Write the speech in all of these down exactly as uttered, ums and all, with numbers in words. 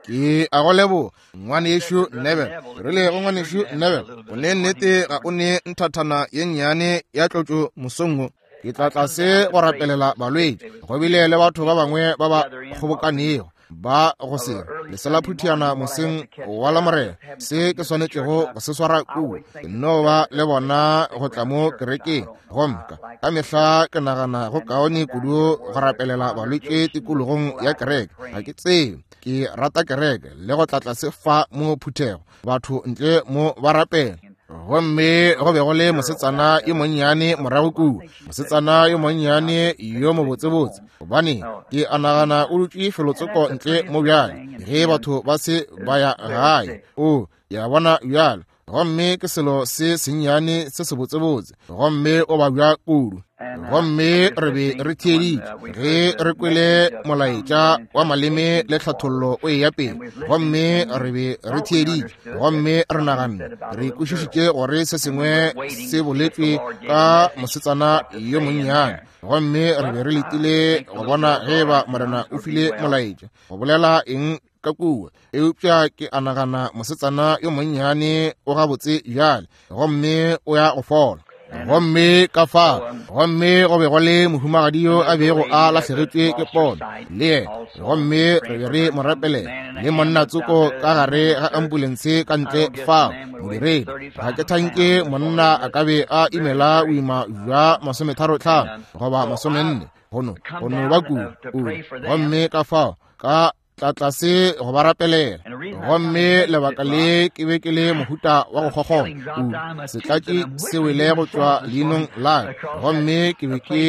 Ke a go leboga, ngwanešu Neville. Ke rile go ngwanešu Neville, o ne nnete ga o ne nthathana ye nnyane ya tlotšo mosong wo. Ke tla tlase go rapelela balwetši. Go bile le batho ba bangwe ba ba kgobokanego ba go se lesela phuthiana moseng wa Lamorena, se ke swanetšego go se swara kua. Ke no ba le bona go tla mo kerekeng, gomme ka ka mehla ke nagana go kaone kudu go rapelela balwetši tikologong ya kereke. Ga ke tsebe, ke rata kereke le go tla tlase fa mo phuthego, batho ntle mo ba rapela. Gomme go be go le mosetsana yo monnyane morago kua, mosetsana yo monnyane yo mobotsebotse, gobane ke a nagana o dutše felotsoko ntle mo bjale, ge batho ba se ba ya gae. O ya bona bjalo, gomme ke selo se sennyane se sebotsebotse, gomme o babja kudu. Gomme re be re theeditše ge re kwele molaetša wa maleme le tlhathollo o eya pele, gomme re be re theeditše, gomme re naganne re kwešišitše gore se sengwe se boletšwe ka mosetsana yo monnyane, gomme re be re letile go bona ge ba Morena o file molaetša go bolela eng ka kua. Eupša ke a nagana mosetsana yo monnyane o gabotse bjale, gomme o ya go fola. Gomme ka fa, gomme go be go le mohumagadi yo a bego a lahlegetšwe ke pono le yena, gomme re be re mo rapelela, le monna tsoko ka gare ga ambulense ka ntle fao, modiredi. Ga ke thanke monna a ka be a imela boima bja masometharo tlhano goba masomenne, gono go no ba kudu kudu. Gomme ka fao ka tla tlase go ba rapelela. Gomme lebaka le ke be ke le mohuta wa go kgokgona kudu, setlatši se wele go tšwa leinong la ka, gomme ke be ke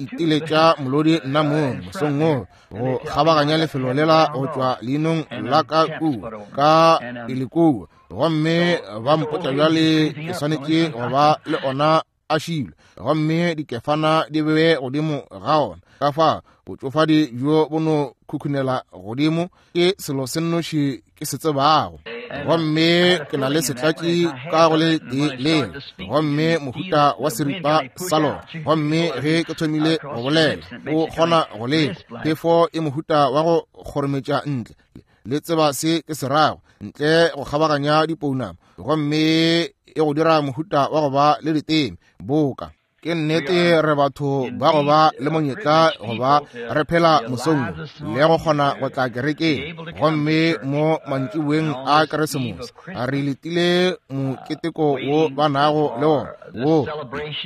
itiletša molodi nna mong mosong wo go kgabaganya lefelo lela go tšwa leinong la ka kua ka pele kua. Gomme ba mpotša bjale ke swanetše go ba le ona a šilwe, gomme dikefana di bewe godimo ga ona. Ka fa botšofadi bjo bo no khukhunela godimo ke selo se nnoši ke se tsebago. Gomme ke na le setlatši ka go le tee lela, gomme mohuta wa seripa sa lona. Gomme ge ke thomile go bolela, o kgona go lekwa phefo e mohuta wa go kgorometša ntle, le tseba se ke se rago, ntle go kgabaganya dipounama, gomme e go dira mohuta wa go ba le diteme boka. Ke nnete re batho ba go ba le monyetla go ba re phela mosong le go kgona go tla kerekeng, gomme mo mantšiboeng a Keresemose re letile moketeko wo ba nago le wona wo.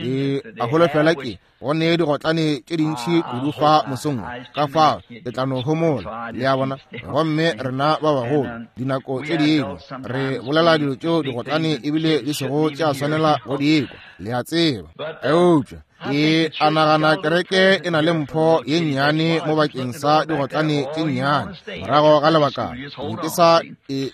Ke a holofela ke go ne digotlane tše dintši kudu fa mosong, ka fao ke tla no homola, le a bona. Gomme rena ba bagolo dinako tše dingwe re bolela dilo tšeo digotlane ebile di sego tša swanela go di kwa, le a tseba. Eupša ke a nagana kereke e na le mpho ye nnyane mo bakeng sa digotlane tše nnyane. Morago ga lebakana be ke sa e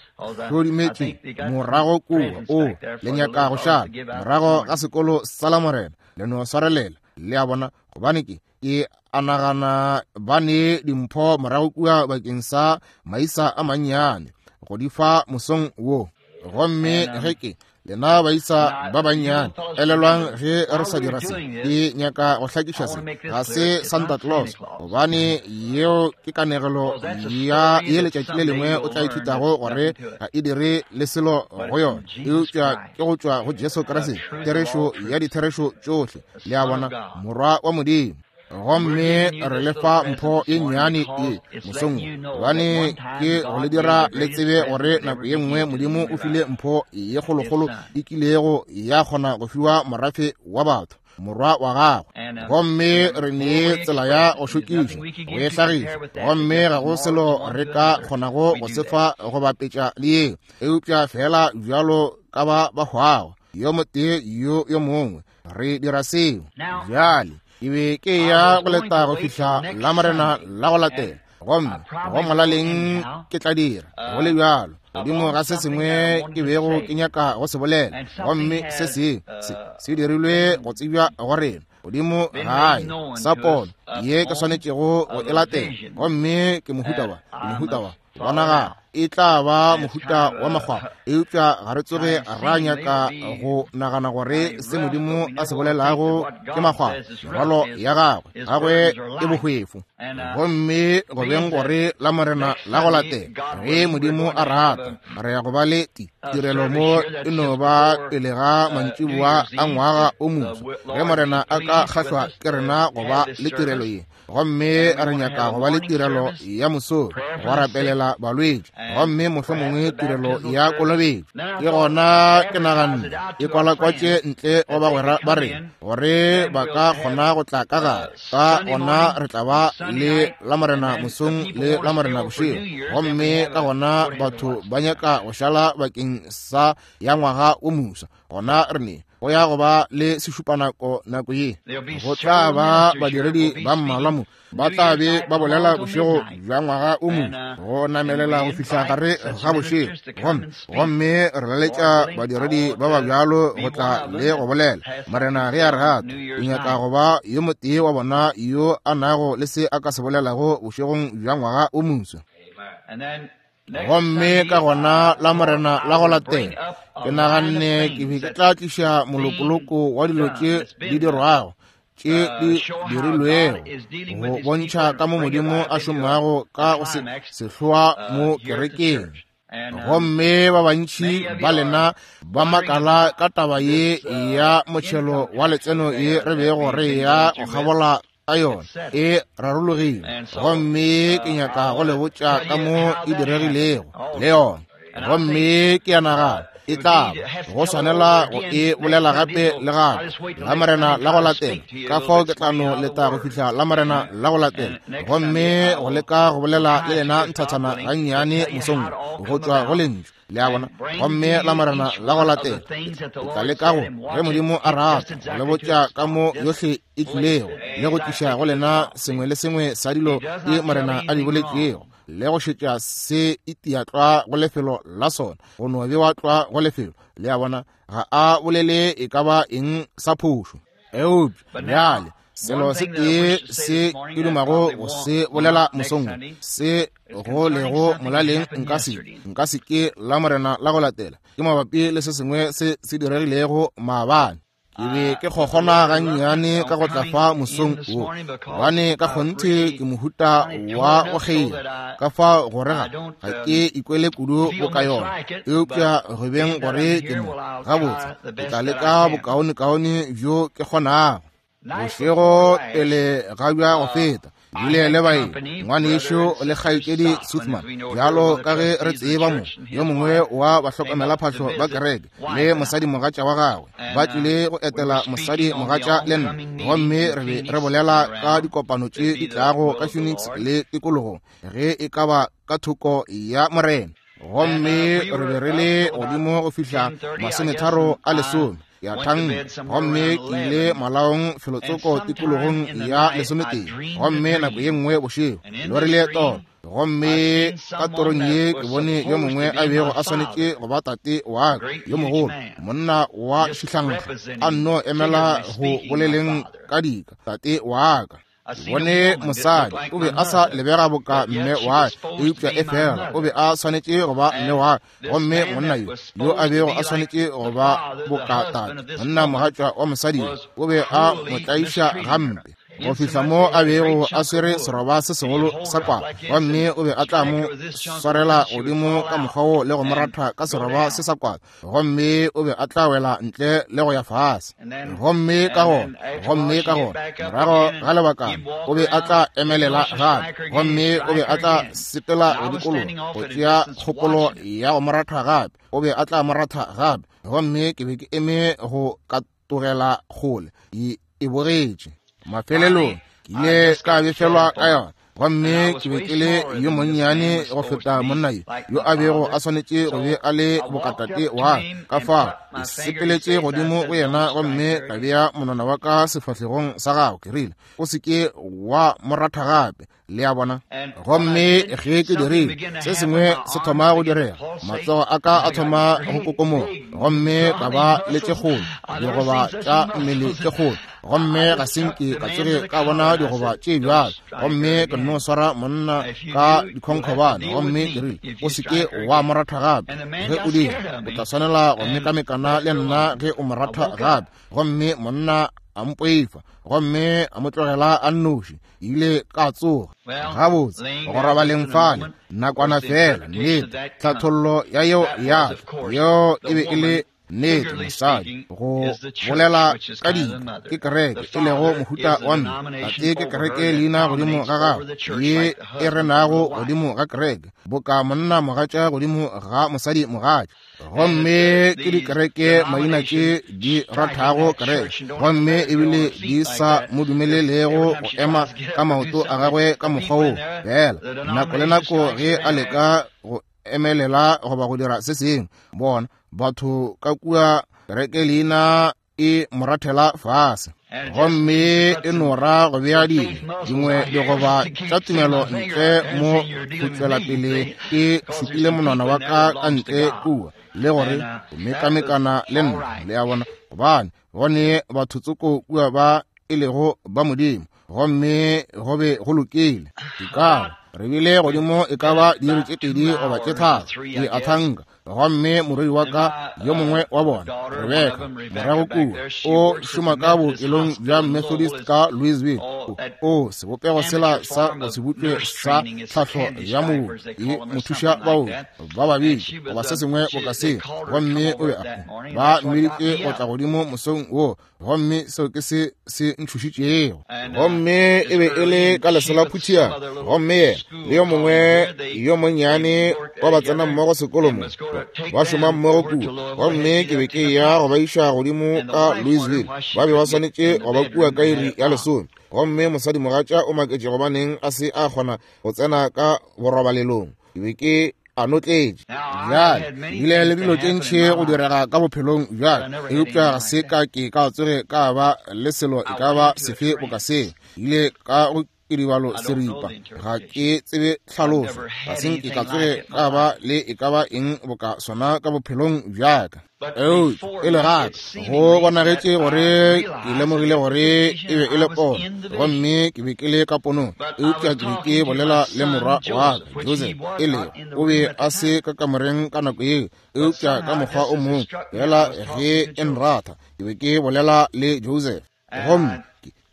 hlodimetše morago kua, o le nyaka go šala morago ga sekolo sa Lamorena, le no swarelela, le a bona, gobane ke ke a nagana ba ne dimpho morago kua bakeng sa maisa a mannyane go di fa mosong wo. Gomme ge ke lena baisa ba bannyane, elelwang ge re sa dira se, ke nyaka go hlakiša se, ga se Santa Claus, gobane yeo ke kanegelo ya ye letšatši le lengwe o tla ithutago gore ga e dire le selo go yona, eupša ke go tšwa go Jesu Kriste, therešo ya ditherešo tšohle, le a bona, Morwa wa Modimo. Gomme re le fa mpho ye nnyane ye mosong, gobane ke go le dira le tsebe gore nako ye nngwe Modimo o file mpho ye kgolokgolo e kilego ya kgona go fiwa morafe wa batho, morwa wa gagwe. Gomme re nee tsela ya go šokiša go e hlagiša, gomme ga go selo re ka kgonago go se fa go bapetša le yeo, eupša fela bjalo ka ba ba hwago yo motee yo yo mongwe, re dira seo. Bjale ke be ke ya go leta go fihla Lamorena la go latela, gomme go molaleng ke tla dira go le bjalo godimo ga se sengwe ke bego ke nyaka go se bolela, gomme se se se se dirilwe go tsebja go rena godimo gae sa pono ye ke swanetšego go e latela, gomme ke mohuta wa mohuta wa bonagala e tla ba mohuta wa makgwakgwa, eupša ga re tsoge ra nyaka go nagana gore se Modimo a se bolelago ke makgwakgwa. Merwalo ya gagwe gagwe e bohwefo. Gomme go beng gore la Morena la go latela, ge Modimo a rata, re ya go ba le tirelo mo e no ba pele ga mantšiboa a ngwaga o moswa, ge Morena a ka kgahlwa ke rena go ba le tirelo ye. Gomme re nyaka go ba le tirelo ya mosong go rapelela balwetši, gomme mohlomongwe tirelo ya kolobetšo. Ke gona ke naganne e kwalakwatše ntle go bagwera ba rena gore ba ka kgona go tla ka gare. Ka gona re tla ba le la Morena mosong le la Morena bošego, gomme ka gona batho ba nyaka go šala bakeng sa ya ngwaga o moswa. Gona re ne go ya go ba le sešupanako nako ye. Go tla ba badiredi ba mmalwa mo ba tla be ba bolela bošego bja ngwaga o moswa go namelela go fihla gare ga bošego, gomme gomme re laletša badiredi ba ba bjalo go tla le go bolela. Morena ge a re rata, o nyaka go ba yo motee wa bona yo a nago le se a ka se bolelago bošegong bja ngwaga o moswa. Gomme ka gona la Morena la go latela, ke naganne ke be ke tla tliša molokoloko wa dilo tše di dirwago, tše di dirilwego, go bontšha ka mo Modimo a šomago ka go se sehloa mo kerekeng. Gomme ba bantši ba lena ba makala ka taba ye ya motšhelo wa letseno ye re bego re ya go kgabola ka yona, e rarologile. Gomme ke nyaka go le botša ka mo e diregilego le yona. Gomme ke a nagana e tla ba go swanela go e bolela gape le gape la Morena la go latela. Ka fao ke tla no leta go fihla la Morena la go latela, gomme go leka go bolela le lena nthathana gannyane mosong go tšwa go lentšu, le a bona. Gomme la Morena la go latela ke tla leka go, ge Modimo a rata, go le botša ka mo yohle e tlilego le go tliša go lena sengwe le sengwe sa dilo tše Morena a di boletšego, le go šetša se itia tlwa go lefelo la sona, go no bewa tlwa go lefelo, le a bona. Ga a bolele e ka ba eng sa phošo. Eupša bjale selo se tee se ke dumago go se bolela mosong se go lego molaleng nka se nka se ke la Morena la go latela, ke mabapi le se sengwe se se diregilego maabane. Ke be ke kgokgona gannyane ka go tla fa mosong wo, gobane ka kgonthe ke mohuta wa go kgeila, ka fao gore ga ga ke ikwele kudu boka yona. Eupša go beng gore ke mo gabotse, ke tla leka bokaonekaone bjo ke kgonago. Bošego pele ga bja go feta, bile le baeng, ngwanešo le kgaetšedi Suthman, bjalo ka ge re tseba mo, yo mongwe wa bahlokomelaphahlo ba kereke le mosadimogatša wa gagwe ba tlile go etela mosadimogatša le nna, gomme re be re bolela ka dikopano tše di tlago ka Phoenix le tikologong ge e ka ba ka thoko ya Morena. Gomme re be re le godimo go fihla masometharo a lesome ya thanka, gomme ke ile malaong felotsoko tikologong ya lesometee. Gomme nako ye nngwe bošego lorile toro, gomme ka torong ye ke bone yo mongwe a bego a swanetše go ba tate wa ka yo mogolo, monna wa šihlankga, a nno emela go boleleng ka dika tate wa ka. Bone mosadi o be a sa lebega boka mme wa ka, eupša e fela o be a swanetše go ba mme wa ka. Gomme monna yo yo a bego a swanetše go ba boka tate, monna mogatša wa mosadi yo, o be a mo tlaiša gampe go fihla mo a bego a swere seroba se segolo sa kwala, gomme o be a tla mo swarela godimo ka mokgwa wo le go mo ratha ka seroba se sa kwala, gomme o be a tla wela ntle le go ya fase. Gomme ka gona gomme ka gona morago ga lebakana o be a tla emelela gape, gomme o be a tla sepela go dikologa go tšea kgopolo ya go mo ratha gape, o be a tla mo ratha gape. Gomme ke be ke eme go katogela kgole e bogetše. Mafelelong ke ile ka befelwa ka yona, gomme ke be ke le yo monnyane go feta monna yo yo a bego a swanetše go be a le bokatate wa ka. Fao ke sepeletše godimo go yena gomme ka bea monwana wa ka sefahlegong sa gagwe, ke rile, o se ke wa mo ratha gape. Le a bona? Gomme ge ke dirile, se sengwe se thoma go direga. Matsogo a ka a thoma go kokomoga, gomme ka ba le tše kgolo, digoba tša mmele tše kgolo. Gomme ga se nke ka tsoge ka bona digoba tše bjalo. Gomme ke nno swara monna ka dikhonkgobane, gomme ke rile, o se ke wa mo ratha gape. Ge o dira, o tla swanela go mekamekana le nna ge o mo ratha gape. Gomme monna a mpoifa, gomme a mo tlogela a nnoši. Ile ka tsoga. Gabotse, go robaleng fale nakwana fela, nnete tlhathollo ya yeo ya yeo e be e le nnete. Mosadi go bolela ka dika ke kereke, e lego mohuta wa mme. Tate ke kereke leina godimo ga gagwe, ye e renago godimo ga kereke, boka monna mogatša godimo ga mosadi mogatša. Gomme ke dikereke maina tše di rathago kereke, gomme ebile di sa mo dumelelego go ema ka maoto a gagwe ka mokgwa wo. Fela nako le nako ge a leka go emelela goba go dira se sengwe, bona batho ka kua kereke leina e morathela fase, gomme e nora go bea dingwe dingwe digoba tša tumelo ntle mo go tšwela pele. Ke šupile monwana wa ka ka ntle kua, le gore o mekamekana le nna. Le a bona? Gobane gone batho tsoko kua ba e lego ba Modimo, gomme go be go lokile. Dikabo re bile godimo e ka ba diiri tše pedi goba tše tharo, ke a thanka. Gomme morwedi wa ka yo mongwe wa bona, Rebecca, morago kua o šoma ka bookelong bja Methodist ka Louisville. O sebopego sela sa go se butlwe sa tlhahlo ya mooki e mothuša baoki ba babedi goba se sengwe boka seo. Gomme o be a ba mmeditše go tla godimo mosong wo, gomme seo ke se se ntšhošitšego. Gomme e be e le ka lesela phuthiana, gomme yena le yo mongwe yo monnyane wa ba tsena mmogo sekolo mo, ba šoma mmogo kua. Gomme ke be ke ya go ba iša godimo ka Louisville. Ba be ba swanetše go ba kua ka iri ya lesome. Gomme mosadi mogatša o maketše gobaneng a se a kgona go tsena ka borobalelong. Ke be ke a notletše. Bjale bile le dilo tše ntši go direga ka bophelong bjale, eupša ga se ka ke ka tsoge ka ba le selo e ka ba sefe boka seo. Ile ka go kiribalo seripa, ga ke tsebe tlhaloso, ga se nke ka tsoge ka ba le e ka ba eng boka sona ka bophelong bjaka. Eupša e le gape go bonagetše gore ke lemogile gore e be e le pono, gomme ke be ke le ka ponong. Eupša ke be ke bolela le morwa wa ka Joseph, e lego o be a se ka kamoreng ka nako yeo, eupša ka mokgwa o mongwe fela ge e nratha ke be ke bolela le Joseph. Gomme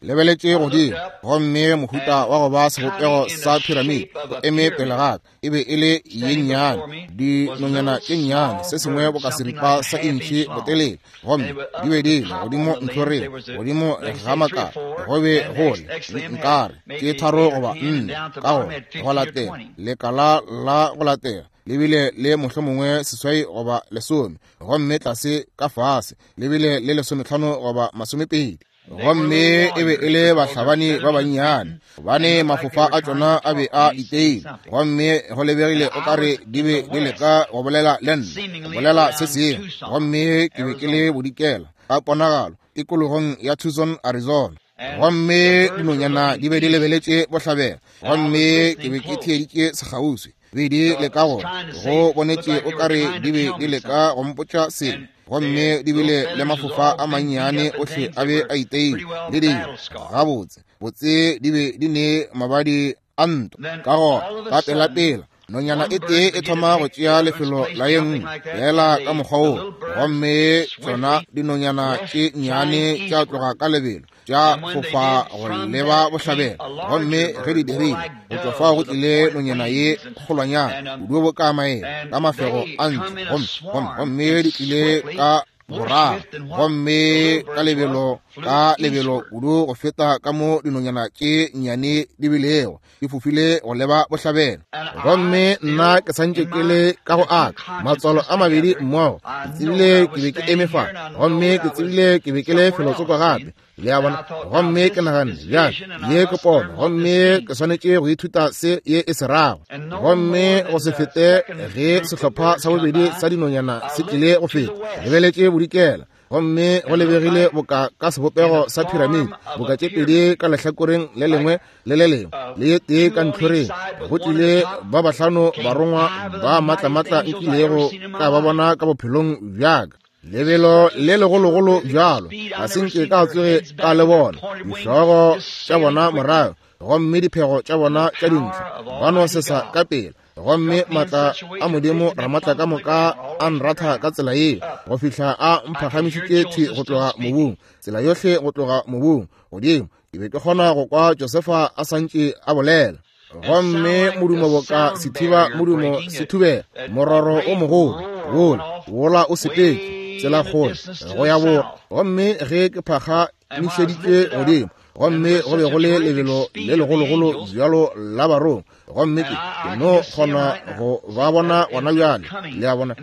lebeletše godimo, gomme mohuta wa go ba sebopego sa piramide o eme pele ga ka. E be e le ye nnyane, dinonyana tše nnyane, se sengwe boka seripa sa intšhi botelele, gomme di be di le godimo ntlhoreng, godimo ga makala. Go be go le nkare tše tharo goba nne ka gona go latela lekala la go latela le bile le mohlomongwe seswai goba lesome, gomme tlase ka fase le bile le lesometlhano goba masomepedi. Gomme e be e le bahlabani ba bannyane, gobane mafofa a tšona a be a iteile, gomme go lebegile o kare di be di leka go bolela le nna, go bolela se sengwe. Gomme ke be ke le bodikela ka ponagalo tikologong ya Tucson, Arizona. Gomme dinonyana di be di lebeletše bohlabela, gomme ke be ke theeditše sekgauswi. Be di leka gore go bonetše o kare di be di leka go mpotša selo, gomme di bile le mafofa a mannyane ohle a be a iteile le dilo gabotse botse, di be di ne mabadi a ntwa. Ka gona ka pelapela nonyana e tee e thoma go tšea lefelo la ye nngwe fela ka mokgwa wo, gomme tšona dinonyana tše nnyane tša tloga ka lebelo tša fofa go leba bohlabela. Gomme ge di dirile, go tšwa fao go tlile nonyana ye kgolwanyana kudu boka maeba ka mafego a ntle, gomme gomme di tlile ka boraro, gomme ka lebelo ka lebelo kudu go feta ka mo dinonyana tše nnyane di bilego di fofile go leba bohlabela. Gomme nna ke santše ke le ka go aka matswalo a mabedi mmogo, ke tsebile ke be ke eme fa, gomme ke tsebile ke be ke le felotsoko gape. Le a bona? Gomme ke naganne, bjale ye ke pono, gomme ke swanetše go ithuta se ye e se rago. Gomme go se fete ge sehlopha sa bobedi sa dinonyana se tlile go feta, lebeletše bodikela. Gomme go lebegile boka ka sebopego sa piramidi, boka tše pedi ka lehlakoreng le lengwe le le lengwe, le ye tee ka ntlhoreng. Go tlile ba bahlano barongwa ba matlamatla nkilego ka ba bona ka bophelong bjaka. Lebelo le legologolo bjalo ga se nke ka tsoge ka le bona. Dihlogo tša bona morago, gomme diphego tša bona tša dintlha, ba no sesa ka pele. Gomme matla a Modimo Ramatla ka moka a nratha ka tsela yeo, go fihla a mphagamišitše thwi go tloga mobung, tsela yohle go tloga mobung godimo. Ke be ke kgona go kwa Josefa a santše a bolela. Gomme modumo boka sethiba modumo se thubega, mororo o mogolo wola wola o sepetše tsela kgole go ya borwa. Gomme ge ke phagamišeditšwe godimo, gomme go be go le lebelo le legologolo bjalo la barongwa, gomme ke ke no kgona go ba bona gona bjale. Le a bona,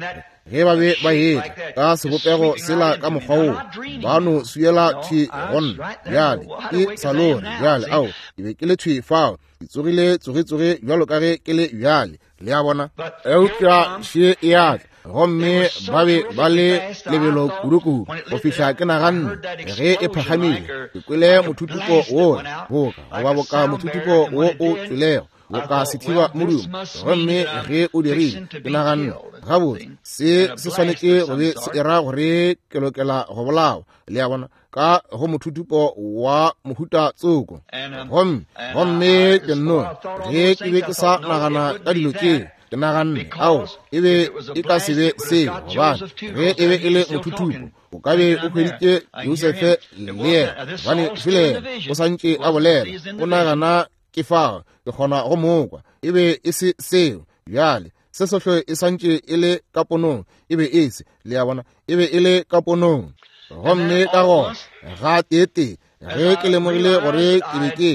ge ba be ba etla ka sebopego sela ka mokgwa woo, ba no swiela thwi go nna. Bjale ke sa lore bjale, ao ke be ke le thwi fao, ke tsogile tsogetsoge bjalo ka ge ke le bjale. Le a bona, eupša še e a tla. Gomme ba be ba le lebelo kudukudu go fihla ke naganne ge e phagamile, ke kwele mothutupo wola boka goba boka mothutupo wo o tšwelego boka sethiba modumo. Gomme ge o dirile, ke naganne gabotse se se swanetše go be se era gore ke lokela go bolawa. Le a bona, ka go mothutupo wa mohuta tsoko. Gomme gomme ke nno ge ke be ke sa nagana ka dilo tšeo, ke naganne ao e be e ka se be seo, gobane ge e be e le mothutupo o ka be o hweditše Josefe le yena, gobane fele o santše a bolela, o nagana ke fao, ke kgona go mokwa. E be e se seo. Bjale se sohle e santše e le ka ponong, e be e se, le a bona, e be e le ka ponong. Gomme ka gona ga tee-tee ge ke lemogile gore ke be ke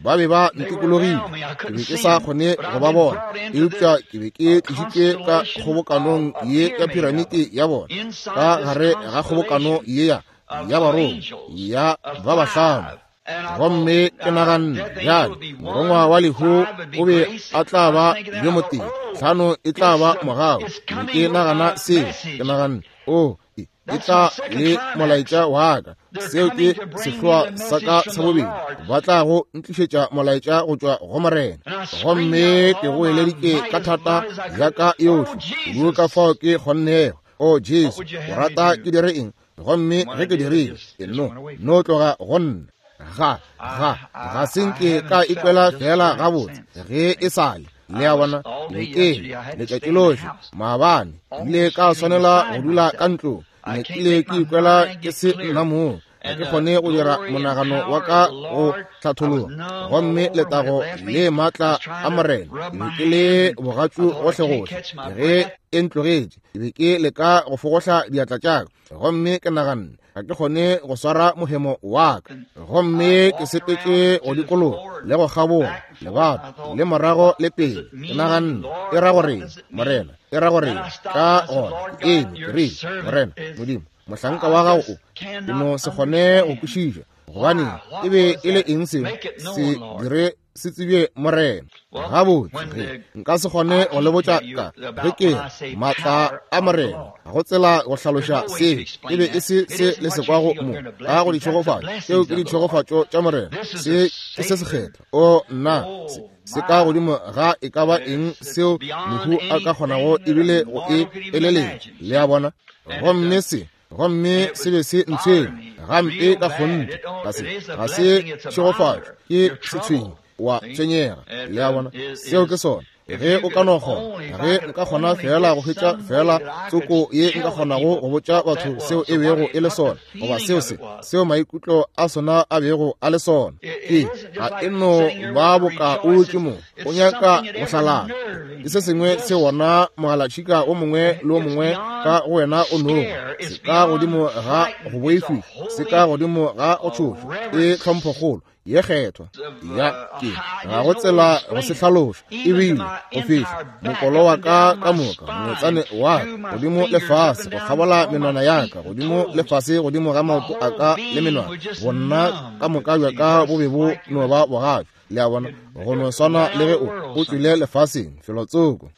ba be ba ntikologile, ke be ke sa kgone go ba bona, eupša ke be ke tlišitšwe ka kgobokanong ye ya piramidi ya bona, ka gare ga kgobokano ye ya ya barongwa ya ba bahlano. Gomme ke naganne bjale morongwa wa lehu o be a tla ba yo motee, hlano e tla ba mogau. Ke ke nagana seo, ke naganne o e tla le molaetša wa ka, seo ke sehloa sa ka sa bobedi, ba tla go ntlišetša molaetša go tšwa go Morena. Gomme ke go eleditše ka thata ya ka yohle kudu ka fao ke kgonnego. O Jesu, o rata ke dire eng? Gomme ge ke dirile, ke no no tloga go nna. Ga ga ga se nke ka ikwela fela gabotse ge e sale. Le a bona, ke letšatši lohle maabane ile ka swanela go dula ka ntlong, ne kile ke ikwela ke se nna moo, ga ke kgone go dira monagano wa ka go hlathologa. Gomme letago le maatla a Morena, ke be ke le bogatšu gohlegohle ge e ntlogetše. Ke be ke leka go fogohla diatla tša ka, gomme ke naganne ga ke kgone go swara mohemo wa ka. Gomme ke sepetše go dikologa le go kgabola lebato le morago le pele. Ke naganne e ra gore Morena, e ra gore ka gona ke eme ke rile, Morena Modimo, mohlanka wa gago o ke no se kgone go kwešiša gobane e be e le eng seo se dire se tsebje Morena. Gabotse ge nka se kgone go le botša ka ge ke maatla a Morena, ga go tsela go hlaloša seo. E be e se se le se kwago mo ka go ditšhegofatšo, seo ke ditšhegofatšo tša Morena, se ke se sekgethwa. O nna, se se ka godimo ga e ka ba eng seo mohu a ka kgonago ebile go e eleletša. Le a bona, gomme se gomme se be se ntshwenye gampe ka kgonthe. Ga se ga se tšhegofatšo, ke setshwenyi, wa tshwenyega. Le a bona, seo ke sona. Ge o ka no kgona, ge nka kgona fela go hwetša fela tsoko ye nka kgonago go botša batho seo e bego e le sona, goba seo se seo maikutlo a sona a bego a le sona. Ke ga e no ba boka o dutše mo o nyaka go hlalana, ke se sengwe se wona mogalatšhika o mongwe le o mongwe ka go wena o nogo, se ka godimo ga go boifiša, se ka godimo ga go tšhoša, e tlhomphokgolo ye kgethwa ya ke ga go tsela go se hlaloša. Ebile go fihla mokolo wa ka ka moka, motsane wa ka godimo le fase, go kgabola menwana ya ka godimo le fase, godimo ga maoto a ka le menwana, bonna ka moka bja ka bo be bo no ba bogatšo. Le a bona, go no swana le ge o o tšwile lefaseng felotsoko.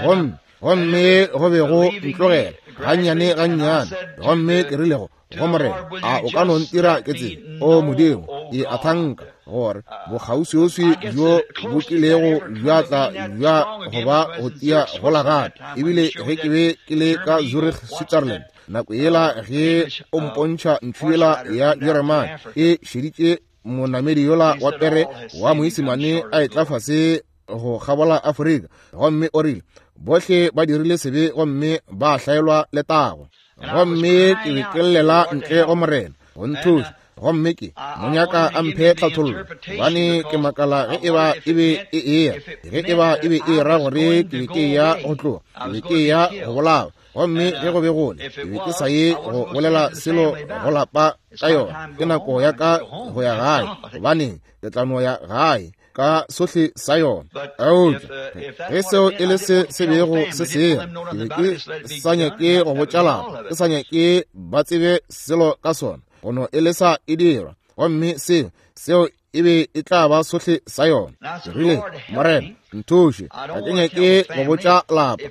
Gomme gomme go be go ntlogela gannyane gannyane. Gomme ke rile go go Morena, a o ka no ntira ke tsebe, o Modimo, ke a thanka gore bokgauswiuswi bjo bo kilego bja tla bja go ba go tia gola gape. Ebile ge ke be ke le ka Zurich, Switzerland, nako yela ge o mpontšha ntho yela ya Jeremane e šeditše monamedi yola wa pere wa Moisimane a etla fase go kgabola Afrika, gomme o rile bohle ba dirile sebe gomme ba hlaelwa letago. Gomme ke be ke llela ntle go Morena go nthuša, gomme ke mo nyaka a mphe tlhathollo, gobane ke makala ge eba e be e eya, ge eba e be e ra gore ke be ke eya go tloga, ke be ke eya go bolawa. Gomme ge go be gole, ke be ke sa ye go bolela selo go lapa ka yona. Ke nako ya ka go ya gae, gobane ke tla no ya gae ka sohle sa yona. Eupša ge seo e le se se bego se seya, ke be ke sa nyake go botša lapa, ke sa nyake ba tsebe selo ka sona, go no e le sa e dirwa. Gomme seo seo e be e tla ba sohle sa yona. Ke rile, Morena, nthuše, ga ke nyake go botša lapa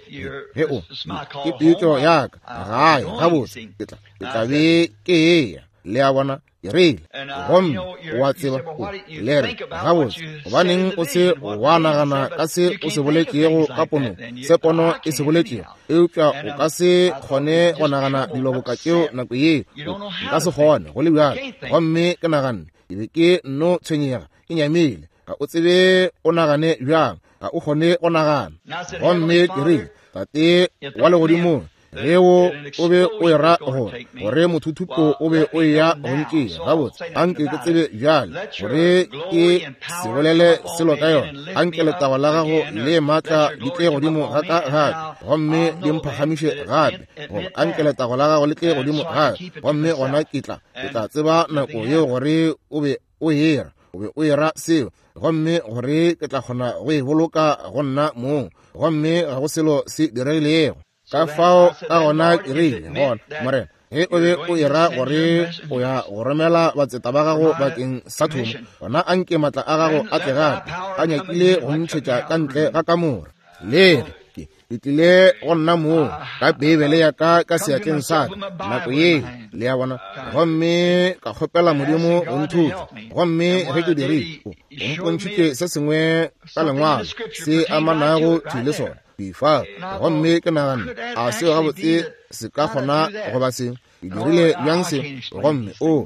ge o ke pitšo ya ka gae gabotse, ke tla ke tla be ke eya. Le a bona? Ke rile, gomme o a tseba, o le re gabotse, gobaneng o se wa nagana ka se o se boletšego ka ponong, se pono e se boletšego, eupša o ka se kgone go nagana dilo boka tšeo nako yeo. Nka se kgone go le bjalo. Gomme ke naganne, ke be ke nno tshwenyega, ke nyamile, ga o tsebe o nagane bjang, ga o kgone go nagana. Gomme ke rile, Tate wa legodimong, ge o o be o era gore gore mothuthupo o be o eya go ntšea, gabotse anke ke tsebe bjale gore ke se bolele selo ka yona. Anke letago la gago le maatla di tle godimo ga ka gape, gomme di mphagamiše gape, goba anke letago la gago le tle godimo gape, gomme gona ke tla ke tla tseba nako yeo gore o be o era, o be o era seo, gomme gore ke tla kgona go e boloka go nna mong, gomme ga go selo se diregilego. Ka fao ka gona ke rile, gona Morena, ge o be o era gore o ya go romela batseta ba gago bakeng sa thomo, gona anke maatla a gago a tle gape, a nyakile go ntšhetša ka ntle ga kamora. Le re, ke tlile go nna moo ka Beibele ya ka ka seatleng sa ka nako yeo, le a bona, gomme ka kgopela Modimo go nthuša. Gomme ge ke dirile, o mpontšhitše se sengwe ka lengwalo se amanago thwi le sona fa. Gomme ke naganne, a seo gabotse se ka kgona goba se ke dirile bjang se? Gomme o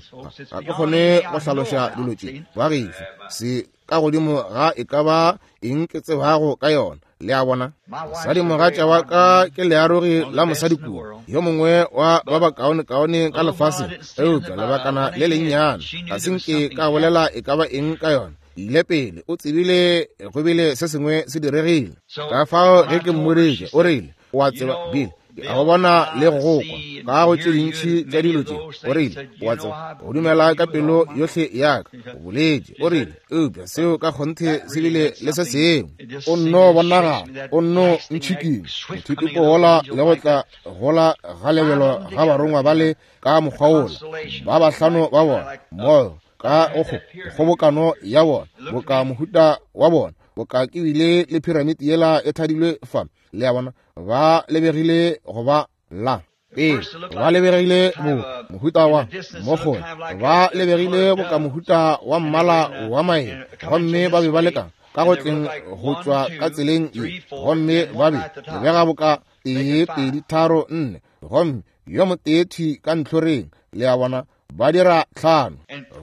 ga ke kgone go hlaloša dilo tše ba gešo, se ka godimo ga e ka ba eng ke tsebago ka yona. Le a bona? Mosadi-mogatša wa ka ke learogi la mosadi kua, yo mongwe wa ba bakaonekaone ka lefaseng, eupša lebakana le lennyane ga se nke ka bolela e ka ba eng ka yona. Ile pele o tsebile go bile se sengwe se diregile. Ka fao ge ke mmoditše, o rile, o a tseba Bill, ke a go bona le go go kwa ka go tše dintši tša dilo tše. O rile, o a tseba, go dumela ka pelo yohle ya ka, o boletše. O rile, eupša seo ka kgonthe se bile le se sengwe. O nno bonagala, o nno ntšhikile mothuthupo wola le go tla gola ga lebelo ga barongwa bale ka mokgwa wola, ba bahlano ba bona mmogo ka go kgobokano ya bona, boka mohuta wa bona, boka ke bile le piramiti yela e thadilwe fa. Le a bona, ba lebegile go ba la pele, ba lebegile bo mohuta wa mokgole, ba lebegile boka mohuta wa mmala wa maele, gomme ba be ba leka ka go tleng go tšwa ka tseleng ye, gomme ba be lebega boka tee pedi tharo nne, gomme yo motee thwi ka ntlhoreng. Le a bona, ba dira tlhano,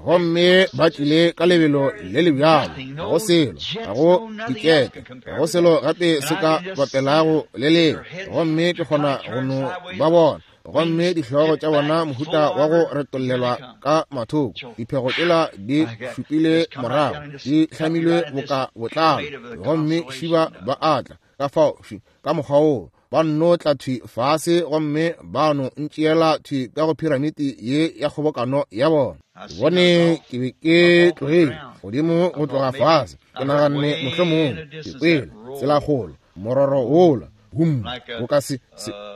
gomme ba tlile ka lebelo le le bjalo, ga go selo, ga go dikepe, ga go selo gape se ka bapelago le leo. Gomme ke kgona go no ba bona, gomme dihlogo tša bona mohuta wa go retollelwa ka mathoko, diphego tšela di šupile morago, di hlamilwe boka botlalo, gomme šiba ba atla ka fao ka mokgwa woo. Ba nno tla thwi fase gomme ba no ntšeela thwi ka go piramiti ye ya kgobokano ya bona. Bone ke be ke tlogile godimo go tloga fase, ke naganne mohlomongwe ke kwele tselakgolo mororo wola hum boka se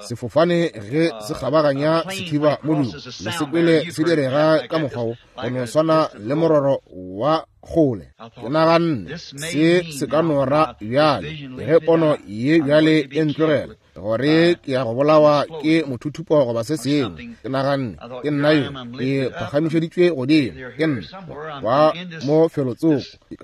sefofane ge se kgabaganya sethiba modumo, le se kwele se direga ka mokgwa wo, go no swana le mororo wa kgole. Ke naganne se se ka no ra bjale, ge pono ye bjale e ntlogela, gore ke ya go bolawa ke mothuthupo goba se sengwe. Ke naganne ke nna yo ke phagamišeditšwe godimo, ke nna wa mo felotsoko, ke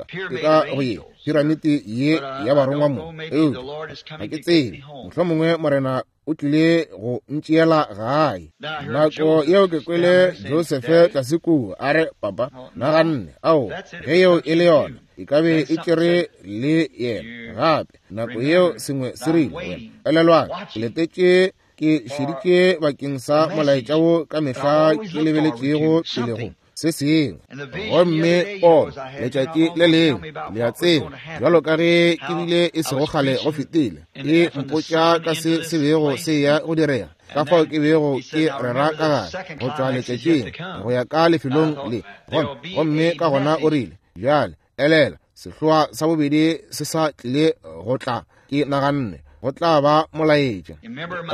ka go ye piramiti ye ya barongwa mo. Eupša ga ke tsebe, mohlomongwe Morena o tlile go ntšeela gae. Nako yeo ke kwele Josefe tlase kua a re, papa, naganne, ao, ge yeo e le yona, e ka be e tšere le yena gape. Nako yeo sengwe se rile, wena elelwang, ke letetše, ke šeditše bakeng sa molaetša wo ka mehla ke lebeletšego pele go se sengwe. Gomme pono letšatši le lengwe, le a tseba, bjalo ka ge ke bile e sego kgale go fetile, e mpotša ka se se bego se ya go direga, ka fao ke bego ke rera ka gare go tšwa letšatšing go ya ka lefelong le. Gomme ka gona o rile, bjale elela, sehloa sa bobedi se sa tlile go tla. Ke naganne go tla ba molaetša.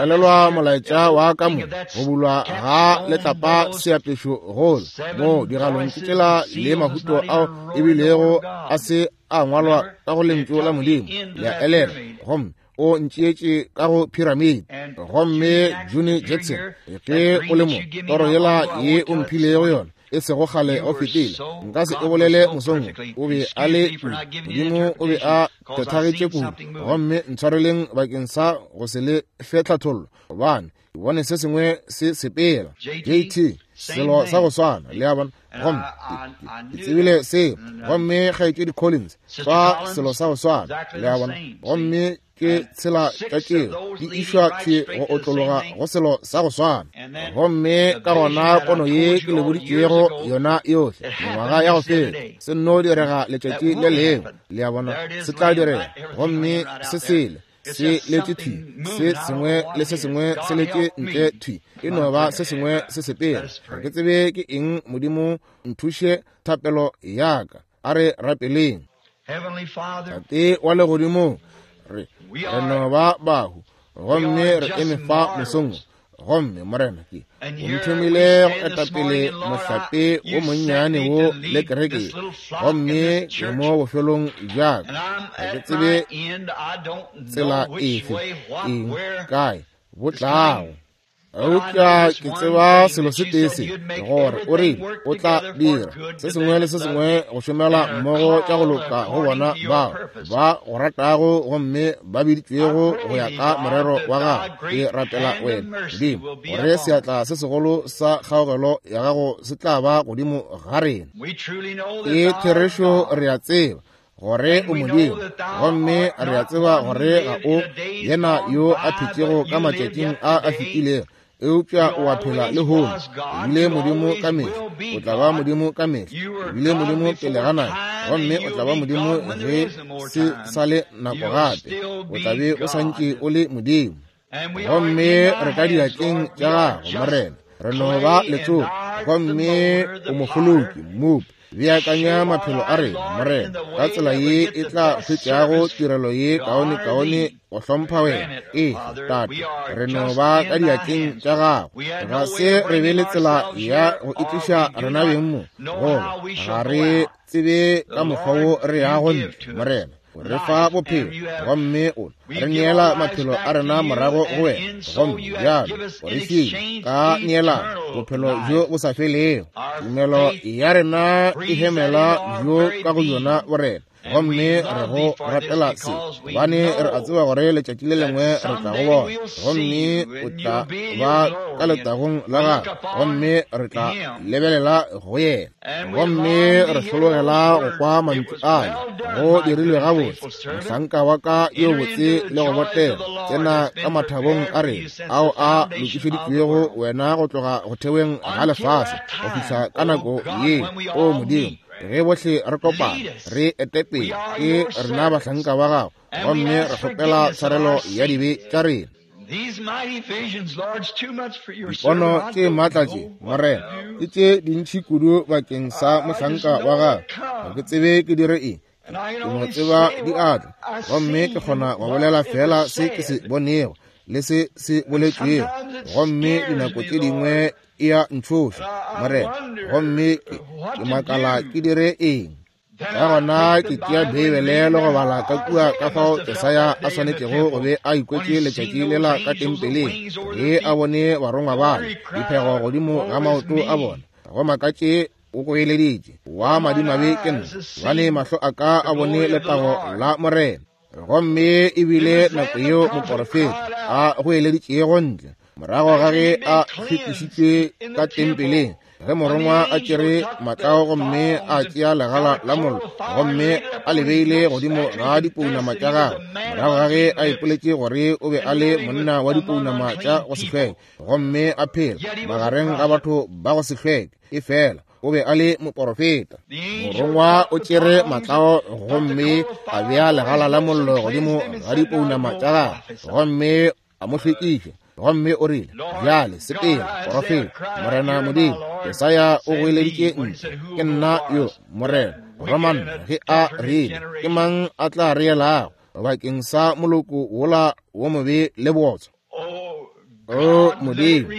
Elelwa molaetša wa ka mo go bulwa ga letlapa seapešo gola mo digalong ke tšela le mahuto ao ebilego a se a ngwalwa ka go lentšu la Modimo. Le a elela, gomme o ntšeetše ka go piramidi. Gomme Juni Jackson, ge o le mo, toro yela ye o mphilego yona e sego kgale go fetile, nka se e bolele mosong, o be a le kudu, Modimo o be a phethagetše kudu. Gomme ntshwareleng bakeng sa go se le fe tlhathollo, gobane ke bone se sengwe se sepela. J T, selo sa go swana, le a bona. Gomme ke tsebile seo. Gomme kgaetšedi Collins, fa selo sa go swana, le a bona. Gomme ke tshela tša tšeo di išwa thwi go otlologa go selo sa go swana. Gomme ka gona pono ye ke le boditšego yona yohle mengwaga ya go feta, se nno direga letšatši le lengwe, le a bona, se tla direga. Gomme se sele se letše thwi, se sengwe le se sengwe se letše ntle thwi, e no ba se sengwe se sepela. Ga ke tsebe ke eng. Modimo nthuše thapelo ya ka. A re rapeleng. Tate wa legodimong, re re no ba bahu, gomme re eme fa mosong. Gomme Morena, ke o nthomile go etapele mohlape wo monnyane wo le kereke, gomme ke mo bofelong bja ka. Ga ke tsebe tsela efe, eng, kae bo tlago. Eupša ke tseba selo se tee se, gore o rile o tla dira se sengwe le se sengwe go šomela mmogo tša go loka go bona bao ba go ratago gomme ba biditšwego go ya ka morero wa gago. Ke rapela wena Modimo gore seatla se segolo sa kgaogelo ya gago se tla ba godimo ga rena. Ke therešo, re a tseba gore o Modimo, gomme re a tseba gore ga o yena yo a phetšego ka matšatšing a a fetilego, eupša o a phela lehono. O bile Modimo ka mehla, o tla ba Modimo ka mehla. O bile Modimo pele ga nako, gomme o tla ba Modimo ge se sa le nako gape. O tla be o santše o le Modimo. Gomme re ka diatleng tša gago, Morena. Re no ba letsogo, gomme o mofoloki, mmopi. Beakanya maphelo a rena, Morena, ka tsela ye e tla hwetšago tirelo ye kaone-kaone go hlompha wena. Ee, Tate, re no ba ka diatleng tša gago. Ga se re be le tsela ya go itliša rena beng mo, goba ga re tsebe ka mokgwa wo re yago ntle, Morena. O re fa bophelo, gomme o re neela maphelo a rena morago go wena. Gomme bjalo o re file ka neelano bophelo bjo bo sa felego. Tumelo ya rena e hemela bjo ka go yona borena. Gomme re go rapela se, gobane re a tseba gore letšatši le lengwe re tla go bona, gomme o tla ba ka letagong la gagwe, gomme re tla lebelela go yena. Gomme re hlologela go kwa mantšu ale, go dirilwe gabotse, mohlanka wa ka yo botse le go botega, tsena ka mathabong a rena ao a lokišeditšwego wena go tloga go theweng ga lefase go fihla ka nako ye. O Modimo, ge bohle re kopana re etepele, ke rena bahlanka ba gago, gomme re kgopela tshwarelo ya dibe tša rena. Dipono tše maatla tše, Morena, ke tše dintši kudu bakeng sa mohlanka wa gago. Ga ke tsebe ke dire eng, ke no tseba di atla, gomme ke kgona go bolela fela se ke se bonego le se se boletšwego. Gomme dinako tše dingwe e a ntšhoša, Morena, gomme ke, ke makala ke dire eng. Ka gona ke tšea Beibele le go bala ka kua ka fao Jesaya a swanetšego go be a ikwetše letšatši lela ka tempeleng ge a bone barongwa bale diphego godimo ga maoto a bona. Go makatše o goeleditše, wa madimabe ke nna, gobane mahlo a ka a bone letago la Morena. Gomme ebile nako yeo moporofeta a goeleditšego ntle morago ga ge a hlwekišitšwe ka tempeleng, ge morongwa a tšere matlao gomme a tšea legala la mollo gomme a le beile godimo ga dipounama tša gagwe, morago ga ge a ipoletše gore o be a le monna wa dipounama tša go se hlweke gomme a phela magareng ga batho ba go se hlweke, efela o be a le moporofeta. Morongwa o tšere matlao gomme a bea legala la mollo godimo ga dipounama tša gagwe gomme a mo hlwekiša. Gomme o rile, bjale sepela, porofeta. Morena Modimo, Jesaya o goeleditše ntle, ke nna yo, Morena. Romana ge a rile, ke mang a tla reelago bakeng sa moloko wola wo mobe le bootswa? O Modimo,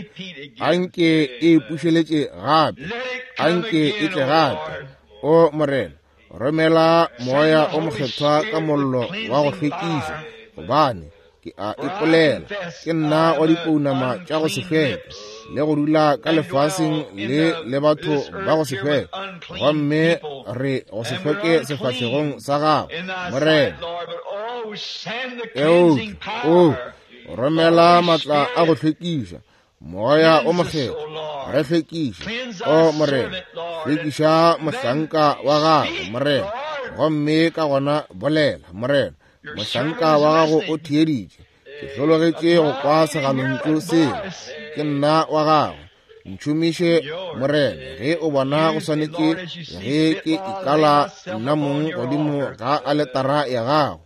anke e ipušeletše gape, anke e tle gape. O Morena, romela moya o mokgethwa ka mollo wa go hlwekiša, gobane ke a ipolela ke nna wa dipounama tša go se hlweke le go dula ka lefaseng le le batho ba go se hlweke, gomme re go se hlweke sefahlegong sa gago, Morena. Eupša o romela matla a go hlwekiša, moya o mokgethwa, re hlwekiše, o Morena, hlwekiša mohlanka wa gago, Morena. Gomme ka gona bolela, Morena, mohlanka wa gago o theeditše. Ke hlologetše go kwa segalontšu seo. Ke nna wa gago. Ntšhomiše, Morena, ge o bona go swanetše ge ke ikala nna mong godimo ga aletara ya gago.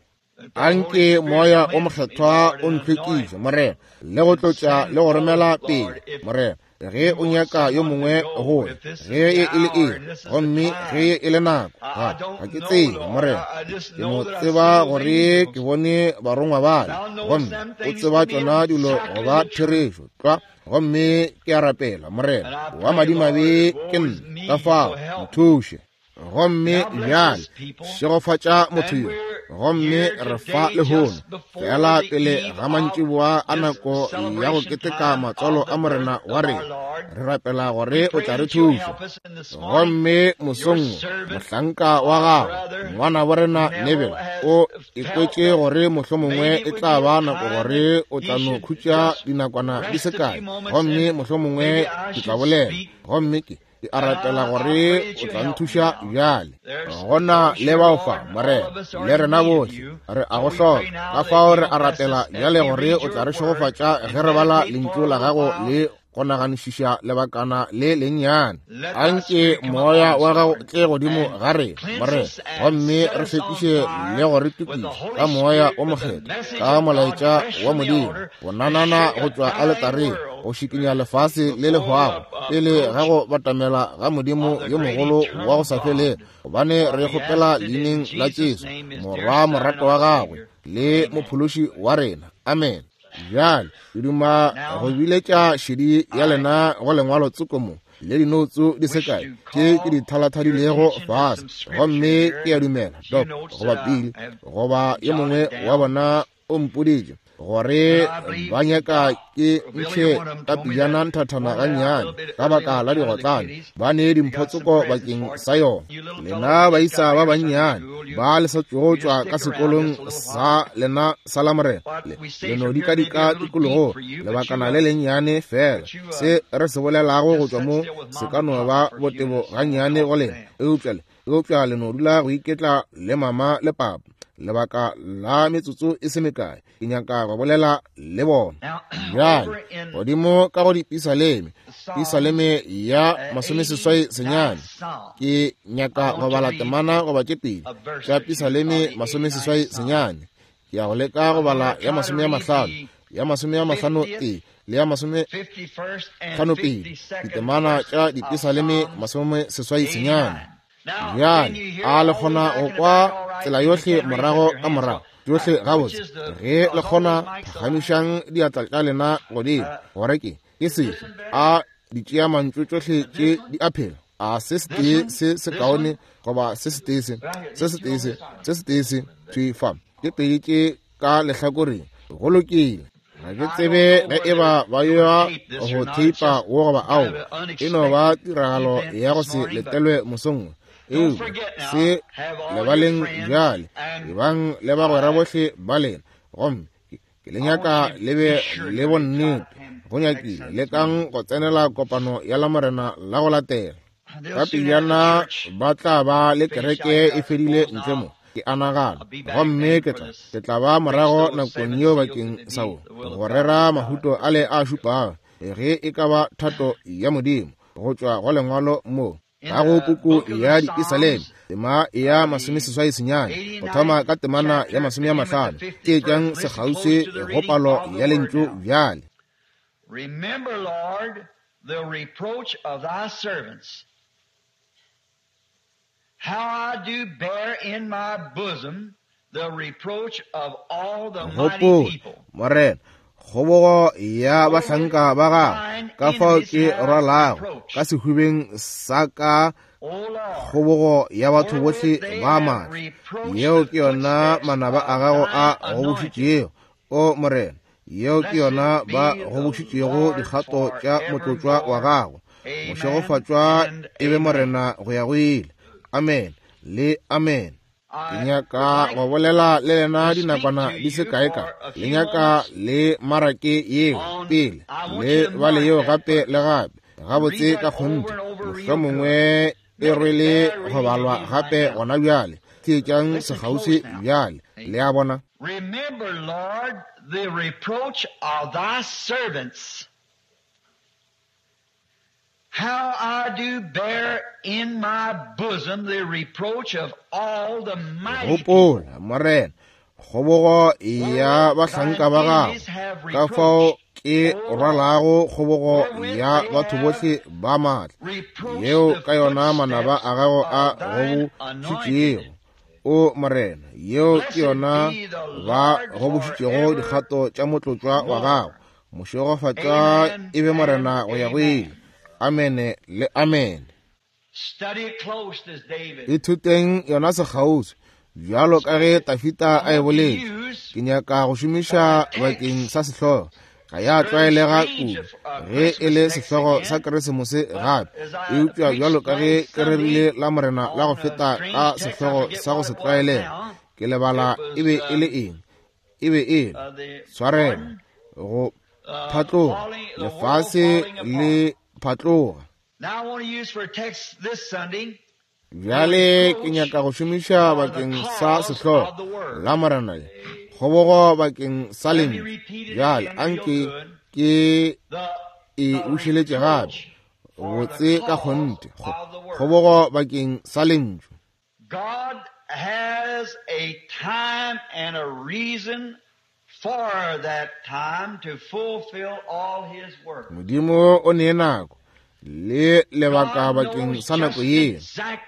Anke moya o mokgethwa o ntlhwekiše, Morena, le go tlotša le go romela pele, Morena, ge o nyaka yo mongwe go ya, ge e le eng, gomme ge e le nako. Ga ga ke tsebe, Morena, ke no tseba gore ke bone barongwa bale, gomme o tseba tšona dilo go ba therešo tlwa. Gomme ke a rapela, Morena, wa madimabe ke nna, ka fao nthuše. Gomme bjale šegofatša motho yo, gomme re fa lehono fela pele ga mantšiboa a nako ya go keteka matswalo a Morena wa rena, re rapela gore o tla re thuša. Gomme mosong mohlanka wa gago, ngwana wa rena Neville, o ikwetše gore mohlomongwe e tla ba nako gore o tla no khutša dinakwana di se kae, gomme mohlomongwe ke tla bolela, gomme ke ke a rapela gore o tla nthuša bjale. Gona le bao fa, Morena, le rena bohle re a go hloka. Ka fao re a rapela bjale gore o tla re šegofatša ge re bala lentšu la gago le go naganišiša lebakana le lennyane. Anke moya wa gago tle godimo ga rena, Morena, gomme re hlwekiše le go re tukiša ka moya o mokgethwa, ka molaetša wa Modimo, go nanana go tšwa aletareng, go šikinya lefase le le hwago pele ga go batamela ga Modimo yo mogolo wa go sa felego, gobane re kgopela leineng la Jesu, Morwa morato wa gagwe le mophološi wa rena. Amen. Bjale ke duma go biletša šedi ya lena go lengwalo tsoko mo le dinoutso di se kae tše ke di thalathadilego fase, gomme ke a dumela Doc goba Pili goba yo mongwe wa bona o mpoditše gore ba nyaka ke ntšhe ka pejana nthathana gannyane ka baka la digotlane, ba ne dimpho tsoko bakeng sa yona. Lena baisa ba bannyane ba le sa tšwago tšwa ka sekolong sa lena sa la Morena, le le no dikadika tikologo lebakana le lennyane fela. Se re se bolelago go tšwa mo se ka no ba botebo gannyane go lena, eupša le eupša le no dula go iketla le mama le papa lebaka la metsotso e se mekae. Ke nyaka go bolela le bona bjale godimo ka go dipisaleme, pisaleme ya masomeseswai senyane. Ke nyaka go bala temana goba tše pedi tša pisaleme masomeseswai senyane. Ke ya go leka go bala ya masome a mahlano, ya masome a mahlano tee le ya masome hlano pedi, ditemana tša dipisaleme masomeseswai senyane. Bjale a le kgona go kwa tsela yohle morago ka morago tšohle gabotse? Ge le kgona, phagamišang diatla tša lena godimo gore ke ke sefe a di tšea mantšu tšohle tše di a phela. A se setee se sekaone goba se setee se, se setee se, se setee se, thwi fa. Ke pedi tše ka lehlakoreng. Go lokile. Ga ke tsebe ge e ba ba ya go theipa wo goba ao. E no ba tiragalo ya go se letelwe mosong wo. Eupša se lebaleng bjale, ebang le bagwera bohle ba lena, gomme ke le nyaka le be le bonnete. Go nyakile lekang go tsenela kopano ya Lamorena la go latela. Ka pejana ba tla ba le kereke e fedile ntle mo, ke a nagana, gomme ke tla ke tla ba morago nakong yeo bakeng sa wo go rera mahuto ale a šupago, ge e ka ba thato ya Modimo, go tšwa go lengwalo mo ka go puku ya Dipesaleme, tema ya masomeseswai senyane, go thoma ka temana ya masome a mahlano. Theetšang sekgauswi go palo ya lentšu bjale. Remember, Lord, the reproach of thy servants, how I do bear in my bosom the reproach of all the mighty Gopola, people. Morena, kgobogo ya bahlanka ba gago, ka fao ke rwalago ka sehubeng sa ka O Lord, kgobogo ya batho bohle ba matla. Yeo ke yona manaba a gago a gobošitšego, o Morena. Yeo ke yona ba gobošitšego dikgato tša motlotšwa wa gago. Mošegofatšwa e be Morena go ya go ile. Amen le amen. Ke nyaka go bolela le lena dinakwana di se kae ka. Le nyaka le marake yeo pele, le bale yeo gape le gape, gabotse ka kgonthe. Mohlomongwe e rwele go balwa gape gona bjale. Theetšang sekgauswi bjale. Le a bona? Remember, Lord, the reproach of thy servants, how I do bear in my bosom the reproach of all the mighty people. Gopola, Morena, kgobogo ya bahlanka ba gago, ka fao ke rwalago kgobogo ya batho bohle ba matla, Reproach yeo the ka yona manaba footsteps a gago a of thine gobošitšego. anointed. O Morena, yeo ke yona ba gobošitšego dikgato tša motlotšwa wa gago. Mošegofatšwa e be Morena go ya go ile. Amene le amene. Study it close as David. Ithuteng yona sekgauswi bjalo ka ge Tafita a e boletše. Ke nyaka go šomiša bakeng sa sehlogo. Ga ya tlwaelega kudu ge e le sehlogo sa Keresemose gape, eupša bjalo ka ge ke rerile la Morena la go feta ka sehlogo sa go se tlwaelega, ke lebala e be e le eng. E be e le Uh, the tshwarelo, go phatloga, lefase le phatloga. Now I want to use for a text this Sunday Bjale ke nyaka go šomiša bakeng sa sehlogo la Morena le kgobogo bakeng sa lentšu. Bjale anke ke the e bušeletše gape, botse ka kgonthe, kgobogo bakeng sa lentšu. God has a time and a reason for that time to fulfill all his work. Modimo o nee nako le lebaka bakeng sa nako yeo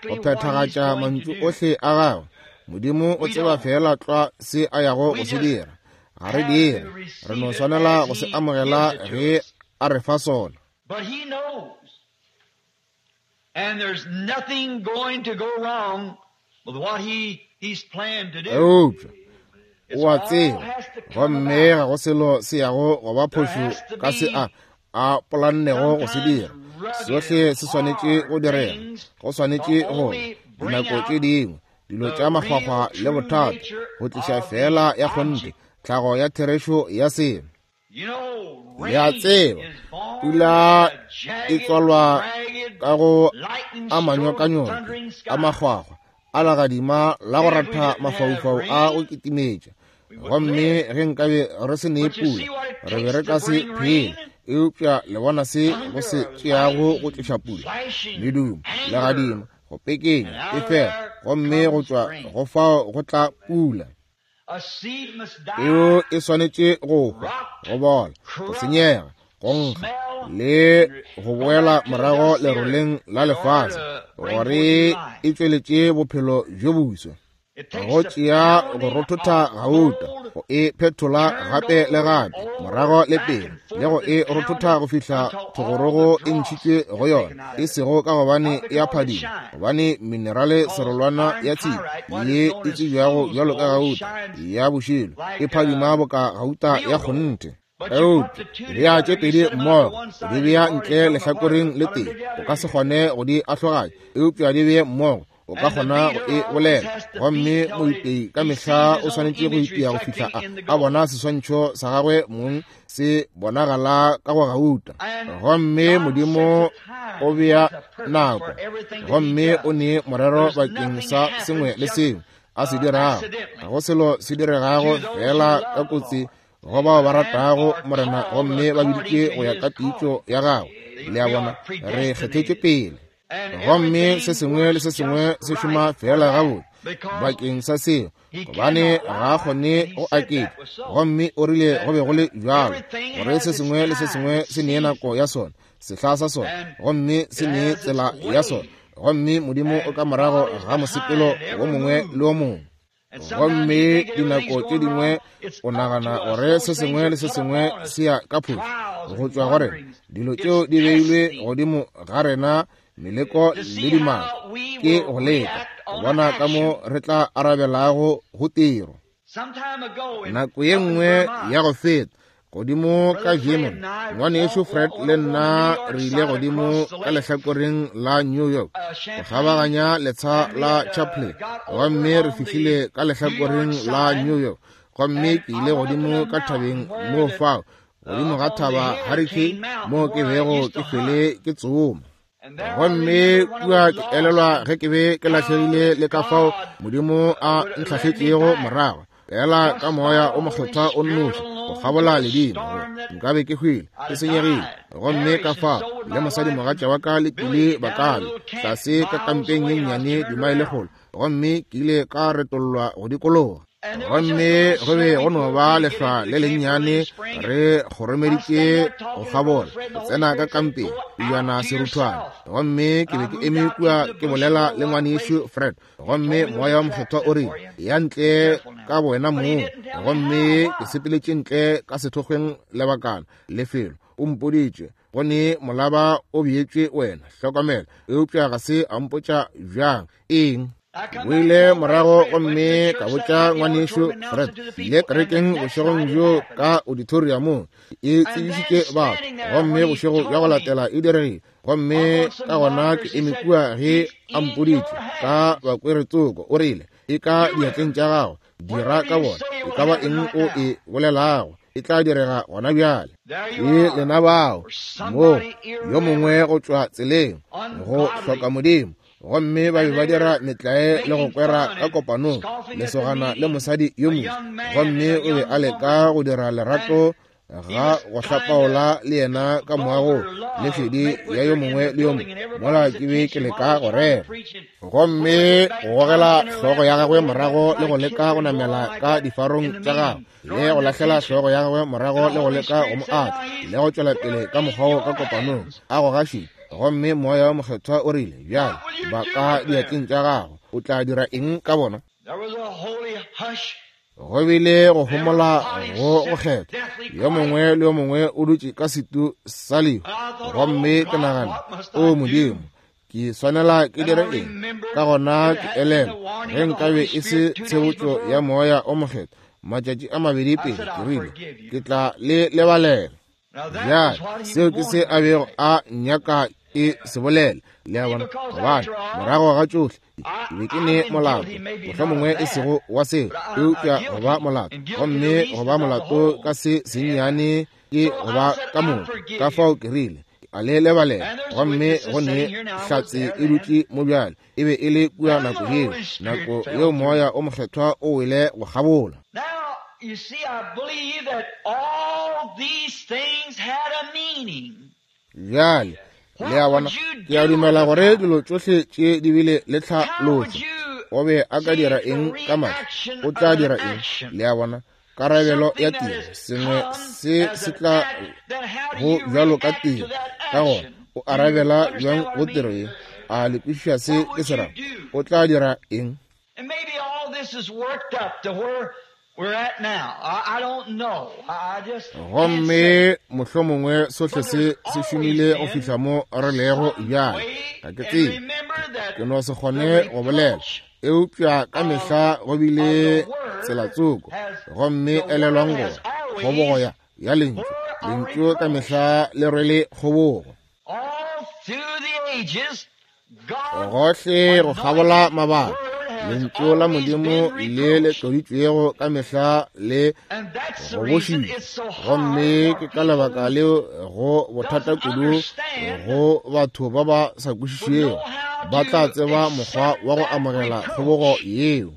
go phethagatša mantšu ohle a gagwe. Modimo o tseba fela tlwa se a yago go se dira. Ga re dire, re no swanela go se amogela ge a re fa sona. But he knows. And there's nothing going to go wrong with what he, he's planned to do. Eupša o a tseba, gomme ga go selo se yago go ba phošo ka se a a polannego go se dira. Sohle se swanetše go direga, go swanetše gore dinako tše dingwe dilo tša makgwakgwa le bothata go tliša fela ya kgonthe tlhago ya therešo ya selo. You know, Le a rain tseba, is born pula in a jagged, e tswalwa ragged, ka go lightning a stroke, manyokanyoke thundering sky. a makgwakgwa a legadima la go ratha mafaufau a go kitimetša. Gomme ge nkabe re se nee pula, re be re ka se phele. Eupša le bona se go se tšeago go tliša pula, medumo, legadima, go pekenya, efela, gomme go tšwa go fao go tla pula. A seed must die, Peo e swanetše go hwa, go bola, go senyega, go nkga le go boela morago leroleng la lefase gore e tšweletše bophelo bjo boswa. Go tšea go rothotha gauta, go e phetola gape le gape, morago le pele, le go e rothotha go fihla thogorogo e ntšhitšwe go yona, e sego ka gobane e a phadima, gobane minerale serolwana ya tshipi ye e tsebjago bjalo ka gauta ya bošilo e phadima boka gauta ya kgonthe. Eupša bea tše pedi mmogo, di bea ntle lehlakoreng le tee, o ka se kgone go di ahloganya, eupša di bee mmogo, o ka kgona go e bolela. Gomme moipei ka mehla o swanetše go ipea go fihla a, a bona seswantšho sa gagwe mong se bonagala ka go gauta. Gomme Modimo o bea nako, gomme o ne morero bakeng sa sengwe le sengwe a se dirago. Ga go selo se diregago fela ka kotsi go bao ba ratago Morena gomme ba biditše go ya ka pitšo ya gagwe. Le a bona, re kgethetšwe pele. Gomme se sengwe le se sengwe se šoma fela gabotse bakeng sa seo, gobane ga a kgone go aketša. Gomme o rile go be go le bjalo, gore se sengwe le se sengwe se nee nako ya sona, sehla sa sona, gomme se nee tsela ya sona. Gomme Modimo o ka morago ga mosepelo wo mongwe le wo mongwe. Gomme dinako tše dingwe o nagana gore se sengwe le se sengwe se ya ka phošo go tšwa go rena. Dilo tšeo di beilwe godimo ga rena, meleko le dimaka, ke go leka go bona ka mo re tla arabelago go tiro. Nako ye nngwe ya go feta, godimo ka Vermont, ngwanešu Fred le nna re ile godimo ka lehlakoreng la New York go kgabaganya letsha la Champlain, gomme re fihlile ka lehlakoreng la New York. Gomme ke ile godimo ka thabeng moo fao, godimo ga thaba Hurricane, moo ke bego ke fele ke tsoma. Gomme kua ke elelwa ge ke be ke lahlegile le ka fao Modimo a ntlhahletšego morago, fela ka moya o mokgethwa o nnoši go kgabola ledimo, nka be ke hwile, ke senyegile. Gomme ka fao le mosadimogatša wa ka le Pili ba ka be tlase ka kampeng ye nnyane dimaele kgolo, gomme ke ile ka retollwa go dikologa. Gomme go be go no ba lehlwa le lennyane, re kgoromeditše go kgabola go tsena ka kampeng pejana seruthwane. Gomme ke be ke eme kua ke bolela le ngwanešu Fred, gomme moya wa mokgethwa o rile, ya ntle ka bowena mong. Gomme ke sepeletše ntle ka sethokgweng lebakana lefelo, o mpoditše go ne molaba o beetšwe wena, hlokomela. Eupša ga se a mpotša bjang eng. O ile morago gomme ka botša ngwanešu Fred, ile kerekeng bošegong bjo ka auditoriumong, e tsebišitše batho, gomme bošego bja go latela e diregile. Gomme ka gona ke eme kua ge a mpoditše ka bakweretsoko, o rile, e ka diatleng tša gago, dira ka bona, e ka ba eng o e bolelago, e tla direga gona bjale. Ke lena bao mo yo mongwe go tšwa tseleng go hloka Modimo, gomme ba be ba dira metlae le go kwera ka kopanong, lesogana le mosadi yo mongwe, gomme o be a leka go dira lerato ga go hlapaola le yena ka moagong le šedi ya yo mongwe le yo mongwe, mola ke be ke leka go rera. Gomme go gogela hlogo ya gagwe morago le go leka go namela ka difarong tša gagwe, le go lahlela hlogo ya gagwe morago le go leka go mo atla, le go tšwela pele ka mokgwa ka kopanong a go gašitše. Gomme moya wa mokgethwa o rile, bjale ba ka diatleng tša gago, o tla dira eng ka bona? Go bile go homola go go kgethwa, yo mongwe le yo mongwe o dutše ka setu sa lehu. Gomme ke nagana, o Modimo, ke swanela ke dire eng? Ka gona ke elelwa ge nkabe e se tshebotšo ya moya o mokgethwa matšatši a mabedi pele, ke rile ke tla le lebalela. Bjale seo ke se a bego a nyaka ke se bolela, le a bona, gobane morago ga tšohle ke be ke ne molato, mohlomongwe e sego wa seo, eupša go ba molato, gomme go ba molato ka se sennyane ke go ba ka moka. Ka fao ke rile a le lebalela, gomme go ne hlatse e dutše mo bjale, e be e le kua nako yeo, nako yeo moya o mokgethwa o wele go kgabola. You see, I believe that all these things had a meaning. Bjale, le a bona, ke a dumela gore dilo tšohle tše di bile le tlhaloso. O be a ka dira eng ka matla? O tla dira eng? Le a bona, karabelo ya tiro, sengwe se se tla go bjalo ka tiro. Ka gona o arabela bjang go tiro ye? A le kwešiša se ke se rago? O tla dira eng? Gomme mohlomongwe sohle se se šomile go fihla mo re lego bjale. Ga ke tsebe, ke no se kgone go bolela, eupša ka mehla go bile tsela tsoko. Gomme elelwang gore kgobogo ya ya lentšu, lentšu ka mehla le rwele kgobogo. Gohle go kgabola mabaka, lentšu la Modimo le le tloditšwego ka mehla le gobošitšwe. Gomme ke ka lebaka leo go bothata kudu go batho ba ba sa kwešišego, ba tla tseba mokgwa wa go amogela kgobogo yeo.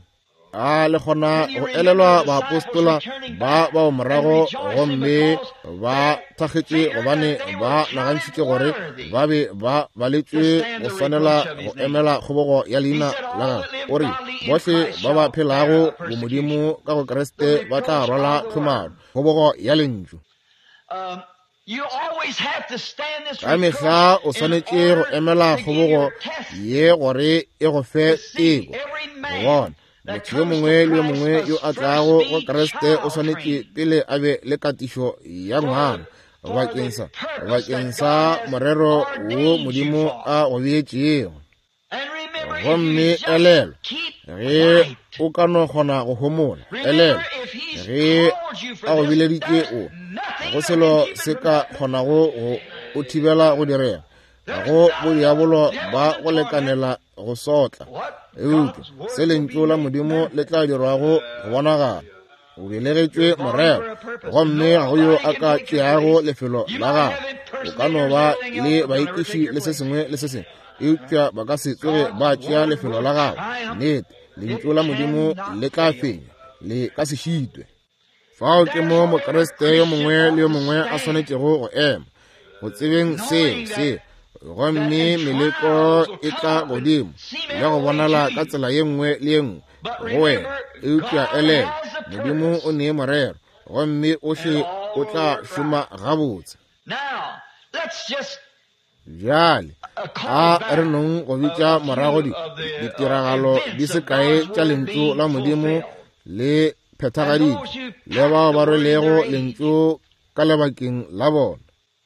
A le kgona go elelwa baapostola ba bao morago, gomme ba thakgetše gobane ba nagantšhitše gore ba be ba baletšwe go swanela go emela kgobogo ya leina la gagwe. O re bohle ba ba phelago bomodimo ka go Kriste ba tla rwala tlhomaro, kgobogo ya lentšu. Ka mehla o swanetše go emela kgobogo ye gore e go fe teko. Go bona motho yo mongwe le yo mongwe yo a tlago go Kriste o swanetše pele a be le katišo ya ngwana bakeng sa bakeng sa morero wo Modimo a go beetšego. Gomme elelwa, ge o ka no kgona go homola, elelwa ge a go bileditše o, go selo se ka kgonago go o thibela go direga. Ga go bodiabolo ba go lekanela go sotla, eupša se lentšu la Modimo le tla dirwago go bonagala. O belegetšwe morero, gomme ga go yo a ka tšeago lefelo la gago. O ka no ba le baekiši le se sengwe le se sengwe, eupša ba ka se tsoge ba tšea lefelo la gago. Nnete, lentšu la Modimo le tla fenya, le ka se šitwe. Fao ke mo Mokriste yo mongwe le yo mongwe a swanetšego go ema, go tsebeng seo seo. Gomme meleko e tla godimo le go bonala ka tsela ye nngwe le ye nngwe go wena, eupša elelwa, Modimo o nee morero, gomme ohle o tla šoma gabotse. Bjale a re nong go bitša morago di ditiragalo di se kae tša lentšu la Modimo le phethagaditšwe, le bao ba rwelego lentšu ka lebakeng la bona.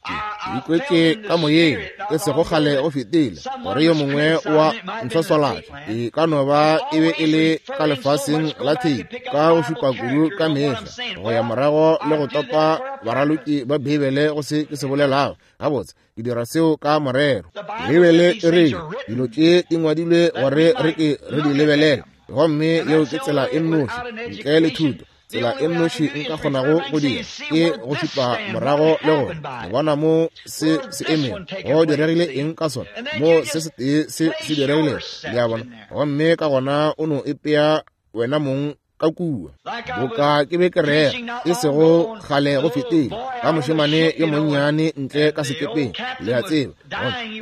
Ke ikwetše ka moyeng e sego kgale go fetile gore yo mongwe wa ntshwaswalatša, e ka no ba e be e le ka lefaseng la theipi, ka go šupa kudu ka mehla go ya morago le go topa baraloki ba Beibele go se ke se bolelago. Gabotse, ke dira seo ka morero. Beibele e re dilo tše di ngwadilwe gore re ke re di lebelele, gomme yeo ke tsela e nnoši ntle le thuto. Tsela e nnoši nka kgonago go dira ke go šupa morago le go bona mo se se emeng, go diregile eng ka sona, mo se se tee se se diregilego, le a bona. Gomme ka gona o no ipea wena mong ka kua. Boka ke be ke rera e sego kgale go fetile ka mošemane yo monnyane ntle ka sekepeng, le a tseba,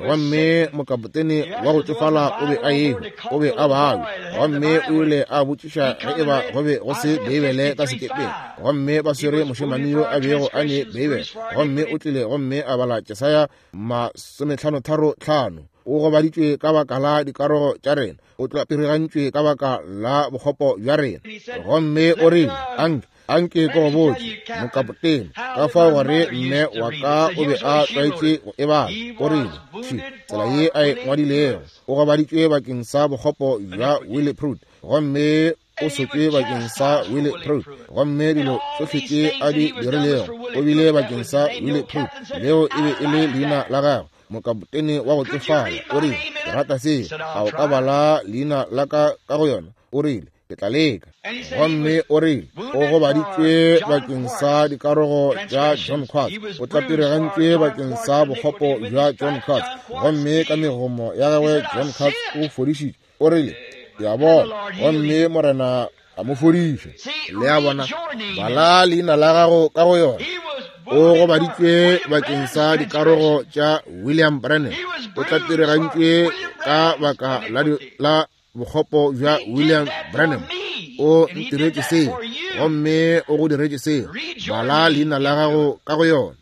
gomme mokapotene wa go tšofala o be a ehwa, o be a babja, gomme o ile a botšiša ge eba go be go se Beibele ka sekepeng. Gomme ba swere mošemane yo a bego a ne Beibele, gomme o tlile gomme a bala Jesaya masomehlanotharo hlano. O gobaditšwe ka baka la dikarogo tša rena, o tlapirigantšwe ka baka la bokgopo bja rena. Gomme o rile, anke anke ke go botše mokapotene ka fao gore mme wa ka o be a tlwaetše go e bala. O rile, thwi tsela ye a e ngwadilego, o gobaditšwe bakeng sa bokgopo bja Willie Pruitt, gomme o sotšwe bakeng sa Willie Pruitt, gomme dilo tsohle tše a di dirilego o bile bakeng sa Willie Pruitt. Leo e be e le leina la gagwe, mokapotene wa go tšofala. O rile, ke rata seo, a o ka bala leina la ka ka go yona? O rile, ke tla leka. Gomme o rile, o gobaditšwe bakeng sa dikarogo tša John Quartz, o tlapirigantšwe bakeng sa bokgopo bja John Quartz, gomme ka megomo ya gagwe John Quartz o fodišitšwe. O rile, ke a bona, gomme Morena a mo fodiša. Le a bona, bala leina la gago ka go yona. O gobaditšwe bakeng sa dikarogo tša William Branham, o tlapirigantšwe ka baka la, la bokgopo bja William Branham. O ntiretše seo, gomme o go diretše seo. Bala leina la gago ka go yona.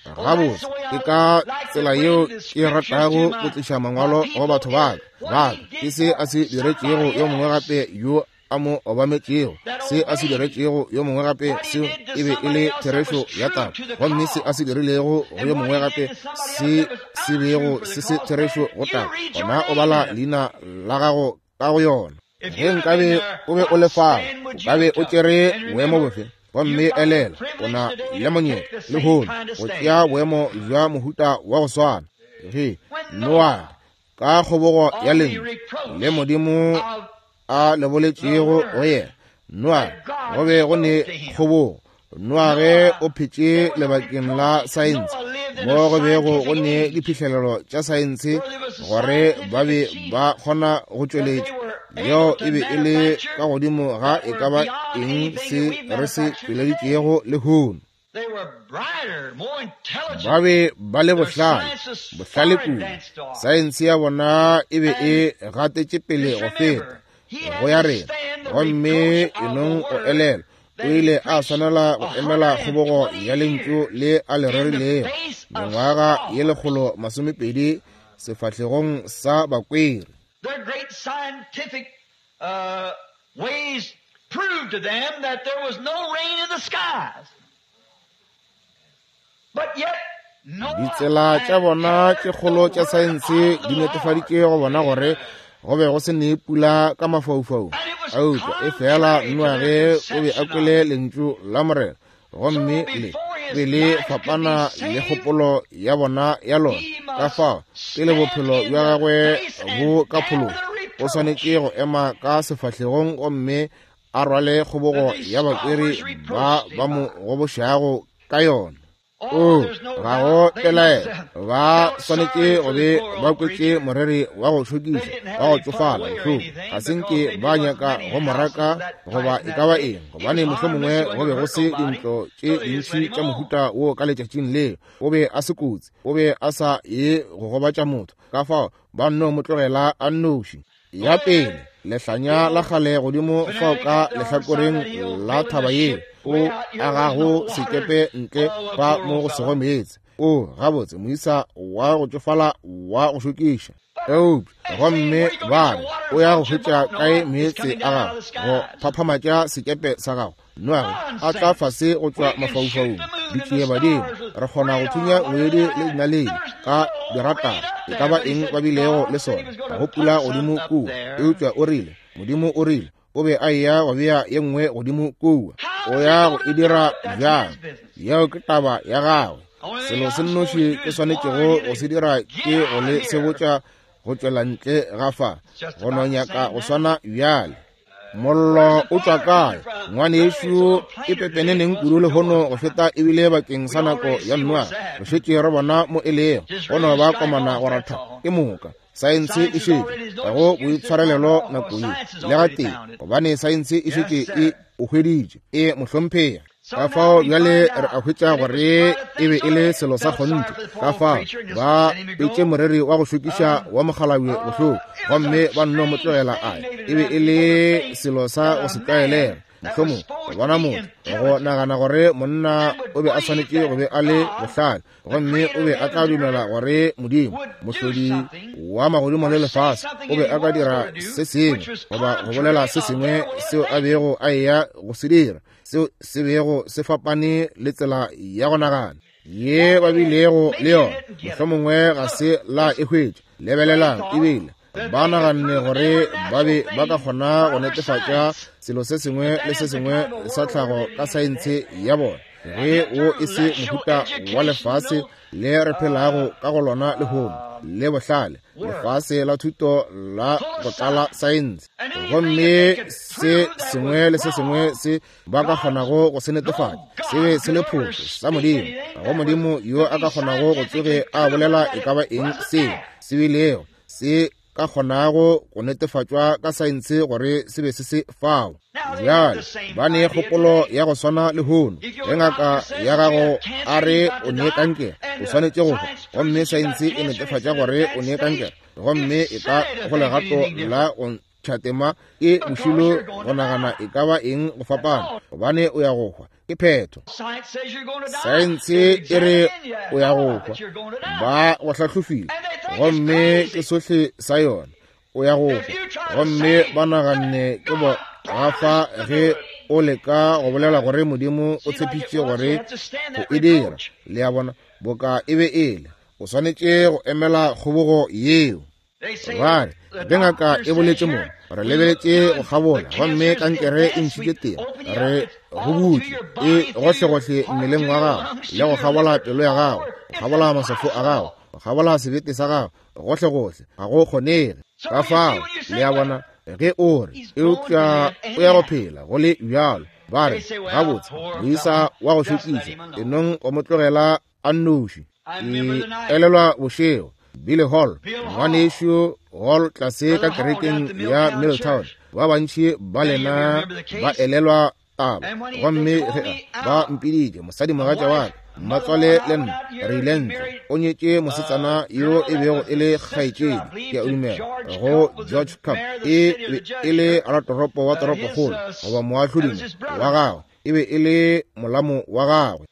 Gabotse, ke ka tsela yeo ke ratago go tliša mangwalo go batho ba ka. Ba ka ke se a se diretšego yo mongwe gape yo a mo obametšego, se a se diretšego yo mongwe gape, seo e be e le therešo ya taba, gomme se a se dirilego go yo mongwe gape, se se bego se se therešo go taba, gona o bala leina la gago ka go yona. Ge nkabe o be o le fao, o ka be o tšere boemo bofe? Gomme elela, o na le monyetla lehono go tšea boemo bja mohuta wa go swana. Ge Noa ka kgobogo ya lentšu le Modimo a le boletšego go yena, Noa go be go ne kgobogo. Noa ge o phetše lebakeng la saense, mo go bego go ne diphihlelelo tša saense gore ba be ba kgona go tšweletša, yeo e be e le ka godimo ga e ka ba eng se re se tšweleditšego lehono. Ba be ba le bohlale, bohlale kudu. Saense ya bona e be e gatetše pele go feta go ya rena. Gomme enong o elela, o ile a swanela go emela kgobogo ya lentšu le a le rerilego mengwaga ye lekgolo masomepedi sefahlegong sa bakweri. Their great scientific uh, ways proved to them that there was no rain in the skies. But yet, Ditsela tša bona tše kgolo tša saense di netefaditše go bona gore go be go se ne pula ka mafaufaung. Eupša e fela Noa ge o be a kwele lentšu la Morena, gomme le be le fapana le kgopolo ya bona ya lona. Ka fao pele bophelo bja gagwe bo ka phološwa, o swanetše go ema ka sefahlegong gomme a rwale kgobogo ya bakweri ba ba mo gobošago ka yona. O, ga go pelaelo, ba swanetše go be ba kwetše moreri wa go šokiša, wa go tšofala bohloko. Ga se nke ba nyaka go mo raka goba e ka ba eng, gobane mohlomongwe go be go se dintlo tše dintši tša mohuta wo ka letšatšing leo. O be a se kotsi, o be a sa ye go gobatša motho, ka fao ba nno mo tlogela a nnoši. Ya pele, lehlanya la kgale godimo fao ka lehlakoreng la thaba yeo, o agago sekepe ntle fa mo go sego meetse. O gabotse moisa wa go tšofala wa go šokiša. Eupša gomme ba re o ya go hwetša kae meetse a gago go phaphamatša sekepe sa gago? Noage a tla fase go tšwa mafaufaung, ditšiebadimo. Re kgona go thunya ngwedi le dinaledi ka diratara, e ka ba eng ba bilego le sona, ga go pula godimo kua. Eupša o rile, Modimo o rile, o be a eya go bea ye nngwe godimo kua. O ya go e dira bjang? Yeo ke taba ya gagwe. Selo se nnoši ke swanetšego go se dira ke go le sebotša go tšwela ntle ga fa, go no nyaka go swana bjale. Mollo o tšwa kae? Ngwanešu, e pepeneneng kudu lehono go feta ebile bakeng sa nako ya Noa. Re šetše re bona mo e lego, go no ba komana go ratha ke moka. Saense e šetše, ga go boitshwarelelo nako ye le gatee, gobane saense e šetše e o hweditše, e mohlomphega. Ka fao bjale re a hwetša gore e be e le selo sa kgonthe. Ka fao ba etše moreri wa go šokiša wa mokgalabje bohloko, gomme ba nno mo tlogela a. E be e le selo sa go se tlwaelega. Mohlomong go bona motho go nagana gore monna o be a swanetše go be a le bohlale, gomme o be a tla dumela gore Modimo, mohlodi wa magodimo le lefase, o be a ka dira se sengwe goba go bolela se sengwe seo a bego a eya go se dira, seo se bego se fapane le tsela ya go nagana ye ba bilego le yona. Mohlomongwe ga se la e hwetša. Lebelelang, ebile ba naganne gore ba be ba ka kgona go netefatša selo se sengwe le se sengwe sa tlhago ka saense ya bona, ge wo e se mohuta wa lefase le re phelago ka go lona lehono, le bohlale, lefase la thuto la go tlala saense. Gomme se sengwe le se sengwe se ba ka kgonago go se netefatša se be se le phošo sa Modimo. Ga go Modimo yo a ka kgonago go tsoge a bolela e ka ba eng seo se bilego se ka kgonago go netefatšwa ka saense gore se be se se fao. Bjale ba ne kgopolo ya go swana lehono. Ge ngaka ya gago a re o ne kankere, o swanetše go hwa, gomme saense e netefatša gore o ne kankere, gomme e ka go legato la go ntšhatema ke bošilo go nagana e ka ba eng go fapana, gobane o ya go hwa. Ke phetho. Saense e re o ya go hwa, ba go hlahlofile, gomme ke sohle sa yona, o ya go hwa, gomme ba naganne ke bo gafa ge o leka go bolela gore Modimo o tshepišitše gore go e dira. Le a bona, boka e be e le, o swanetše go emela kgobogo yeo. Ba re, ge ngaka e boletše mo, re lebeletše go kgabola, gomme kankere e ntšhitše teng, re go butše e gohlegohle mmeleng wa gago, le go kgabola pelo ya gago, go kgabola maswafo a gago, go kgabola sebete sa gago, gohlegohle, ga go kgonege. Ka fao, le a bona, ge o re, eupša o ya go phela go le bjalo, ba re, gabotse, moisa wa go šokiša, enong o mo tlogela a nnoši. Ke elelwa bošego Billy Hall, ngwanešu Hall tlase ka kerekeng ya Milltown. Ba bantši ba lena ba elelwa taba. Gomme ge ba mpiditše, mosadimogatša wa ka, mmatswale le nna, re ile ntle. O nyetše mosetsana yo e bego e le kgaetšedi, ke a dumela, go George Cup. E be e le ratoropo wa toropokgolo, goba moahlodimo wa gagwe. E be e le molamo wa gagwe.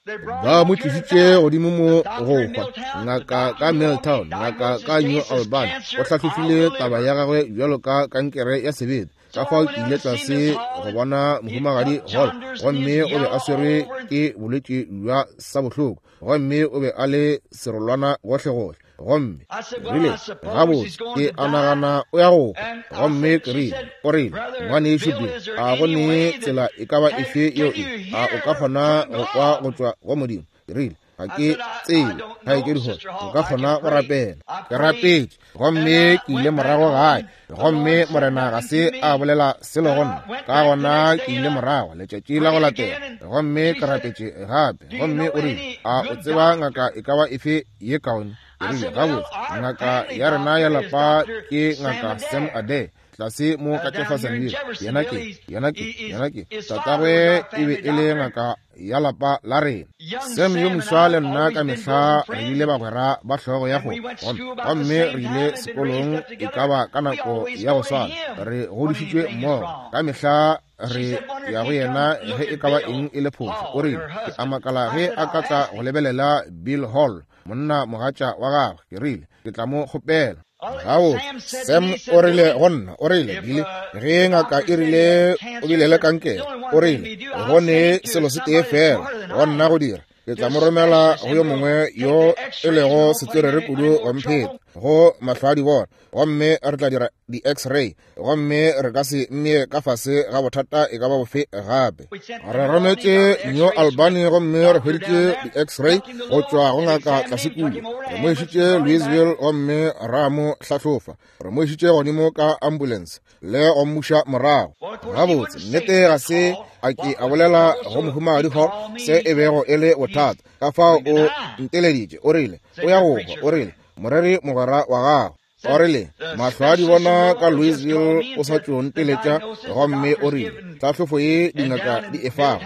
Ba mo tlišitše godimo mo go hwa. Ngaka ka Milltown, ngaka ka New Albany, o hlahlofile taba ya gagwe bjalo ka kankere ya sebete. Ka fao ke ile tlase go bona mohumagadi Hall, gomme o be a swerwe ke bolwetši bja sabohloko, gomme o be a le serolwana gohlegohle. Gomme rile, gabotse, ke a nagana o ya go hwa. Gomme ke rile, o rile, ngwanešu Bill, a go ne tsela e ka ba efe yeo e, a o ka kgona go kwa go tšwa go Modimo? Ke rile, ga ke tsebe, kgaetšedi Hall, o ka kgona go rapela. Ke rapetše, gomme ke ile morago gae, gomme Morena ga se a bolela selo go nna. Ka gona ke ile morago letšatši la go latela, gomme ke rapetše gape. Gomme o rile, a o tseba ngaka e ka ba efe ye kaone? Ke rile, gabotse, ngaka ya rena ya lapa ke ngaka Sam Adair, tlase mo ka Jeffersonville. Yena ke, yena ke, yena ke tatagwe e be e le ngaka ya lapa la rena. Sam yo moswa le nna ka mehla re ile bagwera ba hlogo ya kgomo, gomme re ile sekolong e ka ba ka nako ya go swana. Re godišitšwe mmogo ka mehla, re ya go yena ge e ka ba eng e le phošo. O rile, ke a makala ge a ka tla go lebelela Bill Hall, monna mogatša wa gagwe. Ke rile, ke tla mo kgopela. Gabotse, Sam o rile go nna, o rile, Billy, ge ngaka e rile o bile le kankere, o rile, go ne selo se tee fela go nna go dira, ke tla mo romela go yo mongwe yo e lego setswerere kudu go mpheta, go mahlo a di bona, gomme re tla dira di-x-ray, gomme re ka se mmee ka fase ga bothata e ka ba bofe gape. Re rometše New Albany gomme re hweditše di-x-ray go tšwa go ngaka tlase kua. Re mo išitše Louisville gomme ra mo hlahlofa. Re mo išitše godimo ka ambulance le go mmuša morago. Gabotse, nnete ga se a ke a bolela go mohumagadi Hall se e bego e le bothata. Ka fao o nteleditše, o rile, o ya go hwa, o rile, moreri mogwera wa gago. O rile, mahlo a di bona ka Louisville o sa tšo nteletša, gomme o rile, tlhahlofo ye dingaka di e fago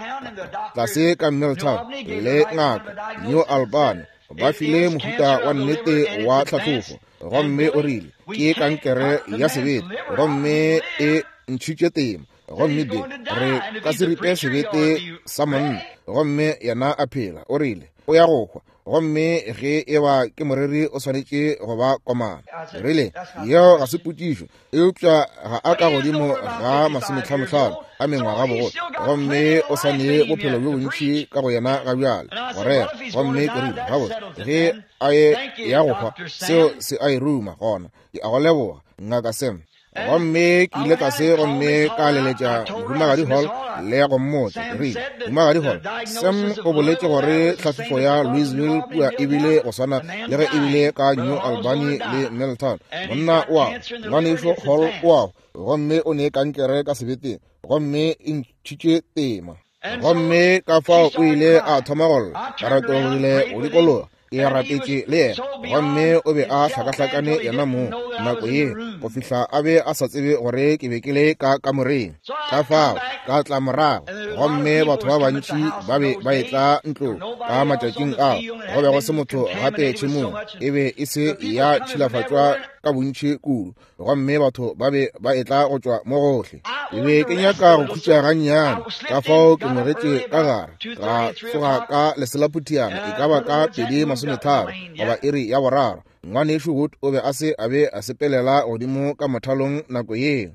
tlase ka Milltown le ngaka New Albany ba file mohuta wa nnete wa tlhahlofo, gomme o rile, ke kankere ya sebete, gomme e ntšhitše tema, gomme be re ka se ripe sebete sa monna, gomme yena a phela. O rile, o ya go hwa, gomme ge e ba ke moreri o swanetše go ba komana. Rile, yeo ga se potšišo, eupša ga a ka godimo ga masometlhanohlano a mengwaga bogolo, gomme o sa ne bophelo bjo bontši ka go yena ga bjale go rera. Gomme ke rile, gabotse, ge a ye ya go hwa, seo se a e ruma gona. Ke a go leboga, ngaka Sam. Gomme ke ile tlase gomme ka leletša mohumagadi Hall le go mmotša. Ke rile, mohumagadi Hall, Sam o boletše gore tlhahlofo ya Louisville kua e bile go swana le ge e bile ka New Albany le Milltown. Monna o a ngwanešu Hall o a gomme o ne kankere ka sebeteng, gomme e ntšhitše tema. Gomme ka fao o ile a thoma go lla, ka retologile go dikologa, ke rapetše le yena, gomme o be a hlakahlakane yena mong nako ye go fihla a be a sa tsebe gore ke be ke le ka kamoreng. Ka fao ka tla morago, gomme batho ba bantši ba be ba etla ntlong ka matšatšing ao. Go be go se motho gape tšhemong, e be e se ya tšhilafatšwa ka bontši kudu, gomme batho ba be ba etla go tšwa mo gohle. Ke be ke nyaka go khutša gannyane, ka fao ke ngwegetše ka gare, ka tsoga ka leselaphutiana e ka ba ka pedi masometharo goba iri ya boraro. Ngwanešu Wood o be a se a be a sepelela godimo ka mothalong nako yeo.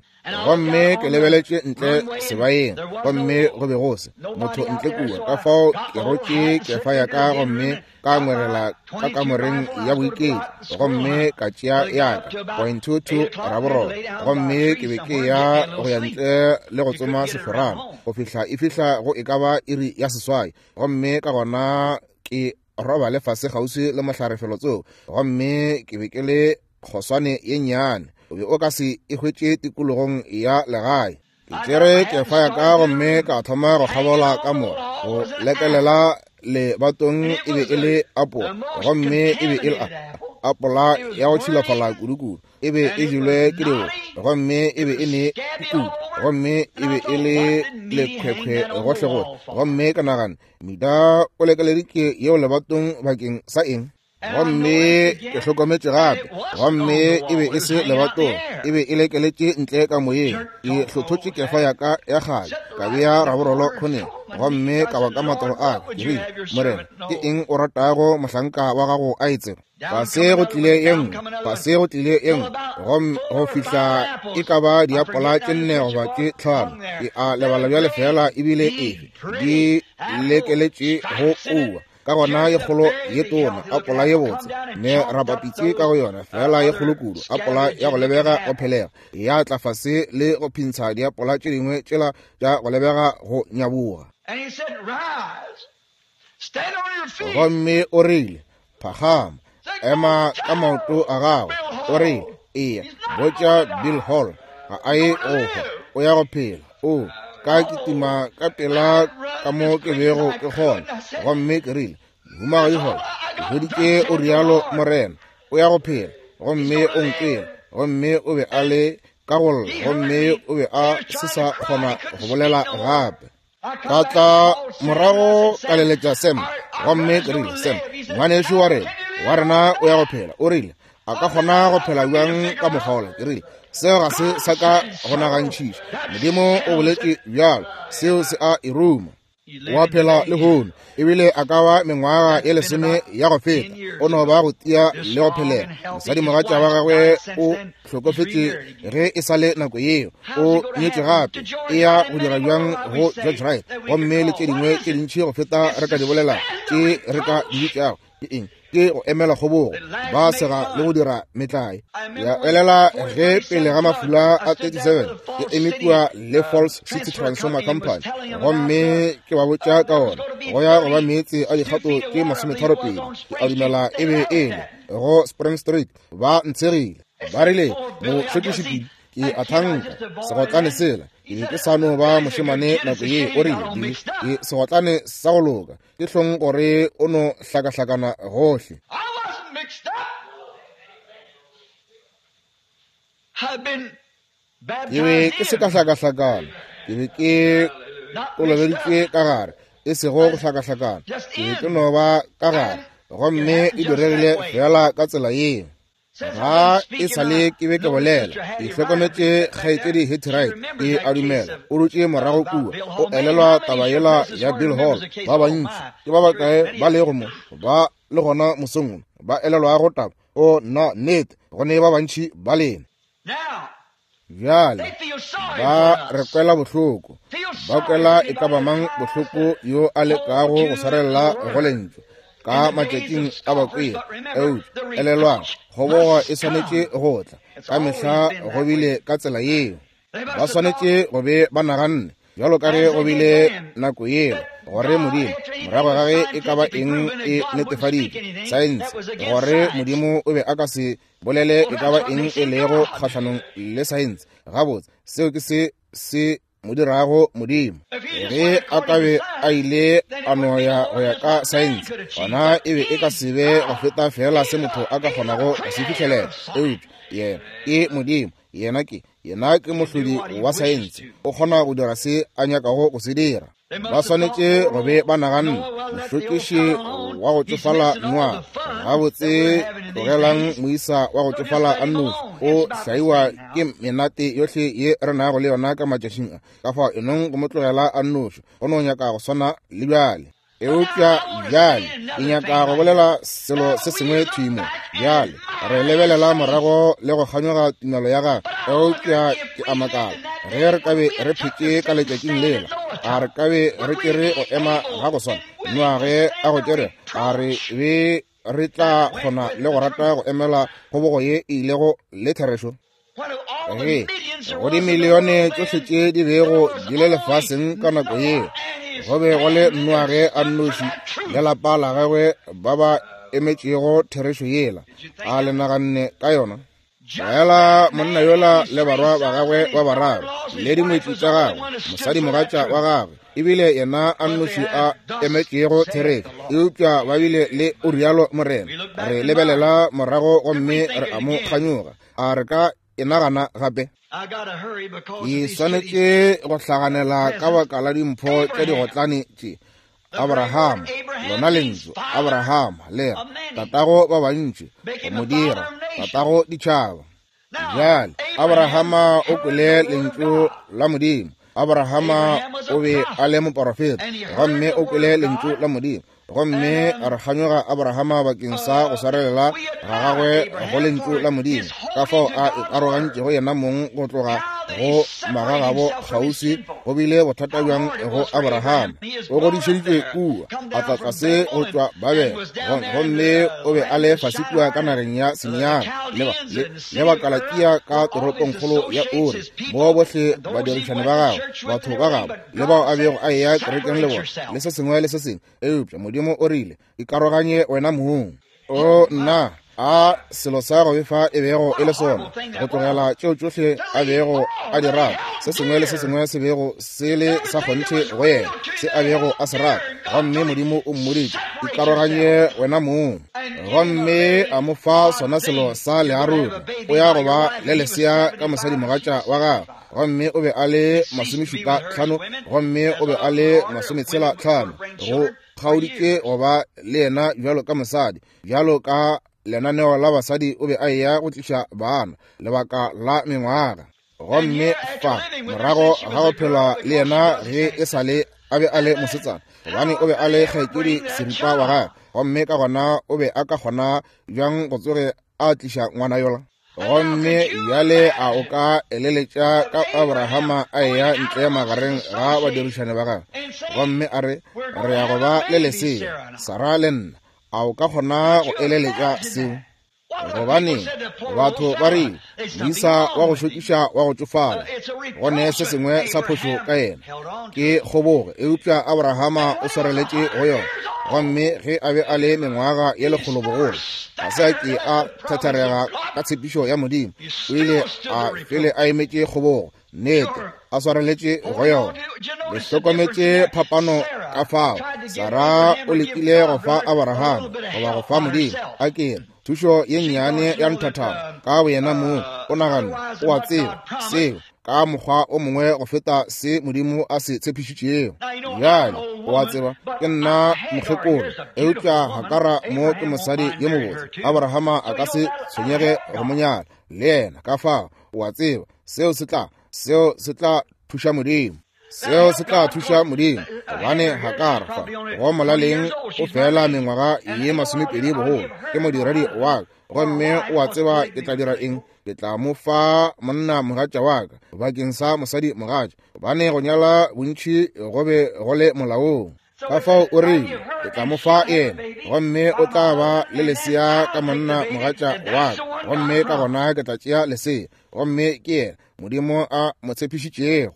Gomme ke lebeletše ntle sebaeng, gomme go be go se motho ntle kua. Ka fao ke rotše kefa ya ka gomme ka ngwerela ka kamoreng ya boiketlo, gomme ka tšea ya ka point two two raborolo, gomme ke be ke ya go ya ntle le go tsoma sehlorana go fihla e fihla go e ka ba iri ya seswai, gomme ka gona ke robale fase kgauswi le mohlare felotsoko. Gomme ke be ke le kgoswane ye nnyane, o be o ka se e hwetše tikologong ya legae. Ke tšere kefa ya ka gomme ka thoma go kgabola ka mo go lekelela lebatong. E be e le apola, gomme e be e le apola ya go tšhilafala kudu-kudu. E be e jelwe ke diboko, gomme e be e ne kudu, gomme e be e le lekhwekhwe gohlegohle. Gomme ka nagana, Mida o lekeleditše yeo lebatong bakeng sa eng? Gomme ke hlokometše gape, gomme e be e se lebatong, e be e lekeletše ntle ka moyeng. Ke hlothotše kefa ya ka ya kgale, ka bea raborolo khoneng, gomme ka ba ka matolo a ka. Ke rile, Morena, ke eng o ratago mohlanka wa gago a e tseba? Fase go tlile ye nngwe, fase go tlile ye nngwe, gomme go fihla e ka ba diapola tše nne goba tše tlhano. Ke a lebala bjale fela ebile efe di lekeletše go kua. Ka gona ye kgolo ye tona apola ye botse ne rapapitše ka go yona, fela ye kgolo kudu apola ya go lebega go phelega, ya tla fase le go phintsha diapola tše dingwe tšela tša go lebega go nyaboga. Gomme o rile, phagama, ema ka maoto a gago. O rile, eya botša Bill Hall ga a ye go hwa, o ya go phela. O ka kitima ka pela ka mo ke bego ke kgona, gomme ke rile, Mohumagadi Hall, ke hweditše o rialo Morena, o ya go phela. Gomme o nkwele, gomme o be a le ka go lla, gomme o be a se sa kgona go bolela gape. Ka tla morago ka leletša Sam, gomme ke rile, Sam, ngwanešu wa rena wa rena o ya go phela. O rile, a ka kgona go phela bjang ka mokgwa? Ke rile, seo ga se sa ka go nagantšhiša. Modimo o boletše bjalo, seo se a e ruma. Wa phela lehono, ebile a ka ba mengwaga ye lesome ya go feta, o no ba go tia le go phelela. Mosadimogatša wa gagwe o hlokofetše ge e sa le nako yeo, o nyetše gape, e ya go dira bjang go George Wright, gomme le tše dingwe tše dintši go feta re ka di bolela tše re ka di bitšago. Ke eng? Ke go emela kgobogo, ba sega le go dira metlae. Ya elela ge pele ga mafula a thirty-seven ke eme kua le Falls City Transformer Company, gomme ke ba botša ka ona go ya go ba meetse a dikgato tše masometharo pedi. Ke a dumela e be e le go Spring Street. Ba ntshegile, ba rile, mohlwekiši ke a thanka segotlane sela, ke be ke sa no ba mošemane nako ye. O rile, Billy, ke segotlane sa go loka, ke hlong gore o no hlakahlakana gohle. Ke be ke se ka hlakahlakana, ke be ke kolobeditšwe ka gare, e sego go hlakahlakana, ke be ke no ba ka gare, gomme e diregile fela ka tsela yeo. Ga e sa le ke be ke bolela, ke hlokometše kgaetšedi Hattie Wright, ke a dumela o dutše morago kua, o elelwa taba yela ya Bill Hall. Ba bantši ke ba bakae ba lego mo ba le gona mosong wo ba elelwago taba? O nna nnete, go ne ba bantši ba lena. Bjale ba re kwela bohloko, ba kwela e ka ba mang bohloko yo a lekago go swarelela go lentšu ka matšatšing a bakwela. Eupša elelwang, kgobogo e swanetše go tla ka mehla, go bile ka tsela yeo. Ba swanetše go be ba naganne bjalo ka ge go bile nako yeo, gore Modimo morago ga ge e ka ba eng e netefaditše saense, gore Modimo o be a ka se bolele e ka ba eng e lego kgahlanong le saense. Gabotse, seo ke se se mo dirago Modimo. Ge a ka be a ile a no ya go ya ka saense, gona e be e ka se be go feta fela se motho a ka kgonago go se fihlelela. Eupša yena ke Modimo, yena ke yena ke mohlodi wa saense, o kgona go dira se a nyakago go se dira. Ba swanetše go be ba naganne, mohlwekiši wa go tšofala Noa, gabotse tlogelang moisa wa go tšofala a nnoši, o hlaiwa ke menate yohle ye re nago le yona ka matšatšing a. Ka fao enong go mo tlogela a nnoši, go no nyaka go swana le bjale. Eupša bjale ke nyaka go bolela selo se sengwe thwi mo. Bjale re lebelela morago le go kganyoga tumelo ya gagwe. Eupša ke a makala ge re ka be re phetše ka letšatšing lela, a re ka be re tšere go ema ga go swana Noage a go tšere, a re be re tla kgona le go rata go emela kgobogo ye e ilego le therešo? Ge go dimilione tšohle tše di bego di le lefaseng ka nako yeo, go be go le Noage a nnoši le lapa la gagwe ba ba emetšego therešo yela. A le naganne ka yona? Fela monna yola le barwa ba gagwe ba bararo le dingwetši tša gagwe, mosadimogatša wa gagwe, ebile yena a nnoši a emetšego therešo. Eupša ba bile le o rialo Morena. Re lebelela morago gomme re a mo kganyoga. A re ka e nagana gape? Ke swanetše go hlaganela ka baka la dimpho tša digotlane tše. Abraham, lona lentšu Abraham le re tatago ba bantši, go mo dira tatago ditšhaba. Bjale Abrahama o kwele lentšu la Modimo. Abrahama o be a le moporofeta gomme o kwele lentšu la Modimo. Gomme re kganyoga Abrahama bakeng sa go swarelela ga gagwe go lentšu la Modimo, ka fao a ikarogantšego yena mong go tloga go magagabo kgauswi. Go bile bothata bjang go Abrahama? O godišeditšwe kua, a tla tlase go tšwa Babele, gomme o be a le fase kua ka nageng ya Siniara le, le, le Bakalakia ka toropongkgolo ya Uri, moo bohle badirišani ba gagwe, batho ba gagwe, le bao a bego a eya kerekeng le bona, le se sengwe le se sengwe. Eupša Modimo o rile, ikaroganye wena mong. O nna, a selo sa go befa e bego e le sona, go tlogela tšeo tšohle a bego a di rata, se sengwe le se sengwe se bego se le sa kgonthe go yena, se a bego a se rata. Gomme Modimo o mmoditše, ikaroganye wena mong. Gomme a mo fa sona selo sa learuri, o ya go ba le lesea ka mosadimogatša wa gagwe. Gomme o be a le masomešupa tlhano, gomme o be a le masometshela tlhano. Go kgaoditše go ba le yena bjalo ka mosadi, bjalo ka lenaneo la basadi o be a eya go tliša bana lebaka la mengwaga. Gomme fa morago ga go phela le yena ge e sa le a be a le mosetsana, gobane o be a le kgaetšedi seripa wa gagwe, gomme ka gona o be a ka kgona bjang go tsoge a tliša ngwana yola? Gomme bjale a o ka eleletša ka Abrahama a eya ntle magareng ga badirišane ba gagwe, gomme a re, re ya go ba le lesea, Sara le nna. A o ka kgona go eleletša seo? Gobane batho ba rile, moisa wa go šokiša wa go tšofala, go ne se sengwe sa phošo ka yena, ke kgobogo. Eupša Abrahama o swareletše go yona. Gomme ge a be a le mengwaga ye lekgolo bogolo, ga se a ke a thatharega ka tshepišo ya Modimo. O ile a fele a emetše kgobogo, nnete, a swareletše go yona. Le hlokometše phapano ka fao Sara o lekile go fa Abrahama goba go fa Modimo a kere thušo ye nnyane ya nthathana ka boyena mong. O naganne o a tseba seo ka mokgwa o mongwe go feta se Modimo a se tshepišitšego. Bjale o a tseba ke nna mokgekolo, eupša Hakara mo ke mosadi yo mobotse. Abrahama a ka se tshwenyege go mo nyala le yena. Ka fao o a tseba seo se tla seo se tla thuša Modimo. Seo se tla thuša Modimo, gobane Hakara fa go molaleng o fela mengwaga ye masomepedi bogolo, ke modiredi wa ka, gomme o a tseba ke tla dira eng? Ke tla mo fa monna mogatša wa ka bakeng sa mosadi mogatša, gobane go nyala bontši go be go le molaong. Ka fao o rile, ke tla mo fa yena, gomme o tla ba le lesea ka monna mogatša wa ka, gomme ka gona ke tla tšea lesea, gomme ke yena Modimo a mo tshepišitšego.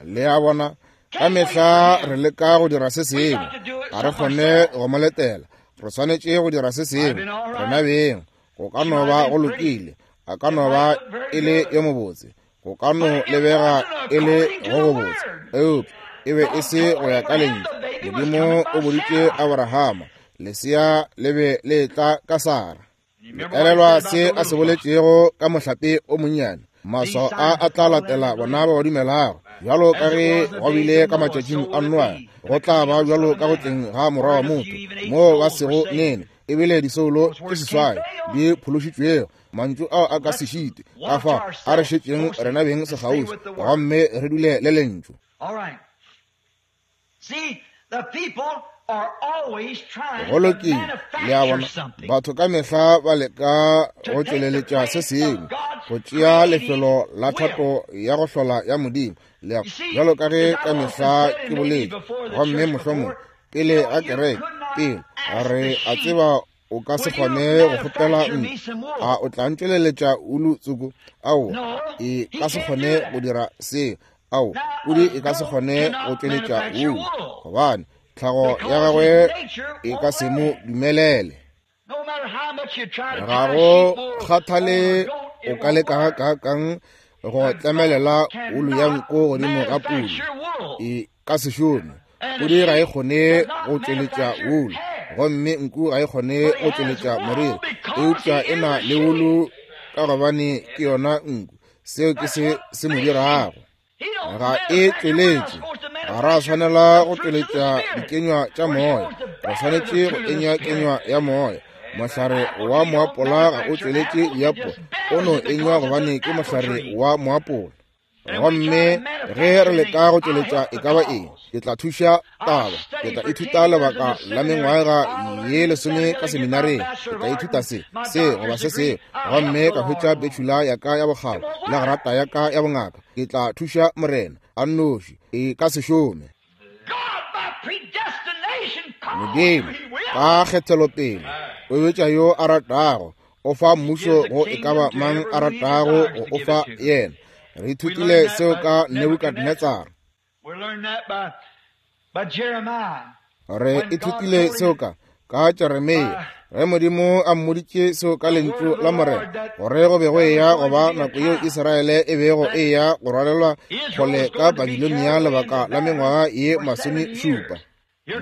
Le a bona, ka mehla re leka go dira se sengwe, ga re kgone go mo letela. Re swanetše go dira se sengwe rena beng. Go ka no ba go lokile, a ka no ba e le yo mobotse, go ka no lebega e le go gobotse, eupša e be e se go ya ka lentšu. Modimo o boditše Abrahama, lesea le be le tla ka Sara. Elelwa se a se boletšego ka mohlape o monnyane. Maswao a a tla latela bona ba ba dumelago. Bjalo ka ge go bile ka matšatšing a Noa, go tla ba bjalo ka go tleng ga morwa wa motho, moo ba sego nene Ebile disoulo tše seswai di phološitšwego. Mantšu ao a ka se šite. Ka fao a re šetšeng rena beng sekgauswi gomme re dule le lentšu. Go lokile, le a bona, batho ka mehla ba leka go tšweleletša se sengwe, go tšea lefelo la thato ya go hlola ya Modimo. Le a bjalo ka ge ka mehla ke boletše, gomme mohlomong pele ga kereke, pele re a tseba o ka se kgone go kgopela nku, a o tla ntšweleletša ulu tsoko? Aowa, e ka se kgone go dira seo. Aowa, pudi e ka se kgone go tšweletša ulu, gobane tlhago ya gagwe e ka se mo dumelele. Ga go kgathale o ka leka gakaakang go tlemelela ulu ya nko godimo ga pudi, e ka se šome. Pudi ga e kgone go tšweletša ulu, gomme nku ga e kgone go tšweletša moriri, eupša e na le ulu ka gobane ke yona nku. Seo ke se se mo dirago. Ga e tšweletše. Ga ra swanela go tšweletša dikenywa tša moya, re swanetše go enywa kenywa ya moya. Mohlare wa moapola ga o tšweletše diapola, o no enywa gobane ke mohlare wa moapola. Gomme ge re leka go tšweletša e ka ba eng, ke tla thuša taba, ke tla ithuta lebaka la mengwaga ye lesome ka seminareng, ke tla ithuta se, se goba se seo, gomme ka hwetša betšhula ya ka ya bokgabo le grata ya ka ya bongaka. Ke tla thuša Morena a nnoši, e ka se šome. Modimo ka kgethelopele o betša yo a ratago, o fa mmušo go e ka ba mang a ratago go o fa yena. Re ithutile seo ka Nebukadnetsara. Re ithutile seo ka ka Jeremia, ge Modimo a mmoditše seo ka lentšu la Morena, gore go be go eya go ba nako yeo Israele e bego e ya go rwalelwa kgole ka Babilonia lebaka la mengwaga ye masomešupa.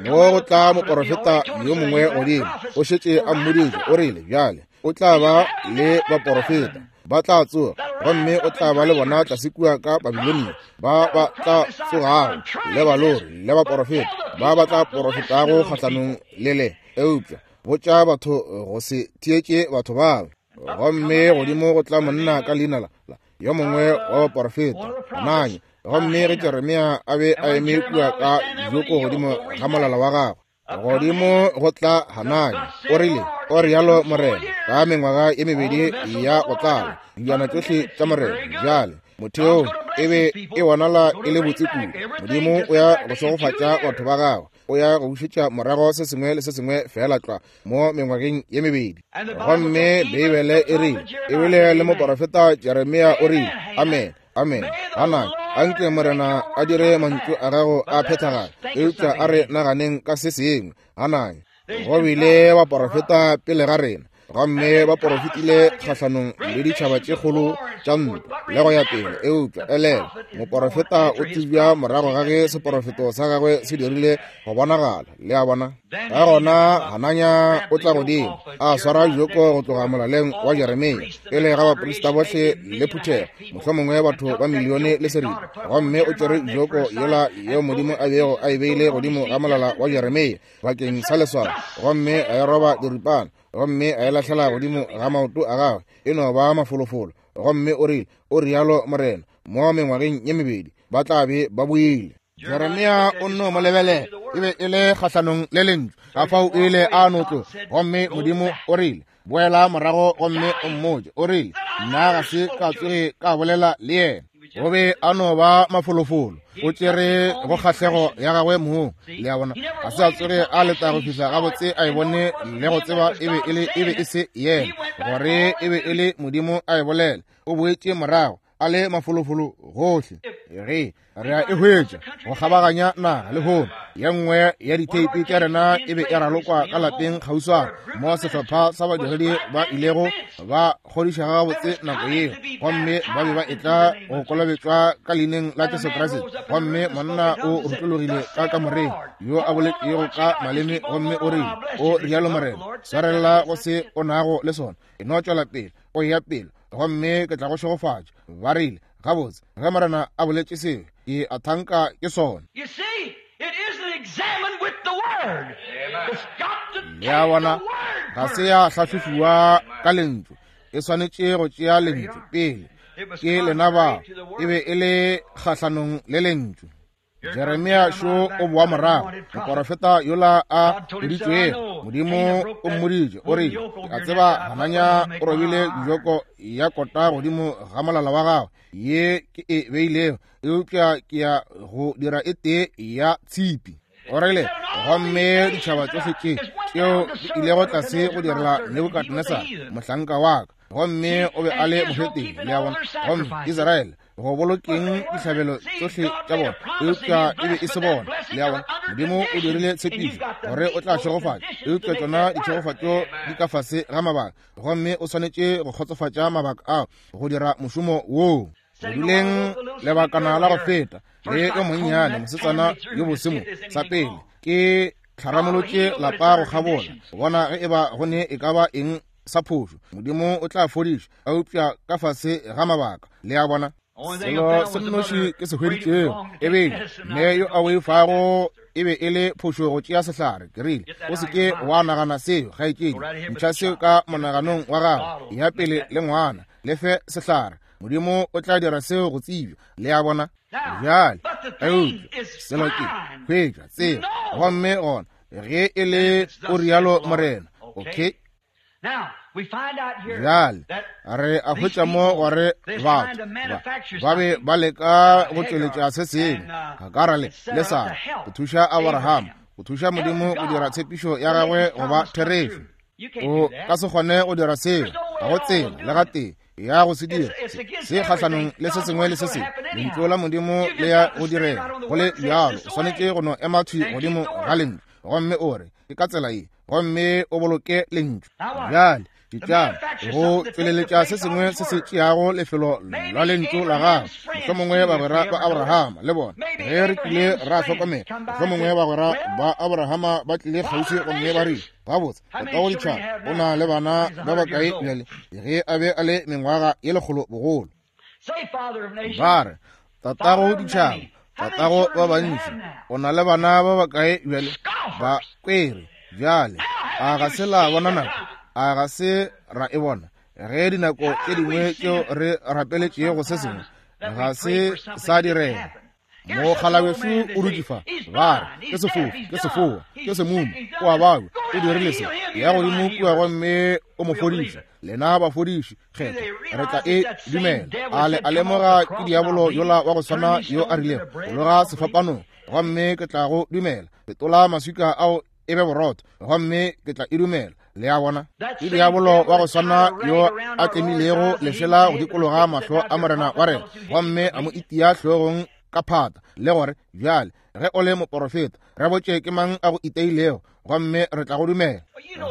Mo go tla moporofeta yo mongwe godimo, o šetše a mmoditše, o rile, bjale o tla ba le baporofeta ba tla tsoga, gomme o tla ba le bona tlase kua ka Babilonia, ba ba tla tsogago le balori le baporofeta ba ba tla porofetago kgahlanong le le. Eupša botša batho go se theetše batho bao. Gomme godimo go tla monna ka leina la yo mongwe wa baporofeta, Hananya. Gomme ge Jeremia a be a eme kua ka joko godimo ga molala wa gagwe, godimo go tla Hananya, o rile, o rialo Morena, ka mengwaga ye mebedi ya go tlala dijana tšohle tša Morena. Bjale motheo e be e bonala e le botse kudu. Modimo o ya go šegofatša batho ba gagwe, o ya go bušetša morago se sengwe le se sengwe fela tlwa mo mengwageng ye mebedi. Gomme Beibele e rile, ebile le moporofeta Jeremia o rile, amen, amen. Hananya, anke Morena a dire mantšu a gago a phethagale. Eupša a re naganeng ka se sengwe. Hananya, go bile baporofeta pele ga rena, gomme ba porofetile kgahlanong le ditšhaba tše kgolo tša ntwa le go ya pele. Eupša elela, moporofeta o tsebja morago ga ge seporofeto sa gagwe se dirile go bonagala. Le a bona? Ka gona Hananya o tla godimo, a swara joko go tloga molaleng wa Jeremia pele ga baprista bohle le phuthego, mohlomongwe batho ba milione le seripa. Gomme o tšere joko yela yeo Modimo a bego a e beile godimo ga molala wa Jeremia bakeng sa leswao, gomme a e roba diripana, gomme a e lahlela godimo ga maoto a gagwe, e no ba mafolofolo. Gomme o rile, o rialo Morena, mo mengwageng ye mebedi ba tla be ba boile. Jeremia o nno mo lebelela, e be e le kgahlanong le lentšu, ka fao o ile a no tloga. Gomme Modimo o rile, boela morago gomme o mmotše. O rile, nna ga se ka tsoge ka bolela le yena. Go be a no ba mafolofolo, o tšere go kgahlego ya gagwe mong. Le a bona, ga se a tsoge a leta go fihla gabotse a e bone le go tseba e be e le e be e se yena, gore e be e le Modimo a e bolela. O boetše morago a le mafolofolo gohle. Ge re a e hwetša go kgabaganya naga lehono, ye nngwe ya ditheipi tša rena e be e ralokwa ka lapeng kgauswana, mo sehlopha sa badiredi ba ilego ba kgodiša gabotse nako yeo, gomme ba be ba etla go kolobetšwa ka leineng la Jesu Kriste. Gomme monna o rutologile ka kamoreng yo a boletšego ka maleme, gomme o rile, o rialo Morena, swarelela go se o nago le sona, e no tšwela pele o ya pele, gomme ke tla go šegofatša. Ba rile, gabotse, ge Morena a boletše seo, ke a thanka ke sona. Le a bona, Ga se ya hlahlofiwa ka lentšu. E swanetše go tšea lentšu pele. Ke lena ba e be e le kgahlanong le lentšu. Jeremia šo o boa morago, moporofeta yola a boditšwego. Modimo o mmoditše, o rile, a tseba Hananya o robile joko ya kota godimo ga molala wa gagwe ye ke e beilego, eupša ke ya go dira e tee ya tshipi. O rile, gomme ditšhaba tšohle tše tšeo di ilego tlase go direla Nebukadnesar mohlanka wa ka, gomme o be a le mohetene, le a bona, gomme Israele go bolokeng dihlabelo tsohle tša bona, eupša e be e se bona, le a bona. Modimo o dirile tshepišo gore o tla šegofatša, eupša tšona ditšhegofatšo di ka fase ga mabaka, gomme o swanetše go kgotsofatša mabaka ao go dira mošomo woo. Go duleng lebakana la go feta le yo monnyane mosetsana yo bosemo sa pele ke tlharamolotše lapa go kgabola go bona ge e ba go ne e ka ba eng sa phošo. Modimo o tla fodiša, eupša ka fase ga mabaka, le a bona. Selo se nnoši ke se hweditšego e bile mme yo a boifago e be e le phošo go tšea sehlare. Ke rile, o se ke wa nagana seo, kgaetšedi, ntšha seo ka monaganong wa gago, ya pele le ngwana, le fe sehlare. Modimo o tla dira seo go tsebja, le a bona. Bjale, eupša selo ke hwetša tseba, gomme gona ge e le o rialo Morena. Okay. Bjale re a hwetša mo gore batho ba ba be ba leka go tšweletša se sengwe, Hagara le le Sara, go thuša Abraham, go thuša Modimo go dira tshepišo ya gagwe go ba therešo. O ka se kgone go dira seo, ga go tsela le gatee ya go se dira. Se kgahlanong le se sengwe le se sengwe, lentšu la Modimo le ya go direga. Go le bjalo, o swanetše go no ema thwi godimo ga lentšu, gomme o re ke ka tsela ye, gomme o boloke lentšu. Bjale ditšana go tšweleletša se sengwe se se tšeago lefelo la lentšu la gagwe. Mohlomongwe bagwera ba Abrahama le bona, ge re tlile ra hlokomela, mohlomongwe bagwera ba Abrahama ba tlile kgauswi gomme ba rile, gabotse, tatago ditšhaba o na le bana ba bakae bjale ge a be a le mengwaga ye lekgolo bogolo? Ba re, tatago ditšhaba, tatago ba bantši, o na le bana ba bakae bjale? Ba kwere. Bjale a ga se la bona nako? A ga se ra e bona? Ge dinako tše dingwe tšeo re rapeletšego se sengwe ga se sa direga. Mokgalabešo o dutše fa, ba re ke sefofu, ke sefoa, ke semumu, o a babja, o dirile se, ya godimo kua gomme o mo fodiša. Lena bafodiši kgetho, re tla e dumela. A le a lemoga ke diabolo yola wa go swana yo a rilego, loga sefapanong gomme ke tla go dumela, fetola maswika ao e be borotho gomme ke tla e dumela. Le a bona, ke diabolo wa go swana yo a tlemilego lešela go dikologa mahlo a Morena wa rena gomme a mo itia hlogong ka phata, le gore bjale ge o le moporofeta, re botše ke mang a go iteilego gomme re tla go dumela.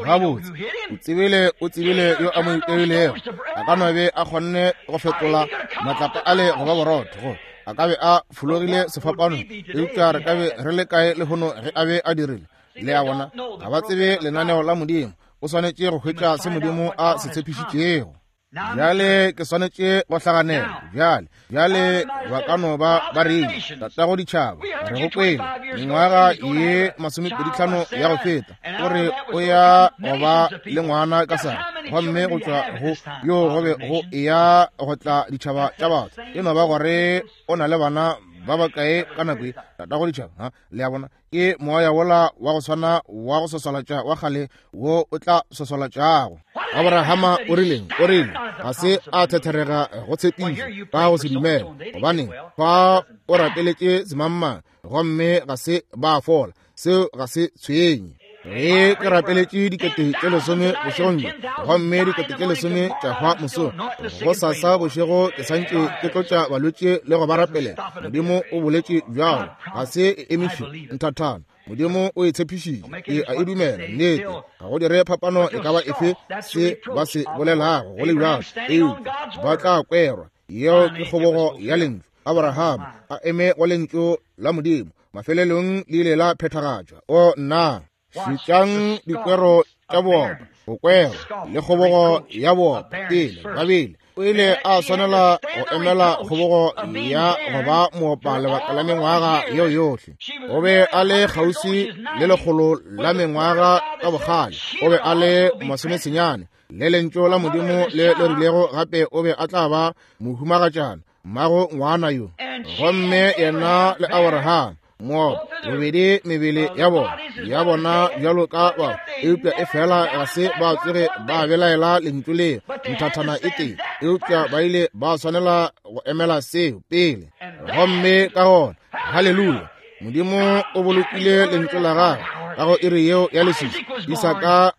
Gabotse, o tsebile, o tsebile yo a mo iteilego. A ka no be a kgonne go fetola matlapa a le go ba borotho, go a ka be a fologile sefapanong, eupša re ka be re le kae lehono ge a be a dirile? Le a bona, ga ba tsebe lenaneo la Modimo. O swanetše go hwetša se Modimo a se tshepišitšego. Bjale ke swanetše go hlaganela. Bjale, bjale ba ka no ba ba rile, tatago ditšhaba, re go kwele mengwaga ye masomepedi tlhano ya go feta, o re o ya go ba le ngwana ka Sara, gomme go tšwa go yo go be go eya go tla ditšhaba tša batho. E no ba gore o na le bana ba bakae ka nako ye, tatago ditšhaba? Ha, le a bona, ke moya wola wa go swana wa go swaswalatša wa kgale wo o tla swaswalatšago. Abrahama o rileng? O rile ga se a thetherega go tshepišo ka go se dumela, gobaneng fa o rapeletše semangmang gomme ga se ba fola, seo ga se tshwenye. Ge ke rapeletše dikete tše lesome bošegong bjo gomme dikete tše lesome tša hwa mosong, go sasa bošego ke santše ke tlotša balwetši le go ba rapelela. Modimo o boletše bjalo, ga se e emiše nthathana. Modimo o e tshepišitše, ke a e dumela. Nnete, ga go dire phapano e ka ba efe se ba se bolelago, go le bjalo, eupša ba tla kwerwa. Yeo ke kgobogo ya lentšu. Abraham a eme go lentšu la Modimo, mafelelong le ile la phethagatšwa. O nna, šetšang dikwero tša boopa, go kwerwa le kgobogo ya boopa. Pele babele O ile a swanela go emela kgobogo ya go ba moopa lebaka la mengwaga yeo yohle. O be a le kgauswi le lekgolo la mengwaga ka bogale. O be a le masomesenyane le lentšu la Modimo le le rilego gape o be a tla ba mohumagatšana mmago ngwana yo. Gomme yena le Abraham moopa bobedi mebele ya bona ya bona bjalo ka ba, eupša e fela ga se ba tsoge ba belaela lentšu leo nthathana e tee, eupša ba ile ba swanela go emela seo pele. Gomme ka gona, haleluya, Modimo o bolokile lentšu la gagwe ka go iri yeo ya leswiswi Isaka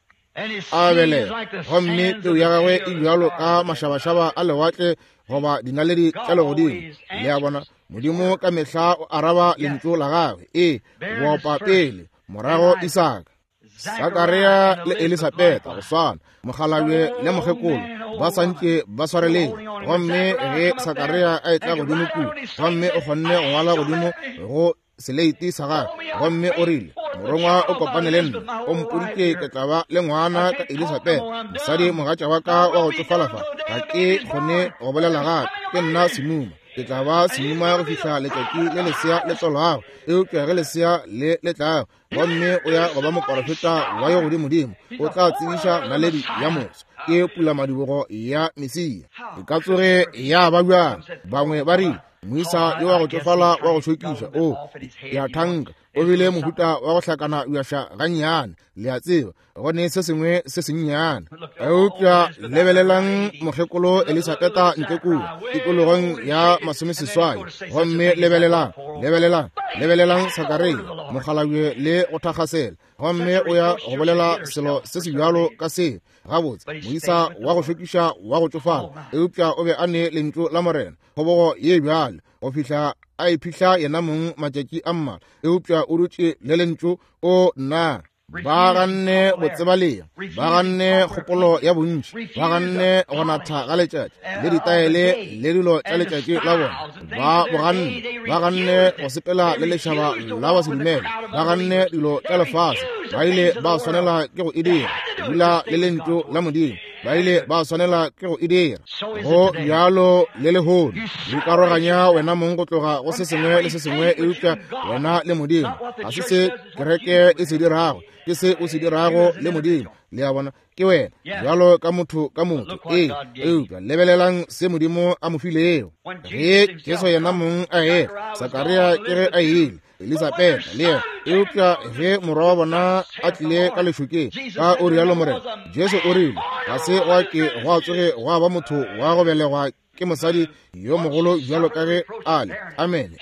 a belega, gomme peu ya gagwe e bjalo ka mašabašaba a lewatle goba dinaledi tša legodimo. Le a bona, Modimo ka mehla o araba lentšu la gagwe. Ee, boopa pele, morago Isaka. Sakaria le Elisabetha go swana, mokgalabje le mokgekolo ba santše ba swareletše. Gomme ge Sakaria a etla godimo kua, gomme o kgonne go ngwala godimo go seleiti sa gagwe, gomme o rile, morongwa o kopane le nna, o mpoditše ke tla ba le ngwana ka Elisabetha, mosadi mogatša wa ka wa go tsofala fa, ga ke kgone go bolela gape, ke nna semuma, ke tla ba semuma go fihla letšatši le lesea le tswalwago, eupša ge lesea le le tlago, gomme o ya go ba moporofeta wa yo godimodimo, o tla tsebiša naledi ya moso, ke pulamadibogo ya Mesia. E ka tsoge ya ba bjang? Bangwe ba rile moisa yo wa go tsofala wa go šokiša, o ya thanka, o bile mohuta wa go hlakana bjaša gannyane, le a tseba, go ne se sengwe se sennyane. Eupša lebelelang mokgekolo Elisabetha ntle kua tikologong ya masomeseswai, gomme lebelelang, lebelelang, lebelelang Sakaria mokgalabje le go thakgasela, gomme o ya go bolela selo se se bjalo ka se. Gabotse, moisa wa go šokiša wa go tsofala, eupša o be a ne lentšu la Morena, kgobogo ye bjalo go fihla a iphihla yena mong matšatši a mmalwa, eupša o dutše le lentšu. O nna, ba ganne botsebalea, ba ganne kgopolo ya bontši, ba ganne go natha ga letšatši le ditaele le dilo tša letšatši la bona, ba boganne, ba ganne go sepela le lešaba la basedumele, ba ganne dilo tša lefase, ba ile ba swanela ke go e dira, dula le lentšu la Modimo, ba ile ba swanela ke go e dira. Go bjalo le lehono, o ikaroganya wena mong go tloga go se sengwe le se sengwe, eupša wena le Modimo. Ga se se kereke e se dirago, ke se o se dirago le Modimo. Le a bona, ke wena bjalo ka motho ka motho. Ee, eupša lebelelang se Modimo a mo filego. Ge Jesu yena mong a etla, Sakaria ke ge a ile, Elisabetha le yena, eupša ge morwa wa bona a tlile ka lešokeng, ka o rialo Morena, Jesu o rile, ga se gwa ke gwa tsoge gwa ba motho wa go belegwa ke mosadi yo mogolo bjalo ka ge a le. Amen.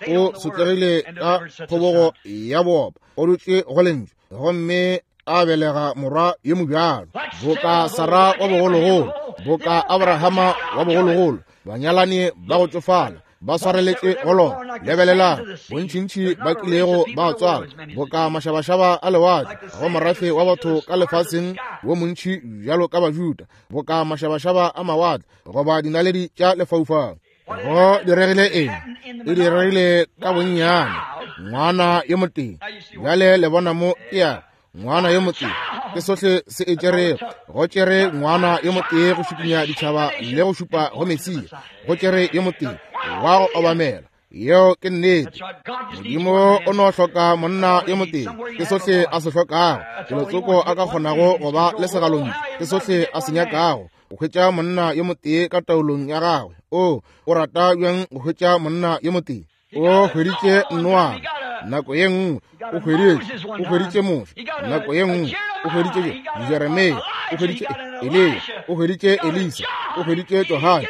O sotlegile ka kgobogo ya boopa, o dutše go lentšu, gomme a belega morwa yo mobjalo, boka Sara wa bogologolo, boka Abrahama wa bogologolo, banyalani ba go tsofala ba swareletše go lona. Lebelelang bontšintši ba kilego ba tswala, boka mašabašaba a lewatle, go morafe wa batho ka lefaseng wo montši bjalo ka Bajuda, boka mašabašaba a mawatle goba dinaledi tša lefaufau. Go diregile eng? E diregile ka bonnyane, ngwana yo motee. Bjale le bona mo ke ya ngwana yo motee, ke sohle se e tšerego. Go tšere ngwana yo motee go šupinya ditšhaba le go šupa go Mesia. Go tšere yo motee wa go obamela. Yeo ke nnete. Modimo o no hloka monna yo motee, ke sohle a se hlokago. Kelotsoko a ka kgonago go ba le segalontšu, ke sohle a se nyakago, go hwetša monna yo motee ka taolong ya gagwe. O o rata bjang go hwetša monna yo motee? O hweditše Noa nako ye nngwe, o hweditše o hweditše Moshe nako ye nngwe, o hweditše Jeremia, o hweditše Eliya, o hweditše Elisa, o hweditše Johane,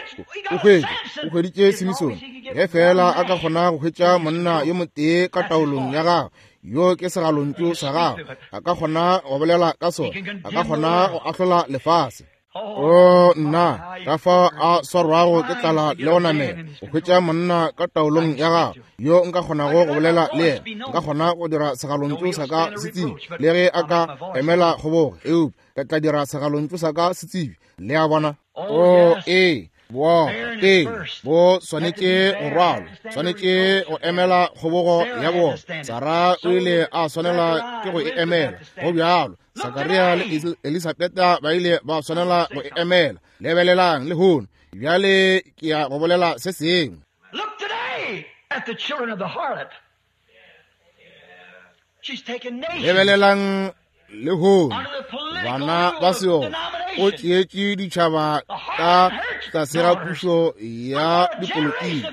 o hweditše o hweditše Simsone. Ge fela a ka kgona go hwetša monna yo motee ka taolong ya gagwe, yo ke segalontšu sa gagwe, a ka kgona go bolela ka sona, a ka kgona go ahlola lefase. O nna, ka fao a swarwago ke tlala le go namela, go hwetša monna ka taolong ya gagwe yo nka kgonago go bolela le yena, nka kgona go dira segalontšu sa ka se tsebi, le ge a ka emela kgobogo, eupša ke tla dira segalontšu sa ka se tsebi. Le a bona? O ee, bo pele bo swanetše go rwalwa, swanetše go emela kgobogo ya bona. Sara o ile a swanela ke go e emela, go bjalo. Sakaria le Elisabetha ba ile ba swanela go e emela. Lebelelang lehono, Bjale ke ya go bolela se sengwe. Look today at the children of the harlot. She's taken nations. Lebelelang lehono Under the political bana rule ba of seotswa o denomination. tšeetše ditšhaba ka tlase ga pušo ya dipolotiki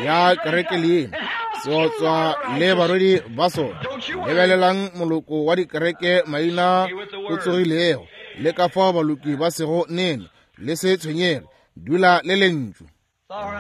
ya kereke leina, seotswa le barwedi ba sona. Lebelelang moloko wa dikereke maina o tsogilego, le ka fao baloki ba sego nene. Le se tshwenyege, dula le lentšu.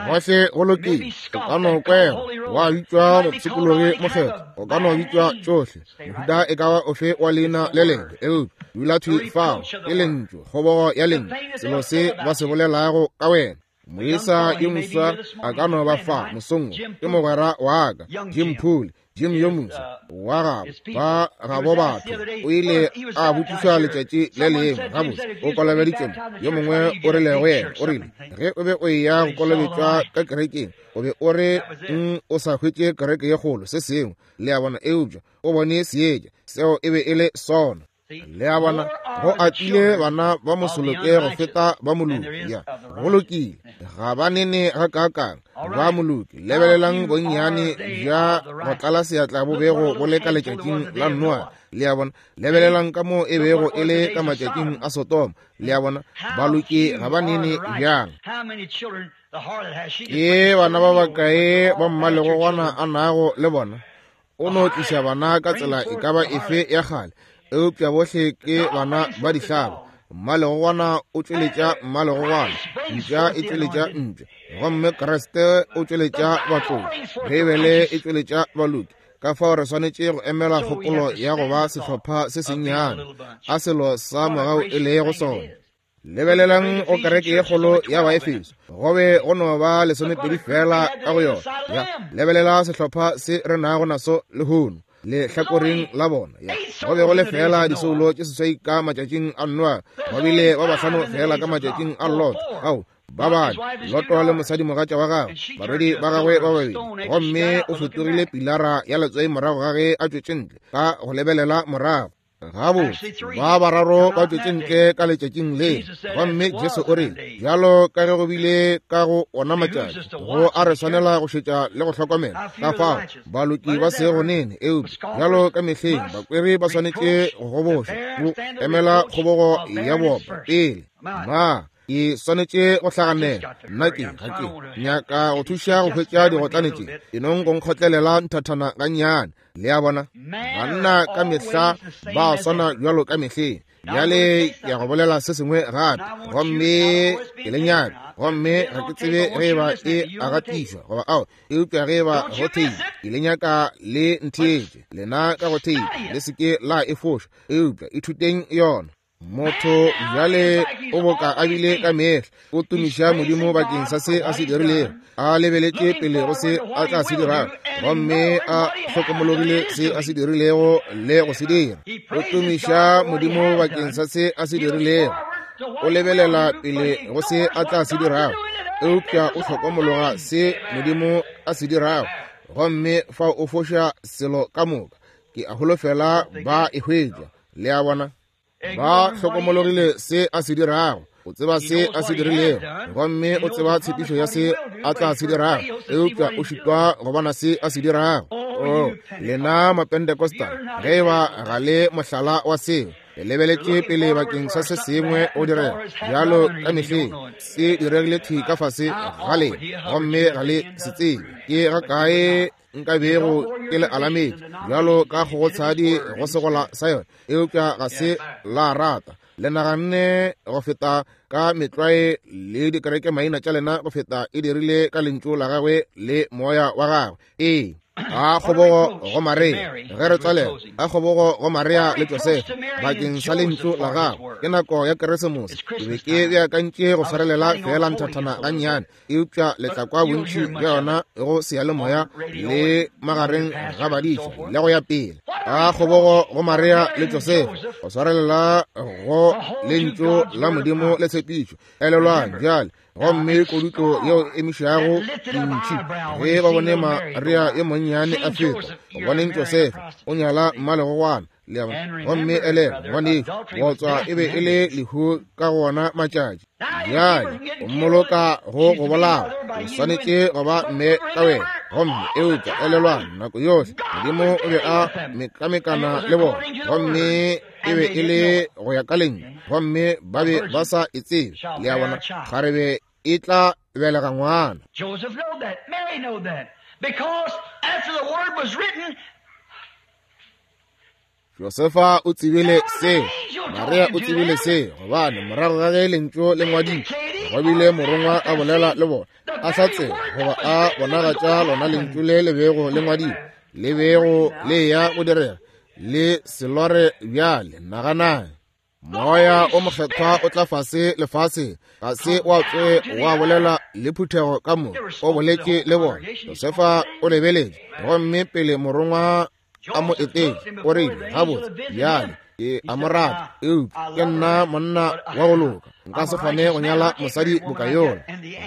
Gohle go lokile. O ka no kwega wa bitšwa mopshikologi mokgethwa, o ka no bitšwa tšohle mohuta e ka ba ofe wa leina le lengwe, eupša dula thwi fao ke lentšu, kgobogo ya lentšu, selo se ba se bolelago ka wena. Moisa yo moswa a ka no ba fa mosong wo, ke mogwera wa ka, Jim Poole, Jim yo moswa wa gabo ba gabo batho. O ile a botšišwa letšatši le lengwe, gabotse o kolobeditšwe mo. Yo mongwe o rile go yena, o rile, ge o be o eya go kolobetšwa ka kerekeng, o be o re mm, o sa hwetše kereke ye kgolo, se sengwe, le a bona, eupša o bone seetša, seo e be e le sona. Le a bona, go atile bana ba mosoloke go feta ba moloki. Ya, go lokile, ga ba nene ga kaakang ba moloki. Lebelelang bonnyane bja go tlala seatla bo bego bo le ka letšatšing la Noa. Le a bona, lebelelang ka moo e bego e le ka matšatšing a Sodoma. Le a bona, baloki ga ba nene bjang. How many children the harlot has? She just Ke brings bana ba children over bakae with ba all mmalegogwana her a nago le bona? O no tliša bana ka tsela e ka ba efe ya kgale, eupša bohle ke bana ba dihlaba. Mmalegogwana o tšweletša mmalegogwana, mpša e tšweletša mpša, gomme Kriste o tšweletša batlotši, Beibele e tšweletša baloki. Ka fao re swanetše go emela kgopolo ya go ba sehlopha se sennyane, a selo sa mogau e lego sona. Lebelelang go kereke ye kgolo ya Baefeso, go be go no ba lesomepedi fela ka go yona. Ya, lebelela sehlopha se re nago naso lehono lehlakoreng la bona. Ya, go be go le fela disoulo tše seswai ka matšatšing a Noa, ba bile ba bahlano fela ka matšatšing a Lot. Ao, ba bane, Loto le mosadimogatša wa gagwe, barwedi ba gagwe ba babedi, gomme o fetogile pilara ya letswai morago ga ge a tšwetše ntle ka go lebelela morago. Gabotse, ba bararo ba tšwetše ntle ka letšatšing le, gomme Jesu o rile, bjalo ka ge go bile ka go ona matšatši, go a re swanela go šetša le go hlokomela. Ka fao baloki ba sego nene, eupša bjalo ka mehleng bakweri ba swanetše go gobošwa, go emela kgobogo ya boopa pele. Ma, ke swanetše go hlaganela, nna ke ga ke nyaka go thuša go hwetša digotlane tše, e nong go nkgotlelela nthathana gannyane. Le a bona, banna ka mehla ba swana bjalo ka mehleng. Bjale ke ya go bolela se sengwe gape, gomme ke le nyaka, gomme ga ke tsebe ge e ba e a gatišwa goba ao, eupša ge e ba go theipa, ke le nyaka le ntheetše lena ka go theipa, le se ke la e foša, eupša ithuteng yona. Motho bjale o boka a bile ka mehla, o tumiša Modimo bakeng sa se a se dirilego, a lebeletše pele go se a tla se dirago, gomme a hlokomologile se a se dirilego le go se dira. O tumiša Modimo bakeng sa se a se dirilego, o lebelela pele go se a tla se dirago, eupša o hlokomologa se Modimo a se dirago, gomme fa o foša selo ka moka. Ke a holofela ba e hwetša. Le a bona, ba hlokomologile se a se dirago, o tseba se a se dirilego, gomme o tseba tshepišo ya se a tla se dirago, eupša o šitwa go bona se a se dirago. Oh, lena Mapentecostal, ge e ba ga le mohlala wa seo, le lebeletše pele bakeng sa se sengwe o direga bjalo ka mehleng, se diregile thwi ka fase ga lena, gomme ga le se tsebe. Ke ga kae nka bego ke le alametše bjalo ka kgogotshadi go segola sa yona, eupša ga se la rata. Le naganne go feta ka metlwae le dikereke maina tša lena go feta e dirile ka lentšu la gagwe le moya wa gagwe. Ee, a kgobogo go Maria, ge re tswalela, a kgobogo go Maria le Josefa bakeng sa lentšu la gagwe. Ke nako ya Keresemose, ke be ke beakantše go swarelela fela nthathana gannyane, eupša le tla kwa bontši bja yona go seyalemoya le magareng ga badiša le go ya pele. A kgobogo go Maria le Josefa go swarelela go lentšu la Modimo le tshepišo. Elelwang bjale, gomme kodutlo yeo e emišago dintšhi, ge ba bone Maria yo monnyane a feta, go boneng Josefa o nyala mmalegogwana, Le a bona? Gomme elelwa, ngwanešu, bootswa e be e le lehu ka go wona matšatši. Bjale o mmoloka go go bolawa, o swanetše go ba mme ka wena. Gomme eupša elelwang, nako yohle Modimo o be a mekamekana le bona, gomme e be e le go ya ka lentšu, gomme ba be ba sa e tsebe. Le a bona? Kgarebe e tla belega ngwana. Joseph knew that. Mary knew that. Because after the word was written, Josefa o tsebile se, Maria o tsebile se, gobane morago ga ge lentšu le ngwadilwe, go bile morongwa a bolela le bona, a hlatsela goba a bonagatša lona lentšu le le bego le ngwadilwe, le bego le ya go direga, le se lore bjale. Naganang, Moya o Mokgethwa o tla fase lefaseng, ga se wa tsoge wa bolela le phuthego ka moka, o boletše le bona. Josefa o lebeletše, gomme pele morongwa a mo etetše, o rile, gabotse, bjale ke a mo rata, eupša ke nna monna wa go loka, nka se kgone go nyala mosadi boka yola.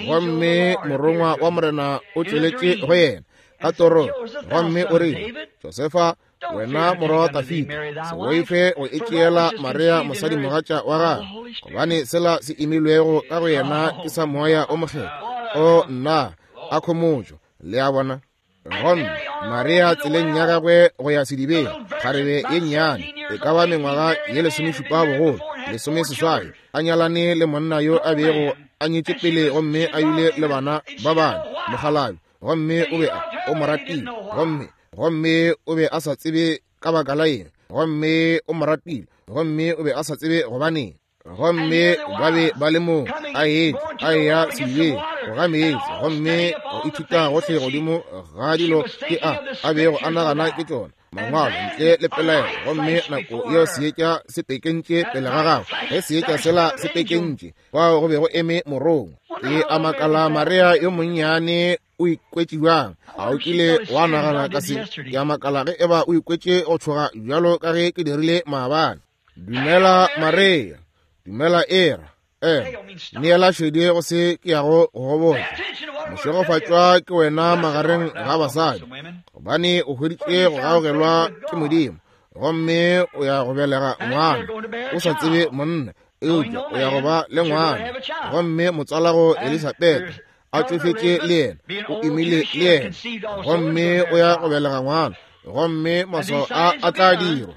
Gomme morongwa wa Morena o tšweletše go yena ka torong, gomme o rile, Josefa, wena morwa wa Dafida, se boife go etšeela Maria mosadimogatša wa gagwe, gobane sela se imilwego ka go yena ke sa Moya o Mokgethwa. O nna, a khomotšo. Le a bona? Gomme Maria tseleng ya gagwe go ya sedibeng, kgarebe ye nnyane, e ka ba mengwaga ye lesomešupa bogolo, lesomeseswai, a nyalane le monna yo a bego a nyetše pele gomme a ile le bana ba bane, mokgalabje, gomme o be a o mo ratile, gomme gomme o be a sa tsebe ka baka la eng, gomme o mo ratile, gomme o be a sa tsebe gobaneng. Gomme ba be ba le moo, a etla a eya sedibeng go ga meetse, gomme go ithuta gohle godimo ga dilo ke a a bego a nagana ke tšona mangwalo ntle le pelaelo. Gomme nako yeo seetša se pekentše pele ga gagwe, ge seetša sela se pekentše, fao go be go eme morongwa. Ke a makala Maria yo monnyane o ikwetše bjang? A o kile wa nagana ka se? Ke a makala ge eba o ikwetše go tšhoga bjalo ka ge ke dirile maabane. Dumela Maria, dumela Era, ema, neela šedi go se ke yago go go botša. Mošegofatšwa ke wena magareng ga basadi, gobane o hweditše go gaogelwa ke Modimo, gomme o ya go belega ngwana o sa tsebe monna, eupša o ya go ba le ngwana. Gomme motswalago Elisabetha a tšofetše le yena, o imile le yena, gomme o ya go belega ngwana, gomme maswao a a tla dirwa.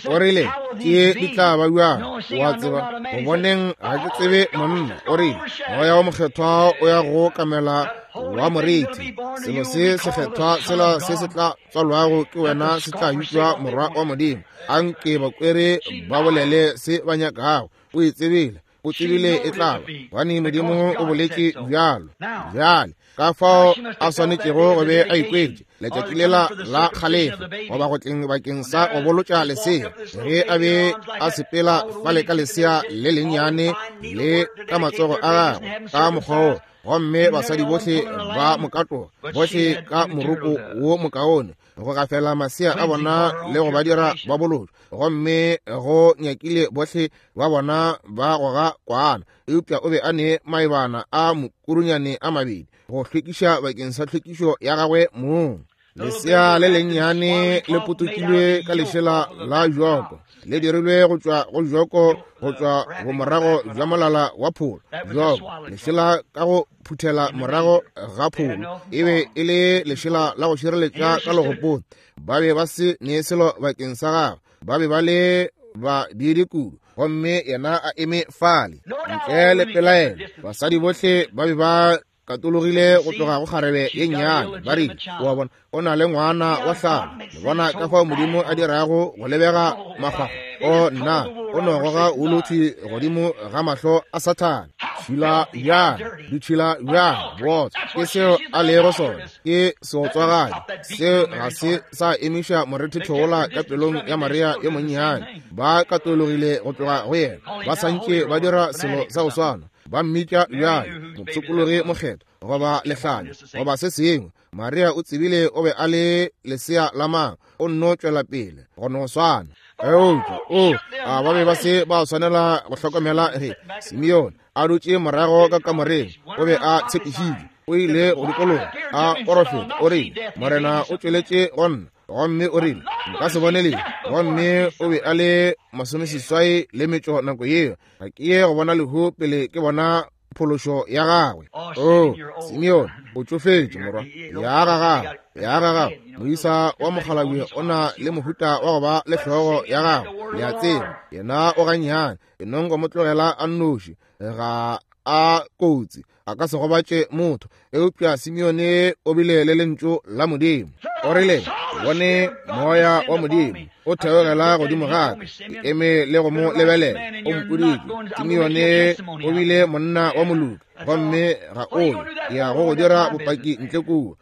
O rile, ke di tla ba bjang? O a tseba, go boneng ga ke tsebe monna. O rile, Moya o Mokgethwa o ya go kamela wa moriti, selo se sekgethwa sela se se tla tswalwago ke wena se tla bitšwa Morwa wa Modimo. Anke bakwere ba bolele se ba nyakago. O e tsebile, o tsebile e tla ba, gobane Modimo o boletše bjalo. Bjale ka fao a swanetšego go be a ikwetše letšatši lela la kgalefo, goba go tleng bakeng sa go bolotša lesea, ge a be a sepela fale ka lesea le lennyane le ka matsogo a gagwe ka mokgwa wo, gomme basadi bohle ba mokatoga, bohle ka moroko wo mokaone, go gafela masea a bona le go ba dira ba bolotšwa, gomme go nyakile bohle ba bona ba goga kwana. Eupša o be a ne maebana a mokurunyane a mabedi go hlwekiša bakeng sa hlwekišo ya gagwe mong. Lesea le lennyane le potokilwe ka lešela la joko, le dirilwe go tšwa go joko, go tšwa bomorago bja molala wa pholo. Joko, lešela ka go phuthela morago ga pholo, e be e le lešela la go šireletša ka legopong. Ba be ba se ne selo bakeng sa gagwe, ba be ba le ba diidi kudu, gomme yena a eme fale ntle le pelaelo. Basadi bohle ba be ba katologile go tloga go kgarebe ye nnyane, ba rile, o a bona, o na le ngwana wa hlano. Le bona ka fao Modimo a dirago go lebega makgwakgwa. O nna, o no goga wolothi godimo ga mahlo a Sathane. Tšhila bjang, ditšhila bjang, bootswa ke seo a lego sona, ke seotswagadi. Seo ga se sa emiša morethetho wola ka pelong ya Maria yo monnyane. Ba katologile go tloga go yena, ba santše ba dira selo sa go swana. Ba mmitša bjale mopshikologi mokgethwa goba lehlanya goba se sengwe. Maria o tsebile o be a le lesea la mang, o nno tšwela pele go no swana. Eupša o a ba be ba se ba swanela go hlokomela ge Simeone a dutše morago ka kamoreng, o be a tshepišitšwe, o ile go dikologa a porofeta, o rile, Morena o tšweletše go nna Gomme o rile, nka se bone lehu. Gomme o be a le masomeseswai le metšo nako yeo. Ga ke ye go bona lehu pele ke bona phološo ya gagwe. Oh, Simeon, o tšofetše morwa. Ya ga gagwe, ya ga gagwe. Moisa wa mokgalabje o na le mohuta wa go ba le hlogo ya gagwe. Le a tseba, yena o gannyane. E nong go mo tlogela a nnoši. Ga a kotsi, a ka se gobatše motho. Eupša Simeone o bile le lentšu la Modimo. O rile, bone moya wa Modimo o theogela godimo ga ka, ke eme le go mo lebelela. O mpoditše. Simeone o bile monna wa moloki, gomme ga o ye ya go go dira bopaki ntle kua.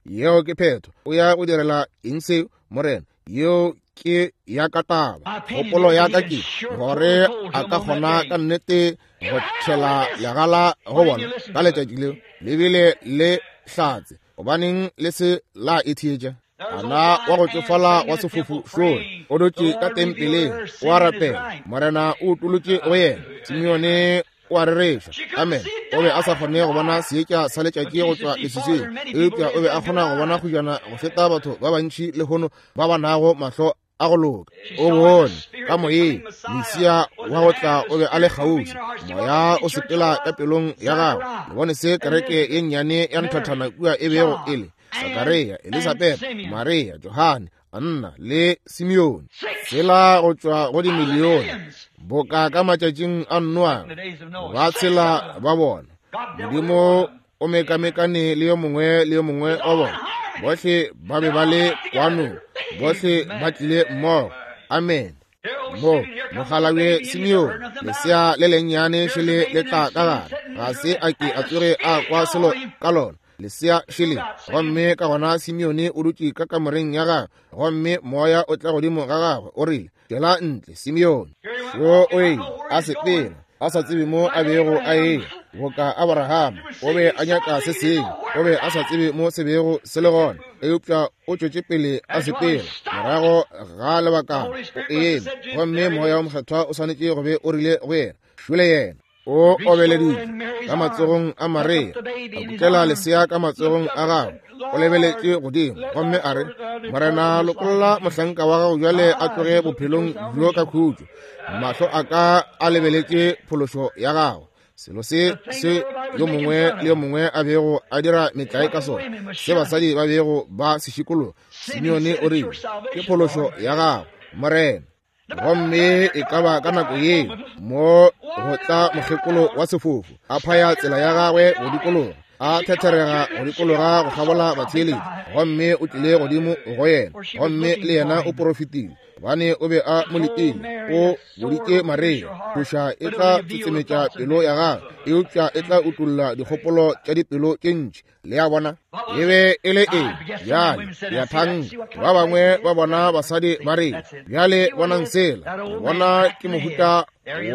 Yeo ke phetho. O ya go direla eng seo, Morena? Yeo ke ya ka taba. Kgopolo ya ka ke gore a ka kgona ka nnete go tšhela legala go bona ka letšatši leo le bile le hlatse. Gobaneng le se la e theetša? Ana wa go tšofala wa sefofu šole o dutše ka tempeleng o a rapela. Morena o utolotše go yena. Simeone o a rereša. Amen. O be a sa kgone go bona seetša sa letšatši go tšwa leswiswing, eupša o be a kgona go bona kgojana go feta batho ba bantši lehono ba ba nago mahlo a go loka. O bone ka moyeng Mesia wa go tla o be a le kgauswi. Moya o sepela ka pelong ya gagwe. Le bone se kereke ye nnyane ya nthathana kua e bego e le Sakaria, Elisabeth, Maria, Johane, Anna le Simeone. Tsela go tšwa go dimilione boka ka matšatšing a Noa, ba tshela ba bona. Modimo o mekamekane le yo mongwe le yo mongwe wa bona. Bohle ba be ba le kwanong, bohle ba tlile mmogo. Amen. Mo mokgalabje Simeone, lesea le lennyane šele le tla ka gare. Ga se a ke a tsoge a kwa selo ka lona. Lesea šele. Gomme ka gona Simeone o dutše ka kamoreng ya gagwe, gomme moya o tla godimo ga gagwe. O rile, tšwela ntle, Simeone. Šo o ile a sepela, a sa tsebe mo a bego a eya. Boka Abraham, o be a nyaka se sengwe, o be a sa tsebe mo se bego se le gona, eupša o tšwetše pele a sepela. Morago ga lebakana o eme, gomme moya wa mokgethwa o swanetše go be o rile go yena, šole yena. O obeleditše ka matsogong a Maria, a kukela lesea ka matsogong a gagwe. O lebeletše godimo gomme a re, Morena, lokolla mohlanka wa gago bjale a tloge bophelong bjo ka khutšo. Mahlo a ka a lebeletše phološo ya gago. Selo se se yo mongwe le yo mongwe a bego a dira metlae ka sona, se basadi ba bego ba se šikologa. Simeone o rile, ke phološo ya gago, Morena. Gomme e ka ba ka nako yeo mo go tla mokgekolo wa sefofu, a phaya tsela ya gagwe go dikologa, a thetherega go dikologa go kgabola batheeletši. Gomme o tlile godimo go yena, gomme le yena o porofetile, gobane o be a mo letile. O boditše Maria, tšhoša e tla tsetsemetša pelo ya gagwe, eupša e tla utolla dikgopolo tša dipelo tše ntši. Le a bona, e be e le eng? Bjale ya thang ba bangwe ba bona basadi ba re, bjale bonang sela, bona ke mohuta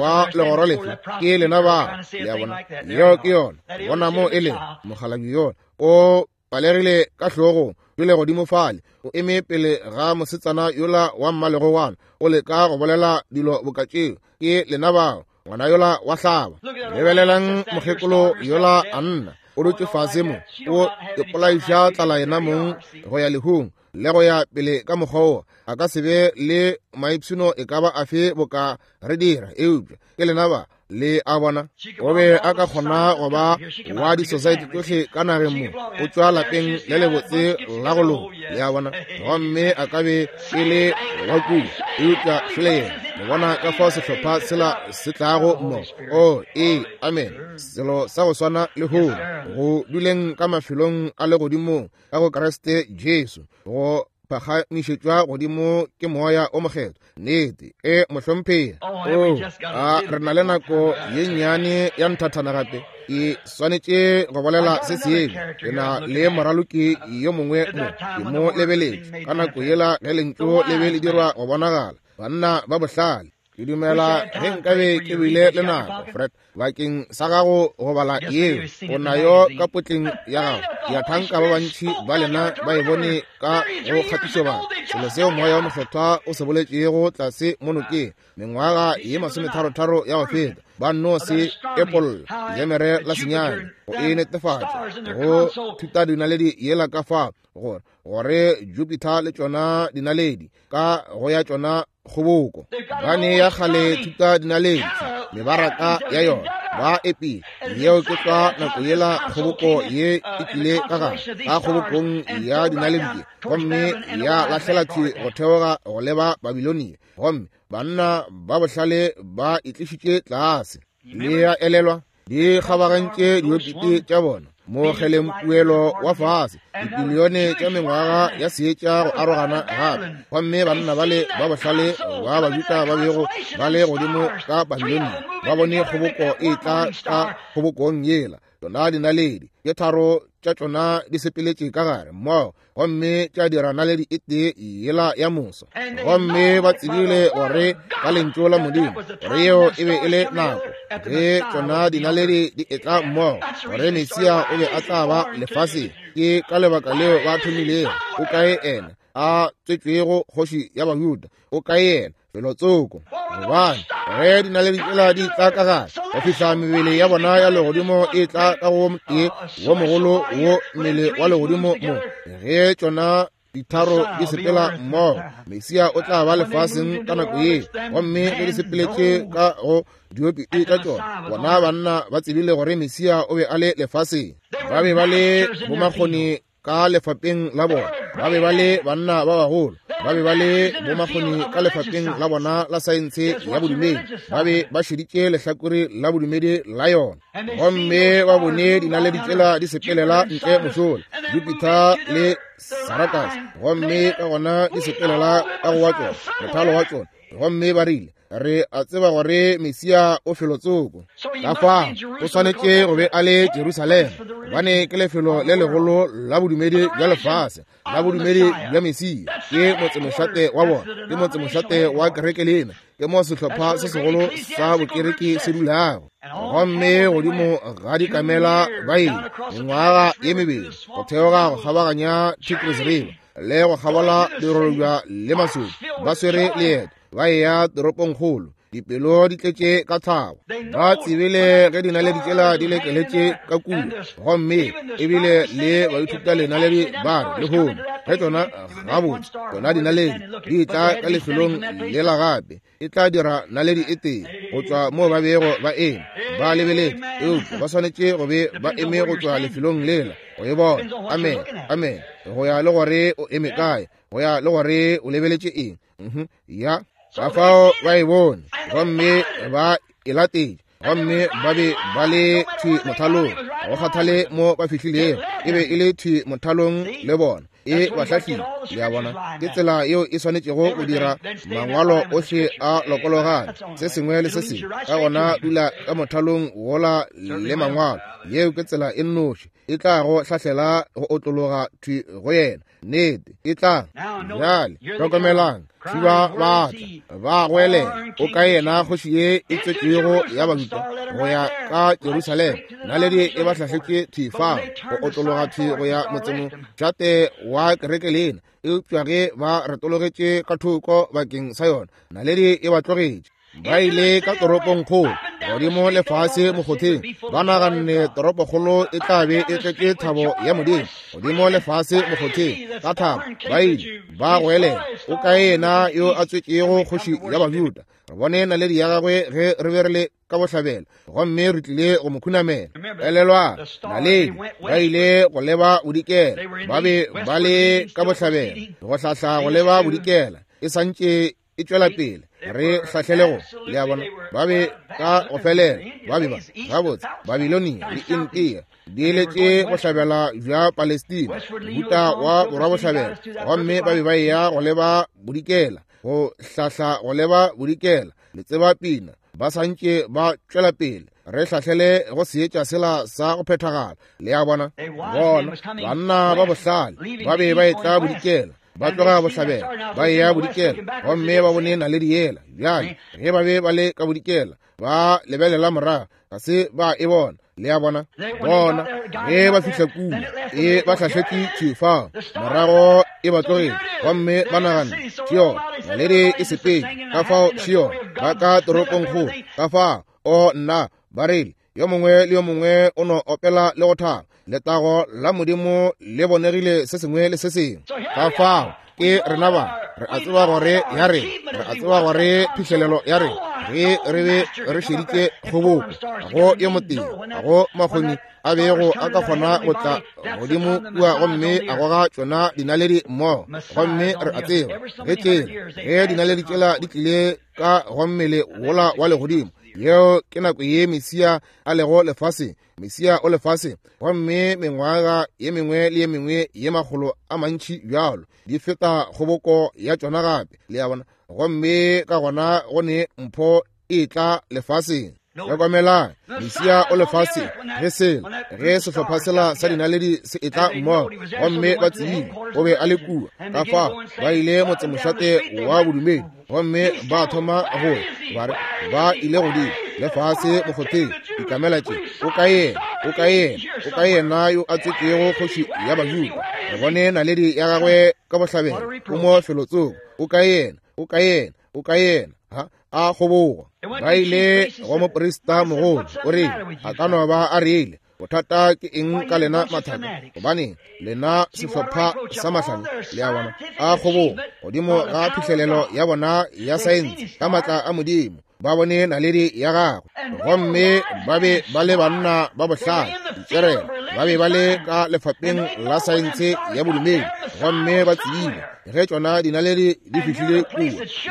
wa legoro lefe? Ke lena ba. Le a bona, yeo ke yona. Bona mo e leng mokgalabje yona o palegile ka hlogong, pele godimo fale, o eme pele ga mosetsana yola wa mmalegogwana, o leka go bolela dilo boka tšeo. Ke lena bao, ngwana yola wa hlaba. Lebelelang mokgekolo yola Anna, o dutše fase mo, o ipolaiša tlala yena mong go ya lehung le go ya pele ka mokgwa wo. A ka se be le maipshino e ka ba afe boka re dira, eupša ke lena ba. Le a bona, o be a ka kgona go ba wa di-society tsohle ka nageng mo, o tšwa lapeng le lebotse la go loka. Le a bona, gomme a ka be e le wa kua, eupša šole yena. Le bona ka fao sehlopha sela se tlago mo. O ee, amen. Selo sa go swana le hono, go duleng ka mafelong a legodimong ka go Kriste Jesu, go phagamišetšwa godimo ke moya o mokgethwa. Nnete e mohlomphegi. O a re na le nako ye nnyane ya nthathana gape. Ke swanetše go bolela se sengwe. Ke na le moraloki yo mongwe mo, ke mo lebeletše ka nako yela ge lentšu le be le dirwa go bonagala. Banna ba bohlale. Ke dumela ge nkabe ke bile le nako, Fred, bakeng sa gago go bala yeo, o nayo ka potleng ya gago. Ke a thanka ba bantši ba lena ba e bone ka go kgatišobaka, selo seo Moya wo Mokgethwa o se boletšego tlase mo nokeng mengwaga ye masometharotharo ya go feta. Ba nno se epolla lemere la senyane go e netefatša go thuta dinaledi yela ka fa gore gore Jupiter le tšona dinaledi ka go ya tšona kgoboko ba ne ya kgale thuta dinaledi mebaraka ya yona ba epile yeo ke tlwa nako yela kgoboko ye e tlile ka gare ka kgobokong ya dinaledi gomme ya lahlela thwi go theoga go leba Babilonia, gomme banna ba bohlale ba itlišitše tlase. Le ya elelwa di kgabagantše diopiti tša bona mo kgelempuelo wa fase dibilione tša mengwaga ya seetša go arogana gape, gomme banna bale ba bohlale ba Bajuda ba bego ba le godimo ka Babilonia ba bone kgoboko e tla ka kgobokong yela. Tšona dinaledi tše tharo tša tšona di sepeletše ka gare mmogo gomme tša dira naledi e tee yela ya moso, gomme ba tsebile gore ka lentšu la Modimo gore yeo e be e le nako ge tšona dinaledi di etla mmogo gore Mesia o be a tla ba lefaseng. Ke ka lebaka leo ba thomilego. O kae ena a tswetšwego kgoši ya Bajuda? O kae yena felotsoko? Gobane ge dinaledi tšela di tla ka gare go fihla mebele ya bona ya legodimo e tla ka go tee wo mogolo wo mmele wa legodimo mo, ge tšona ditharo di sepela mmogo, Mesia o tla ba lefaseng ka nako ye. Gomme ge di sepeletše ka go diopiti tša tšona, bona banna ba tsebile gore Mesia o be a le lefaseng. Ba be ba le bomakgoni ka lefapeng la bona, ba be ba le banna ba bagolo, ba be ba le bomakgoni ka lefapeng la bona la saense ya bodumedi, ba be ba šeditše lehlakore la bodumedi la yona, gomme ba bone dinaledi tšela di sepelela ntle mošola, Jupiter le Sarakas, gomme ka gona di sepelela ka go wa tšona mothalo wa tšona, gomme ba rile, re a tseba gore Mesia o felotsoko. Ka fao o swanetše go be a le Jerusalema, gobane ke lefelo le legolo la bodumedi bja lefase la bodumedi bja Mesia. Ke motsemošate wa bona, ke motsemošate wa kereke lena, ke mo sehlopha se segolo sa bokereke se dulago. Gomme godimo ga dikamela ba ile mengwaga ye mebedi go theoga go kgabaganya Tigris River le go kgabola dirorobja le masodi, ba swere leeto ba eya toropongkgolo, dipelo di tletše ka thabo. Ba tsebile ge dinaledi tšela di lekeletše ka kua, gomme ebile le baithuta lenaledi ba re lehono ge tšona gabotse tšona dinaledi di tla ka lefelong lela gape, e tla dira naledi e tee go tšwa moo ba bego ba eme ba lebeletše, eupša ba swanetše go be ba eme go tšwa lefelong lela go e bona. Amen, amen. Go ya le gore o eme kae, go ya le gore o lebeletše eng. Mhm, ya ka fao ba e bone gomme ba e latetše, gomme ba be ba le thwi mothalong. Go kgathale mo ba fihlilego, e be e le thwi mothalong le bona, e ba hlahlile. Le a bona, ke tsela yeo e swanetšego go dira mangwalo ohle a lokologane, se sengwe le se sengwe. Ka gona dula ka mothalong wola le mangwalo. Yeo ke tsela e nnoši e tla go hlahlela go otlologa thwi go yena. Nnete e tla. Bjale hlokomelang, thiba ba tla ba goelela, o ka yena kgoši ye e tswetšwego ya Bajuda go ya ka Jerusalema. Naledi e ba hlahletše thwi fao go otlologa thwi go ya motsemošate wa kereke lena, eupša ge ba retologetše ka thoko bakeng sa yona, naledi e ba tlogetše. Ba ile ka toropongkgolo godimo lefase mokgotheng, ba naganne toropokgolo e tla be e tletše thabo ya Modimo. Godimo lefase mokgotheng ka thabo ba ile ba goelela, o kae yena yo a tswetšego kgoši ya Bajuda? Re bone naledi ya gagwe ge re be re le ka bohlabela, gomme re tlile go mo khunamela. Elelwang, naledi ba ile go leba bodikela, ba be ba le ka bohlabela go hlahla go leba bodikela, e santše e tšwela pele re hlahlele go. Le a bona, ba be ka go felela ba be ba gabotse Babilonia le India di eletše bohlabela bja Palestina, mohuta wa borwa bohlabela, gomme ba be ba eya go leba bodikela, go hlahla go leba bodikela. Le tseba pina, ba santše ba tšwela pele re hlahlele go seetša sela sa go phethagala. Le a bona, bona banna ba bohlale ba be ba etla bodikela, Ba tloga bohlabela ba eya bodikela, gomme ba bone naledi yela. Bjale ge ba be ba le ka bodikela, ba lebelela morago, ga se ba e bona. Le a bona? Bona ge ba fihla kua, e ba hlahletše thwi fao, morago e ba tlogile, gomme ba nagana ke yona naledi e sepetše. Ka fao še yona, ba ka toropongkgolo. Ka fao o nna ba rile, yo mongwe le yo mongwe o no opela le go thaba, letago la Modimo le bonegile se sengwe le se sengwe. Ka fao ke rena ba re a tseba gore ya rena, re a tseba gore phihlelelo ya rena, ge re be re šeditše kgoboko go yo motee, go makgoni a bego a ka kgona go tla godimo kua gomme a goga tšona dinaledi mmogo. Gomme re a tseba ge tšela, ge dinaledi tšela di tlile ka go mmele wola wa legodimo, yeo ke nako ye Mesia a lego lefaseng. Mesia o lefaseng, gomme mengwaga ye mengwe le ye mengwe ye makgolo a mantši bjalo di feta kgoboko ya tšona gape. Le a bona? Gomme ka gona go ne mpho e tla lefaseng. Hlokomelang, Mesia o lefaseng ge sela, ge sehlopha sela sa dinaledi se etla mmogo, gomme ba tsebile o be a le kua. Ka fao ba ile motsemošate wa bodumedi, gomme ba thoma go ba re ba ile godimo le fase mokgotheng, dikamela tše, o ka yena, o ka yena, o ka yena yo a tswetšego kgoši ya Bajuda. Re bone naledi ya gagwe ka bohlabela, o mo felotsoko, o ka yena, o ka yena, o ka yena. Ha a kgobogo. Ba ile go moprista mogolo, o rile, a ka no ba a rile, bothata ke eng ka lena mathaka? Gobane lena sehlopha sa mahlale. Le a bona? A kgobogo godimo ga phihlelelo ya bona ya saense ka matla a Modimo. Ba bone naledi ya gagwe, gomme ba be ba le banna ba bohlale, ditšerelo. Ba be ba le ka lefapheng la saense ya bodumedi, gomme ba tsebile ge tšona dinaledi di fihlile kua,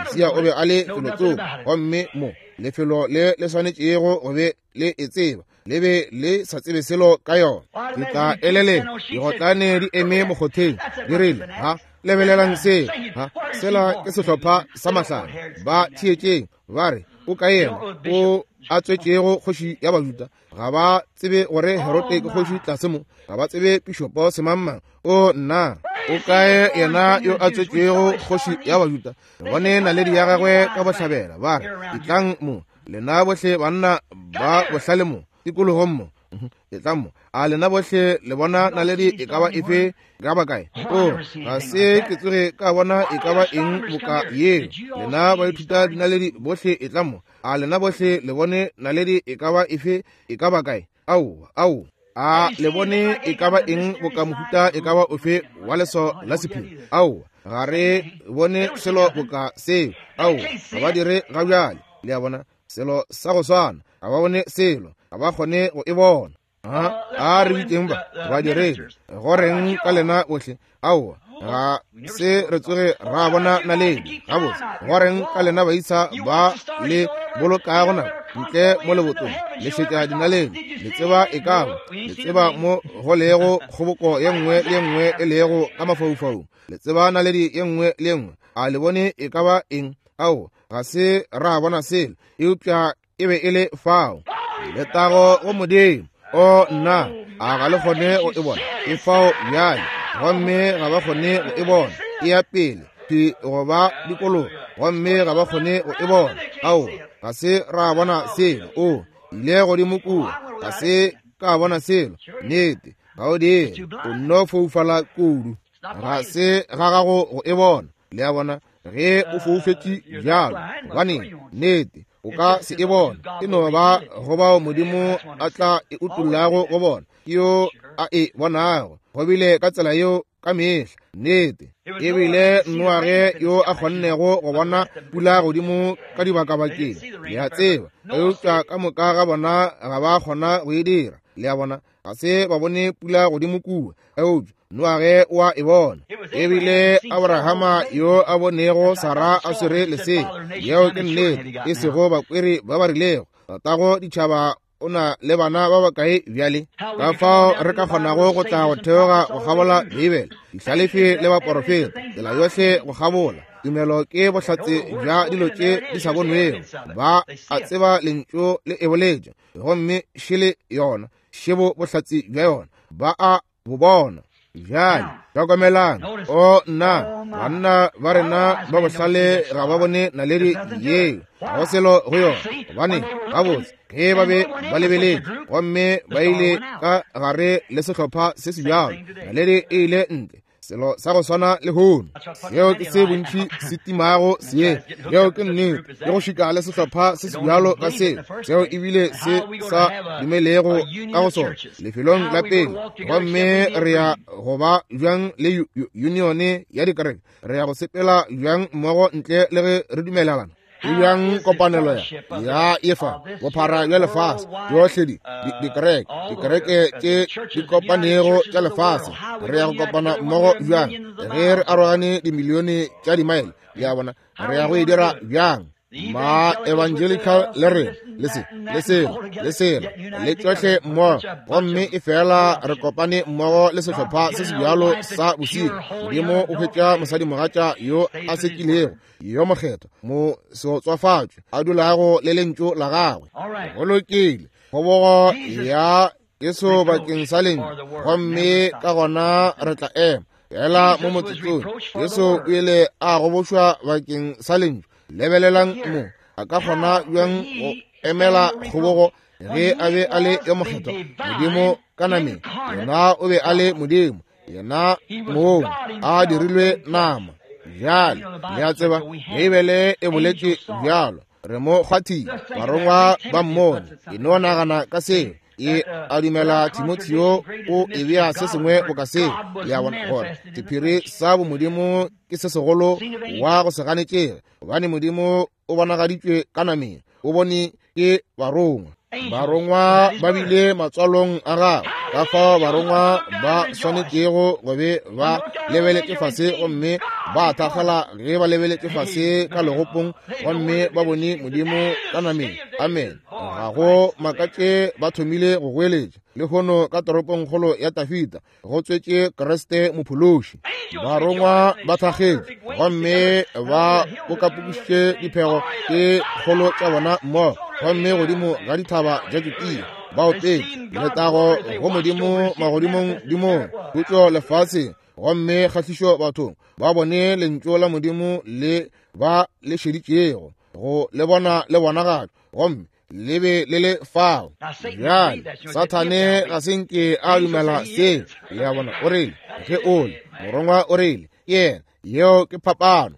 Mesia o be a le felotsoko, gomme mo lefelo le le swanetšego go be le e tseba, le be le sa tsebe selo ka yona. Ke tla elelela digotlane di eme mokgotheng, di rile, ha lebelelang seo, ha sela ke sehlopha sa mahlale. Ba theetšeng, ba re, o ka yena o a tswetšego kgoši ya Bajuda. Ga ba tsebe gore Herode ke kgoši tlase mo, ga ba tsebe pišopo semangmang. O nna, o kae yena yo a tswetšego kgoši ya Bajuda? Re bone naledi ya gagwe ka bohlabela. Ba re, etlang mo, lena bohle banna ba bohlale mo tikologong mo, etlang mo. A lena bohle le bona naledi e ka ba efe, e ka ba kae? O ga se ke tsoge ka bona e ka ba eng boka yeo. Lena baithuta dinaledi bohle etlang mo. A lena bohle le bone naledi e ka ba efe, e ka ba kae? Ao, ao. A le bone e ka ba eng boka mohuta e ka ba ofe wa leso la sephiri? Ao, ga re bone selo boka seo. Ao, ga ba dire ga bjale. Le a bona? Selo sa go swana, ga ba bone selo, ga ba kgone go e bona. A re bitšeng ba badiredi, go reng ka lena bohle? Aowa, ga se re tsoge ra bona naledi. Gabotse, go reng ka lena baisa ba le bolokago nako ntle mo lebotong, le šetša dinaledi, le tseba e ka ba, le tseba mo go lego kgoboko ye nngwe le ye nngwe e lego ka mafaufaung, le tseba naledi ye nngwe le ye nngwe. A le bone e ka ba eng? Aowa, ga se ra bona selo, eupša e be e le fao. Letago go Modimo. O nna, a ga le kgone go e bona? E fao bjale, gomme ga ba kgone go e bona. E ya pele thwi go ba dikologa, gomme ga ba kgone go e bona. Aowa, ga se ra bona selo. O ile godimo kua, ga se ka bona selo. Nnete, ga o dire, o nno foufala kudu, ga se ga gago go e bona. Le a bona? Ge o foufetše bjalo, gobaneng, nnete, o ka se e bona. E no ba go bao Modimo a tla e utollago go bona, ke yo a e bonago. Go bile ka tsela yeo ka mehla. Nnete, ebile Noage yo a kgonnego go bona pula godimo ka dibakabakeng, le a tseba, eupša ka moka ga bona ga ba kgona go e dira. Le a bona? Ga se ba bone pula godimo kua, eupša Noage o a e bona. Ebile Abrahama yo a bonego Sara a swere lesea, yeo ke nnete, e sego bakweri ba ba rilego, tatago ditšhaba o na le bana ba bakae bjale? Ka fao re ka kgonago go tla go theoga go kgabola Beibele, dihlalefi le baporofeta, tsela yohle go kgabola. Tumelo ke bohlatse bja dilo tše di sa bonwego. Ba a tseba lentšu le e boletše, gomme šele yona, šebo bohlatse bja yona, ba a bo bona. Bjale hlokomelang, o nna, banna ba rena ba bohlale ga ba bone naledi yeo, ga go selo go yona. Gobane gabotse ge ba be ba lebeletše gomme ba ile ka gare le sehlopha se se bjalo, naledi e ile ntle. Selo sa go swana le hono, seo ke se bontši se timago seetša. Yeo ke nnete, ke go šika le sehlopha se se bjalo ka seo, seo ebile se sa dumelego ka go sona lefelong la pele. Gomme re ya go ba bjang le unione ya dikereke? Re ya go sepela bjang mmogo ntle le ge re dumelelana? E bjang kopanelo ya ya efa bophara bja lefase tšohle di dikereke dikereke tše di kopanego tša lefase? Re ya go kopana mmogo bjang ge re arogane dimilione tša dimaele? Le a bona, re ya go e dira bjang? Ma evangelical le re le se le selo le selo le tšohle mmogo, gomme e fela re kopane mmogo le sehlopha se se bjalo sa bosilo. Modimo o hwetša mosadimogatša yo a sekilego, yo mokgethwa, mo seotswafatšwe, a dulago le lentšu la gagwe. Go lokile, kgobogo ya Jesu bakeng sa lentšu, gomme ka gona re tla ema fela mo motsotsong. Jesu o ile a gobošwa bakeng sa lentšu. Lebelelang mo, a ka kgona bjang go emela kgobogo ge a be a le yo mokgethwa? Modimo ka nameng, yena o be a le Modimo, yena mong a dirilwe nama. Bjale le a tseba, Beibele e boletše bjalo, re mo kgwathile, barongwa ba mmone. E no nagana ka seo. E a dumela Timotheo o e bea se sengwe boka seo. Le a bona gore sephiri sa bomodimo ke se segolo wa go se ganetšege, gobane Modimo o bonagaditšwe ka nameng, o bone ke barongwa. Barongwa ba bile matswalong a gagwe, ka fao barongwa ba swanetšego go be ba lebeletše fase gomme ba thakgala ge ba lebeletše fase ka legopong gomme ba bone Modimo ka nameng. Amen. Ga go makatše ba thomile go goeletša lehono ka toropongkgolo ya Tafita, go tswetše Kriste mophološi. Barongwa ba thakgetše gomme ba pokapokišitše diphego tše kgolo tša bona mmogo, gomme godimo ga dithaba tša Judea ba opetše letago go Modimo magodimong dimong, khutšo lefaseng, gomme kgahlišo bathong. Ba bone lentšu la Modimo le ba le šeditšego go le bona le bonagatšwa, gomme le be le le fao. Bjale Sathane ga se nke a dumela seo. Le a bona, o rile ge o le morongwa, o rile ke yena. Yeo ke phapano.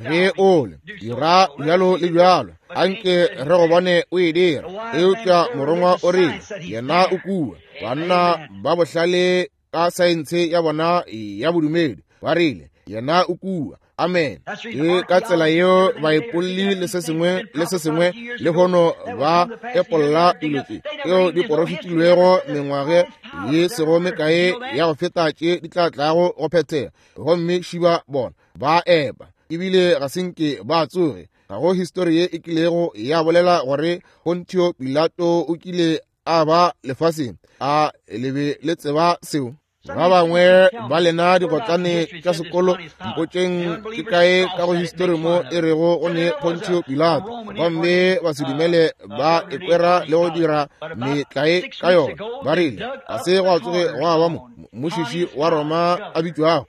Ge o le dira bjalo le bjalo, anke re go bone o e dira. Eupša morongwa o rile yena o kua. Banna ba bohlale ka saense ya bona ya bodumedi ba rile yena o kua. Amen. Ke ka tsela yeo baepolli le se sengwe le se sengwe lehono ba epolla dilo tše tšeo di porofetilwego mengwage ye sego mekae ya go feta tše di tla tlago go phethega, gomme šiba bona ba epa ebile ga se nke ba tsoge. Ga go histori ye e kilego ya bolela gore Pontio Pilato o kile a ba lefaseng. A le be le tseba seo? Ba bangwe ba lena digotlane tša sekolo, mpotšeng ke kae ka go histori mo e rego go ne Pontio Pilato, gomme ba se dumele ba ekwera le go dira metlae ka yona. Ba rile ga se gwa tsoge gwa ba mo mmušiši wa Roma a bitšwago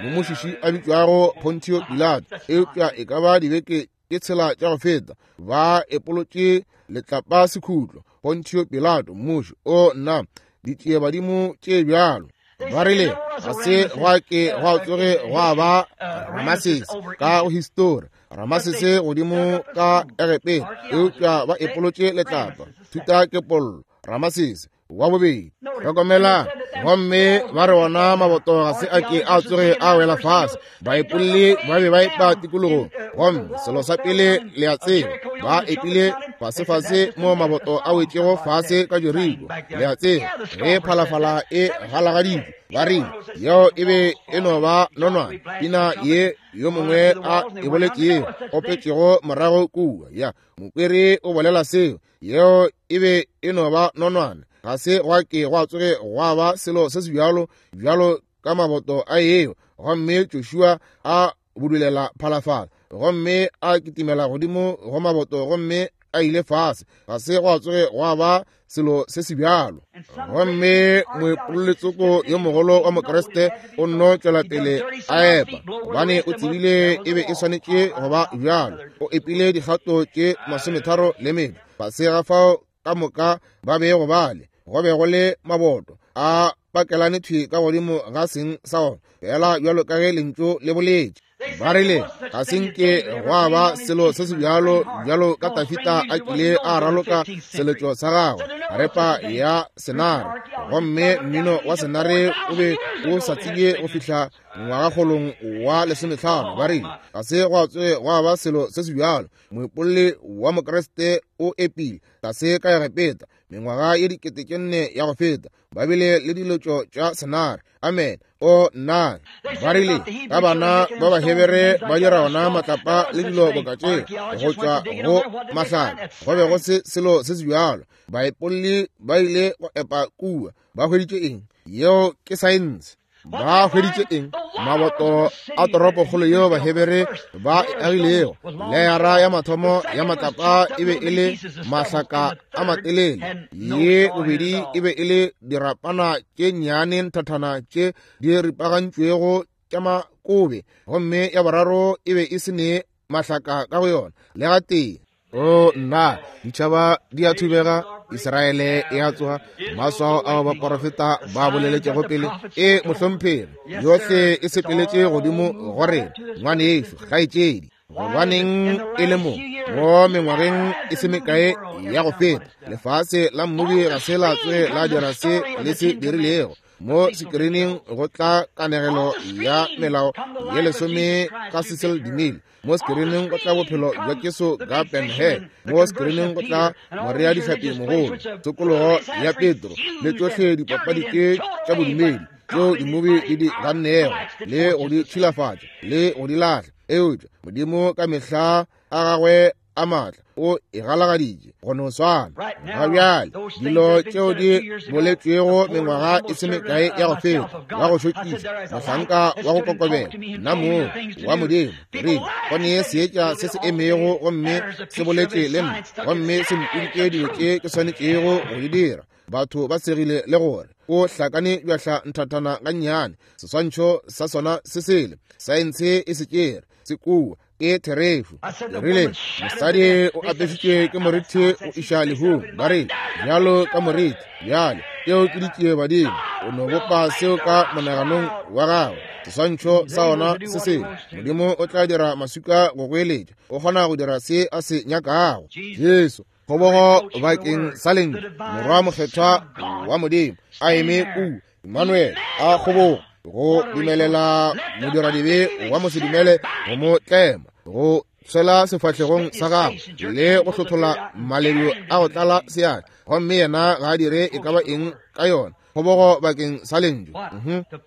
mmušiši a bitšwago Pontio Pilato. Eupša e ka ba dibeke ke tshela tša go feta ba epolotše letlapa sekhutlo Pontio Pilato mmuši. O nna, ditšie badimo tše bjalo. Ba rile ga se gwa ke gwa tsoge gwa ba Ramasese ka go histori, Ramasese godimo ka Egepeta, eupša ba epolotše letlapa thuta ke pollo Ramasese wa bobedi. Hlokomelang, gomme ba re ona maboto ga se a ke a tsoge a wela fase. Baepolli ba be ba epa tikologong, gomme selo sa pele le a tseba, ba epile fasefase mo maboto a wetšego fase ka Jeriko. Le a tseba, ge phalafala e galagaditšwe, ba rile yeo e be e no ba nonwane, pina ye yo mongwe a e boletšego opetšego morago kua. Ya mokwere o bolela seo, yeo e be e no ba nonwane. Ga se gwa ke gwa tsoge gwa ba selo se se bjalo bjalo ka maboto a eo. Gomme Joshua a budulela phalafala, gomme a kitimela godimo go maboto, gomme a a ile fase. Ga se gwa tsoge gwa ba selo se se bjalo. Gomme moepololetsoko yo mogolo wa Mokriste o nno tšwela pele a epa, gobane o tsebile e be e swanetše go ba bjalo. O epile dikgato tše masometharo le mebe fase ga fao ka moka ba bego bale. Go be go le maboto a pakelane thwi ka godimo ga seng sa ona, fela bjalo ka ge lentšu le boletše. Ba rile ga se nke gwa ba selo se se bjalo bjalo ka Tafita a kile a raloka seletšo sa gagwe, harepa ya senare, gomme mmino wa senare o be o sa tsebje go fihla ngwagakgolong wa lesomehlano. Ba rile ga se gwa tsoge gwa ba selo se se bjalo. Moipolli wa Mokriste o epile tlase ka Egepeta mengwaga ye dikete tše nne ya go feta, ba bile le diletšo tša senare. Amen. O nna ba rile ka bana ba Bahebere ba dira ona matlapa le dilo boka tše go tšwa go mahlale. Go be go se selo se se bjalo. Baepolli ba ile go epa kua. Ba hweditše eng? Yeo ke saense. Ba hweditše eng? Maboto a toropokgolo yeo Bahebere ba e agilego. Leyara ya mathomo ya matlapa e be e le mahlaka a matelele, ye bobedi e be e le dirapana tše nnyane nthathana tše di ripagantšwego tša makobe, gomme ya boraro e be e se ne mahlaka ka go yona le gatee. O nna, ditšhaba di a thubega, Israele e a tsoga, maswao ao baporofeta ba boleletšego pele e mohlomphegi yohle e sepeletše godimo go rena. Ngwanešo, kgaetšedi, gobaneng e le mo mo mengwageng e se mekae ya go feta, lefase la mmobi ga se la tsoge la dira se le se dirilego. Mo sekirining go tla kanegelo ya melao ye lesome ka Cecil DeMille. Mo sekirining go tla bophelo bja Jesu ka Ben-Hur. Mo sekirining go tla Morea dihlapi mogolo, tokologo ya Petro, le tšohle dipapadi tše tša bodumedi tšeo dimubi di di gannego le go di tšhilafatša le go di lahla. Eupša Modimo ka mehla a gagwe a maatla o e galagaditše go no swana. Ga bjale dilo tšeo di boletšwego mengwaga e se mekae ya go feta, wa go šokiša, mohlanka wa go kokobela, nna mong wa Modimo, rile go nee seetša se se emego gomme se boletše le nna, gomme se mpoditše dilo tše ke swanetšego go di dira. Batho ba segile le gore o hlakane bjahla nthathana gannyane, seswantšho sa sona se sele, saense e se tšere se kua ke therešo. Ke rile mosadi o apešitšwe ke morithi go iša lehung. Ba rile bjalo ka morithi bjale tšeo ke ditšie badimo. O no bopa seo ka monaganong wa gagwe, seswantšho sa ona se sele. Modimo o tla dira maswika go goeletša, o kgona go dira se a se nyakago. Jesu kgobogo bakeng sa lentšu, Morwa mokgethwa wa Modimo a eme kua, Emmanuel a kgobogo go dumelela modiradibe wa mosedumele go mo tlema, go tshwela sefahlegong sa gagwe le go hlothola maledu a go tlala seatla, gomme yena ga a dire e ka ba eng ka yona. Kgobogo bakeng sa lentšu,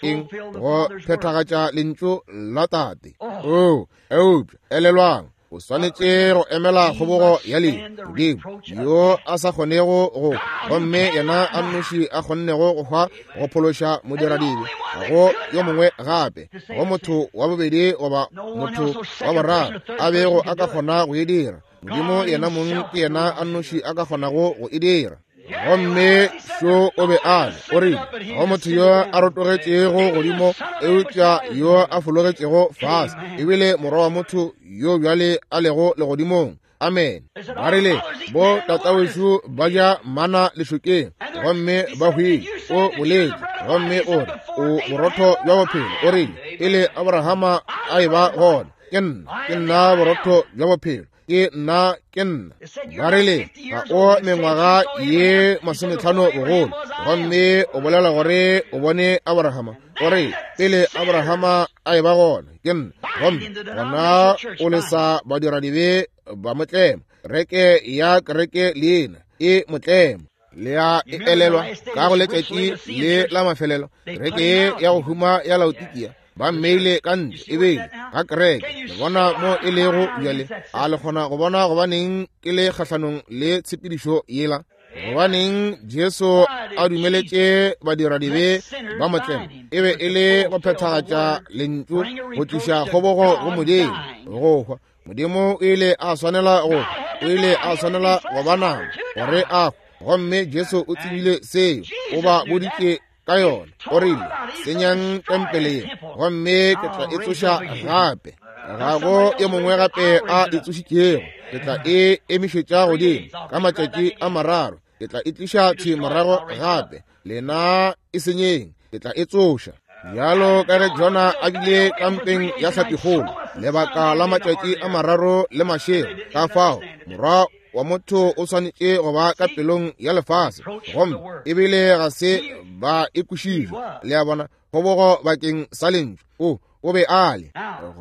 eng? Go phethagatša lentšu la Tate. O eupša elelwang, o swanetše go emela kgobogo ya lehu. Modimo yo a sa kgonego go, gomme yena a nnoši a kgonnego go hwa go phološa modiradibe, ga go yo mongwe gape, go motho wa bobedi goba motho wa boraro a bego a ka kgona go e dira. Modimo yena mong ke yena a nnoši a ka kgonago go e dira. Gomme šo o be a le, o rile go motho yo a rotogetšego godimo eupša yo a fologetšego fase, ebile morwa wa motho yo bjale a lego legodimong. Amen. Ba rile bo tatawešu ba ja mana lešokeng gomme ba hwile. O boletše gomme o re o borotho bja bophelo. O rile pele Abrahama a eba gona, ke nna, ke nna borotho bja bophelo, ke nna, ke nna. Ba rile ga o mengwaga ye masometlhano bogolo, gomme o bolela gore o bone Abrahama. O re pele Abrahama a eba gona, ke nna. Gomme gona o lesa badiradibe ba motlema, reke ya kereke leina e motlema. Le a e elelwa ka go letšatši le la mafelelo, kereke ye ya go huma ya Laodikia ba mmeile ka ntle e beile ga kereke. Le bona mo e lego bjale? A le kgona go bona gobaneng ke le kgahlanong le tshepedišo yela? Gobaneng Jesu a dumeletše badiradibe ba motlema? E be e le go phethagatša lentšu, go tliša kgobogo go Modimo, go hwa. Modimo o ile a swanela go, o ile a swanela go ba nama gore a hwe. Gomme Jesu o tsebile seo, o ba boditše ka yona. O rile, senyang tempele ye, gomme ke tla e tsoša gape. Ga go e mongwe gape a e tsošitšego. Ke tla e emišetša godimo ka matšatši a mararo. Ke tla e tliša thwi morago gape. Lena e senyeng, ke tla e tsoša. Bjalo ka ge Jona a bile kampeng ya hlapikgolo lebaka la matšatši a mararo le mašego, ka fao morwa wa motho o swanetše go ba ka pelong ya lefase. Gomme ebile ga se ba e kwešiše. Le a bona, kgobogo bakeng sa lentšu. O o be a le,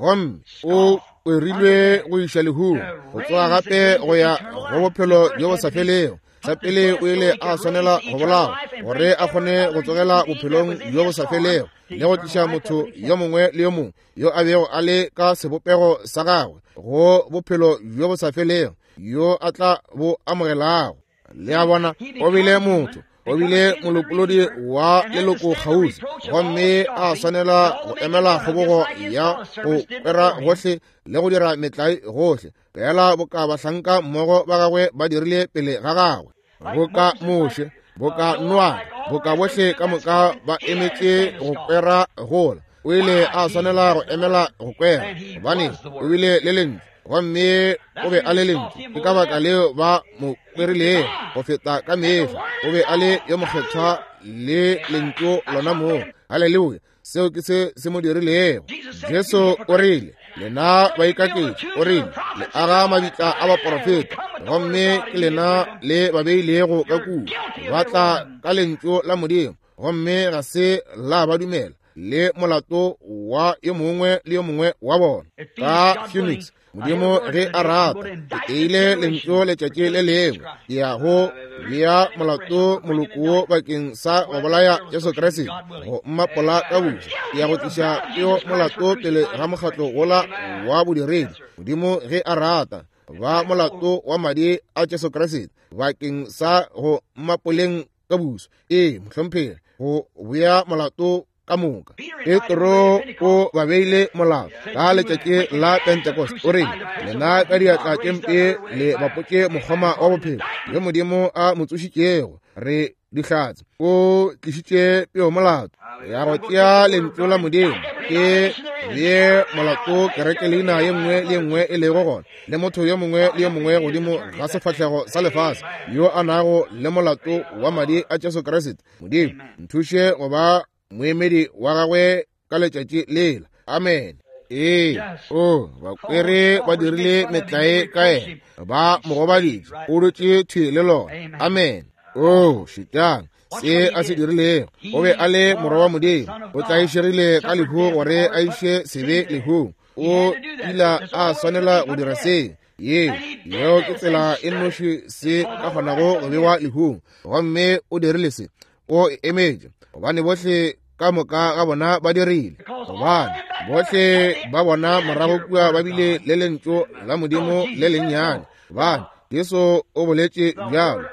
gomme o kwerilwe go iša lehung, go tsoga gape go ya go bophelo bjo bo sa felego. Sa pele o ile a swanela go bolawa gore a kgone go tsogela bophelong bjo bo sa felego le go tliša motho yo mongwe le yo mongwe yo a bego a le ka sebopego sa gagwe go bophelo bjo bo sa felego yo a tla bo amogelago. Le a bona, o bile motho, o bile molopolodi wa leloko kgauswi, gomme a swanela go emela kgobogo ya go kwera gohle le go dira metlae gohle, fela boka bahlanka mmogo ba gagwe ba dirile pele ga gagwe, boka Moshe, boka Noa, boka bohle ka moka ba emetše go kwera gola. O ile a swanela go emela go kwera, gobane o bile le lentšu, gomme o be a le lentšu. Ke ka baka leo ba mo kwerilego go feta ka mehla. O be a le yo mokgethwa le lentšu lona moo. Haleluya! Seo ke se se mo dirilego. Jesu o rile, lena baikaketši, o rile, le aga mabitla a baporofeta, gomme ke lena le ba beilego ka kua. Ba tla ka lentšu la Modimo, gomme ga se la ba dumela, le molato wa yo mongwe le yo mongwe wa bona. Ka Phoenix, Modimo ge a rata, ke teile lentšu letšatši le lengwe, ke ya go bea molato moloko wo bakeng sa go bolaya Jesu Kriste, go mmapola ka buša. Ke ya go tliša peo molato pele ga mokgatlo wola wa bodiredi. Modimo ge a rata, ba molato wa madi a Jesu Kriste bakeng sa go mmapoleng ka buso. Ee, mohlomphegi, go bea molato ka moka. Petro o ba beile molato ka letšatši la Pentecost. O rile, lena ka diatla tše mpe le bapotše mokgoma wa bophelo yo Modimo a mo tsošitšego. Re dihlatse. O tlišitše peo molato ya go tšea lentšu la Modimo ke bee molato kereke leina ye nngwe le ye nngwe e lego gona, le motho yo mongwe le yo mongwe godimo ga sefahlego sa lefase yo a nago le molato wa madi a Jesu Kriste. Modimo nthuše go ba moemedi wa gagwe ka letšatši lela. Amen. Ee, o bakwere ba dirile metlae ka yena, ba mo gobaditše, o dutše thwi le lona. Amen. O šetšang se a se dirilego. O be a le morwa wa Modimo, o tlaišegile ka lehu gore a iše sebe lehung. O ile a swanela go dira se. Ye yeo ke tsela e nnoši se ka kgonago go bewa lehung, gomme o dirile se. O emetše, gobane bohle ka moka ga bona ba dirile, gobane bohle ba bona morago kua ba bile le lentšu la Modimo le lennyane. Gobane Jesu o boletše bjalo,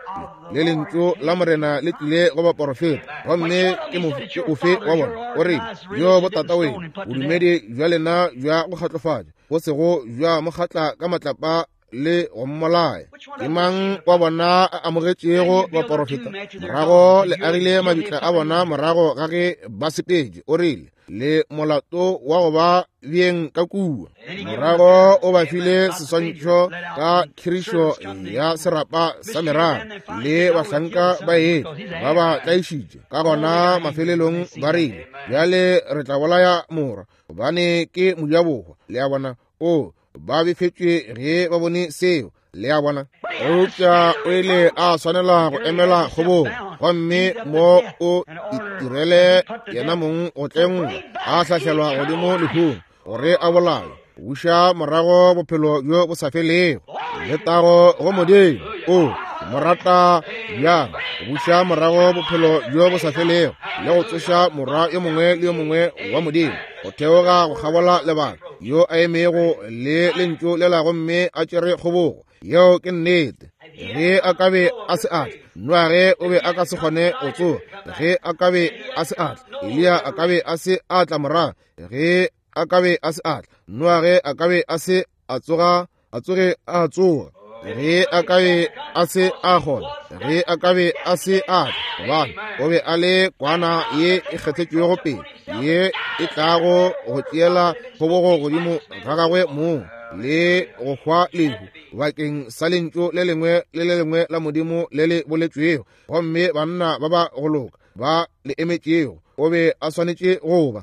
le lentšu la Morena le tlile go baporofeta, gomme ke mofe ofe wa bona? O rile, yo botataweno, bodumedi bja lena bja go kgatlofatša, bo sego bja mokgatla ka matlapa le go mmolaya. Ke mang wa bona a amogetšego baporofeta? Morago le agile mabitla a bona morago ga ge ba sepetše. O rile, le molato wa go ba beng ka kua. Morago o ba file seswantšho ka khirišo ya serapa sa merara, le bahlanka ba etla ba ba tlaišitše. Ka gona mafelelong ba rile, bjale re tla bolaya morwa, gobane ke mojabohwa. Le a bona, o ba befetšwe ge ba bone seo. Le a bona, eupša o ile a swanela go emela kgobogo, gomme mo o itirele yena mong go tlengwa, a hlahlelwa godimo lehung gore a bolawe, buša morago bophelo bjo bo sa felego. Letago go Modimo. O mo rata bjang, buša morago bophelo bjo bo sa felego le go tsoša morwa yo mongwe le yo mongwe wa Modimo go theoga go kgabola lebaka, yo a emego le lentšu lela gomme a tšere kgobogo. Yeo ke nnete. Ge a ka be a se atla, Noage o be a ka se kgone go tsoga. Ge a ka be a se atla, Eliya a ka be a se atla morago. Ge a ka be a se atla, Noage a ka be a se a tsoga a tsoge a tsoga. Ge a ka be a se a kgona, ge a ka be a se a gobane o be a le kwana ye e kgethetšwego pele ye e tlago go tšeela kgobogo godimo ga gagwe mong le go hwa lehu bakeng sa lentšu le lengwe le le lengwe la Modimo le le boletšwego, gomme banna ba ba go loka ba le emetšego. O be a swanetše go ba.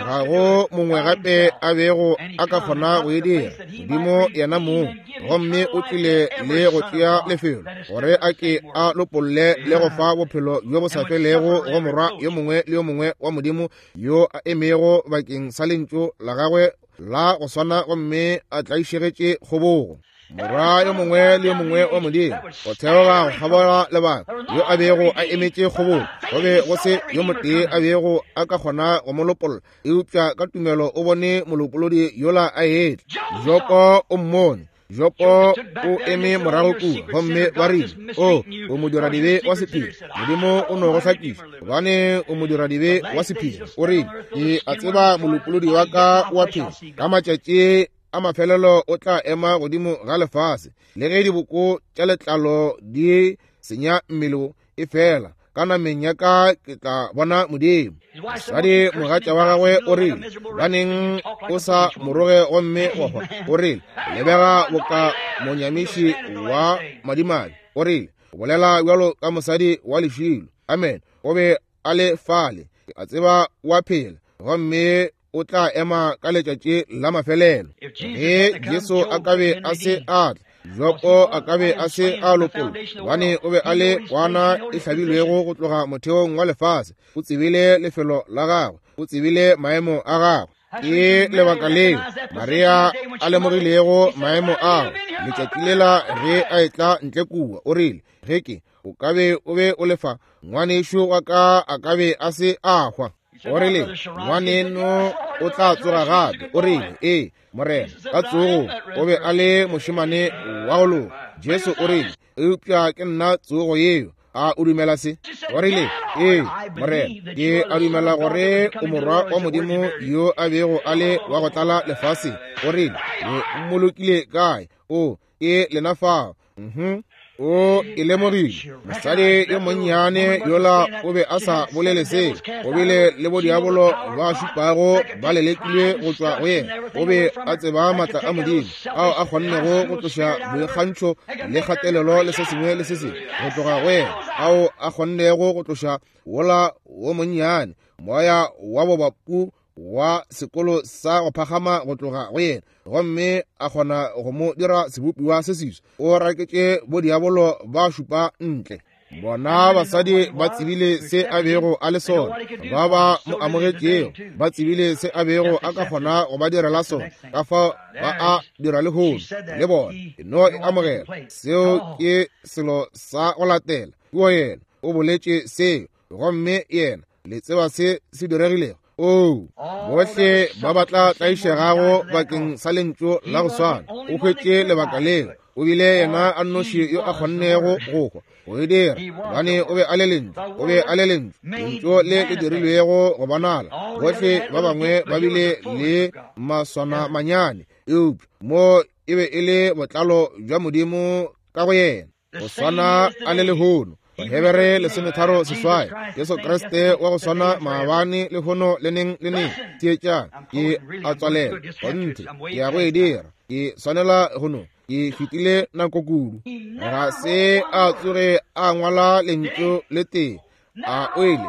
Ga go mongwe gape a bego a ka kgona go e dira, Modimo yena mong. Gomme o tlile le go tšea lefelo gore a ke a lopolle le go fa bophelo bjo bo sa felego go morwa yo mongwe le yo mongwe wa Modimo yo a emego bakeng sa lentšu la gagwe la go swana, gomme a tlaišegetše kgobogo. Morwa yo mongwe le yo mongwe wa Modimo go theoga go kgabola lebaka yo a bego a emetše kgobogo, go be go se yo motee a bego a ka kgona go mo lopolla, eupša ka tumelo o bone molopolodi yola a etla. Jopo o mmone. Jopo o eme morago kua, gomme ba rile, o o modiradibe wa sephiri, Modimo o no go hlakiša gobane o modiradibe wa sephiri. O rile, ke a tseba molopolodi wa ka wa phela, ka matšatši a mafelelo o tla ema godimo ga lefase, le ge diboko tša letlalo di senya mmele e fela, ka nameng ya ka ke tla bona Modimo. Mosadi mogatša wa gagwe o rile, baneng o sa moroge gomme wa hwa? O rile, lebega boka monyamiši wa madimabe. O rile, o bolela bjalo ka mosadi wa lešilo. Amen. O be a le fale, a tseba wa phela, gomme o tla ema ka letšatši la mafelelo. Ge Jesu a ka be a se a tla, Jopo a ka be a se a lopolla, gobane o be a le kwana e hlabilwego go tloga motheong wa lefase. O tsebile lefelo la gagwe, o tsebile maemo a gagwe. Ke lebaka leo Maria a lemogilego maemo ao letšatši lela ge a etla ntle kua. O rile, ge ke o ka be o be o lefa, ngwanešo wa ka a ka be a se a hwa. O rile, ngwaneno o tla tsoga gape. O rile, ee Morena, ka tsogo. O be a le mošemane wa go loka. Jesu o rile, eupša ke nna tsogo yeo. A o dumela se? O rile, ee Morena, ke a dumela gore o morwa wa Modimo yo a bego a le wa go tlala lefaseng. O rile, le mmolokile kae? O ke lena fao. Mhm. O e lemogile. Mosadi yo monnyane yola o be a sa bolele se. O bile le bodiabolo ba šupago ba lelekilwe go tšwa go yena. O be a tseba maatla a Modimo ao a kgonnego go tloša boikgantšho le kgatelelo le se sengwe le se sengwe go tloga go yena, ao a kgonnego go tloša wola wo monnyane moya wa bobapu wa sekolo sa go phagama go tloga go yena, gomme a kgona go mo dira sebopiwa se seswa. O raketše bodiabolo ba šupa ntle. Bona basadi ba tsebile se a bego a le sona, ba ba mo amogetšego ba tsebile se a bego a ka kgona go ba direla sona, ka fao ba a dira lehono le bona. E no e amogela. Seo ke selo sa go latela. Ke yena o boletše seo, gomme yena le tseba se se diregilego. Oo, bohle ba ba tla tlaišegago bakeng sa lentšu la go swana. O hwetše lebaka leo. O bile yena a nnoši yo a kgonnego go hwa go e dira, gobane o be a le lentšu. O be a le lentšu, lentšu le le dirilwego go bonala. Bohle ba bangwe ba bile le maswana manyane, eupša mo e be e le botlalo bja Modimo ka go yena, go swana a le lehono. Bahebere lesometharo seswai, Jesu Kriste wa go swana maabane lehono le neng le neng. Theetšang, ke a tswalela kgonthe, ke ya go e dira, ke swanela go no, ke fetile nako kudu. Ga se a tsoge a ngwala lentšu le tee, a o ile.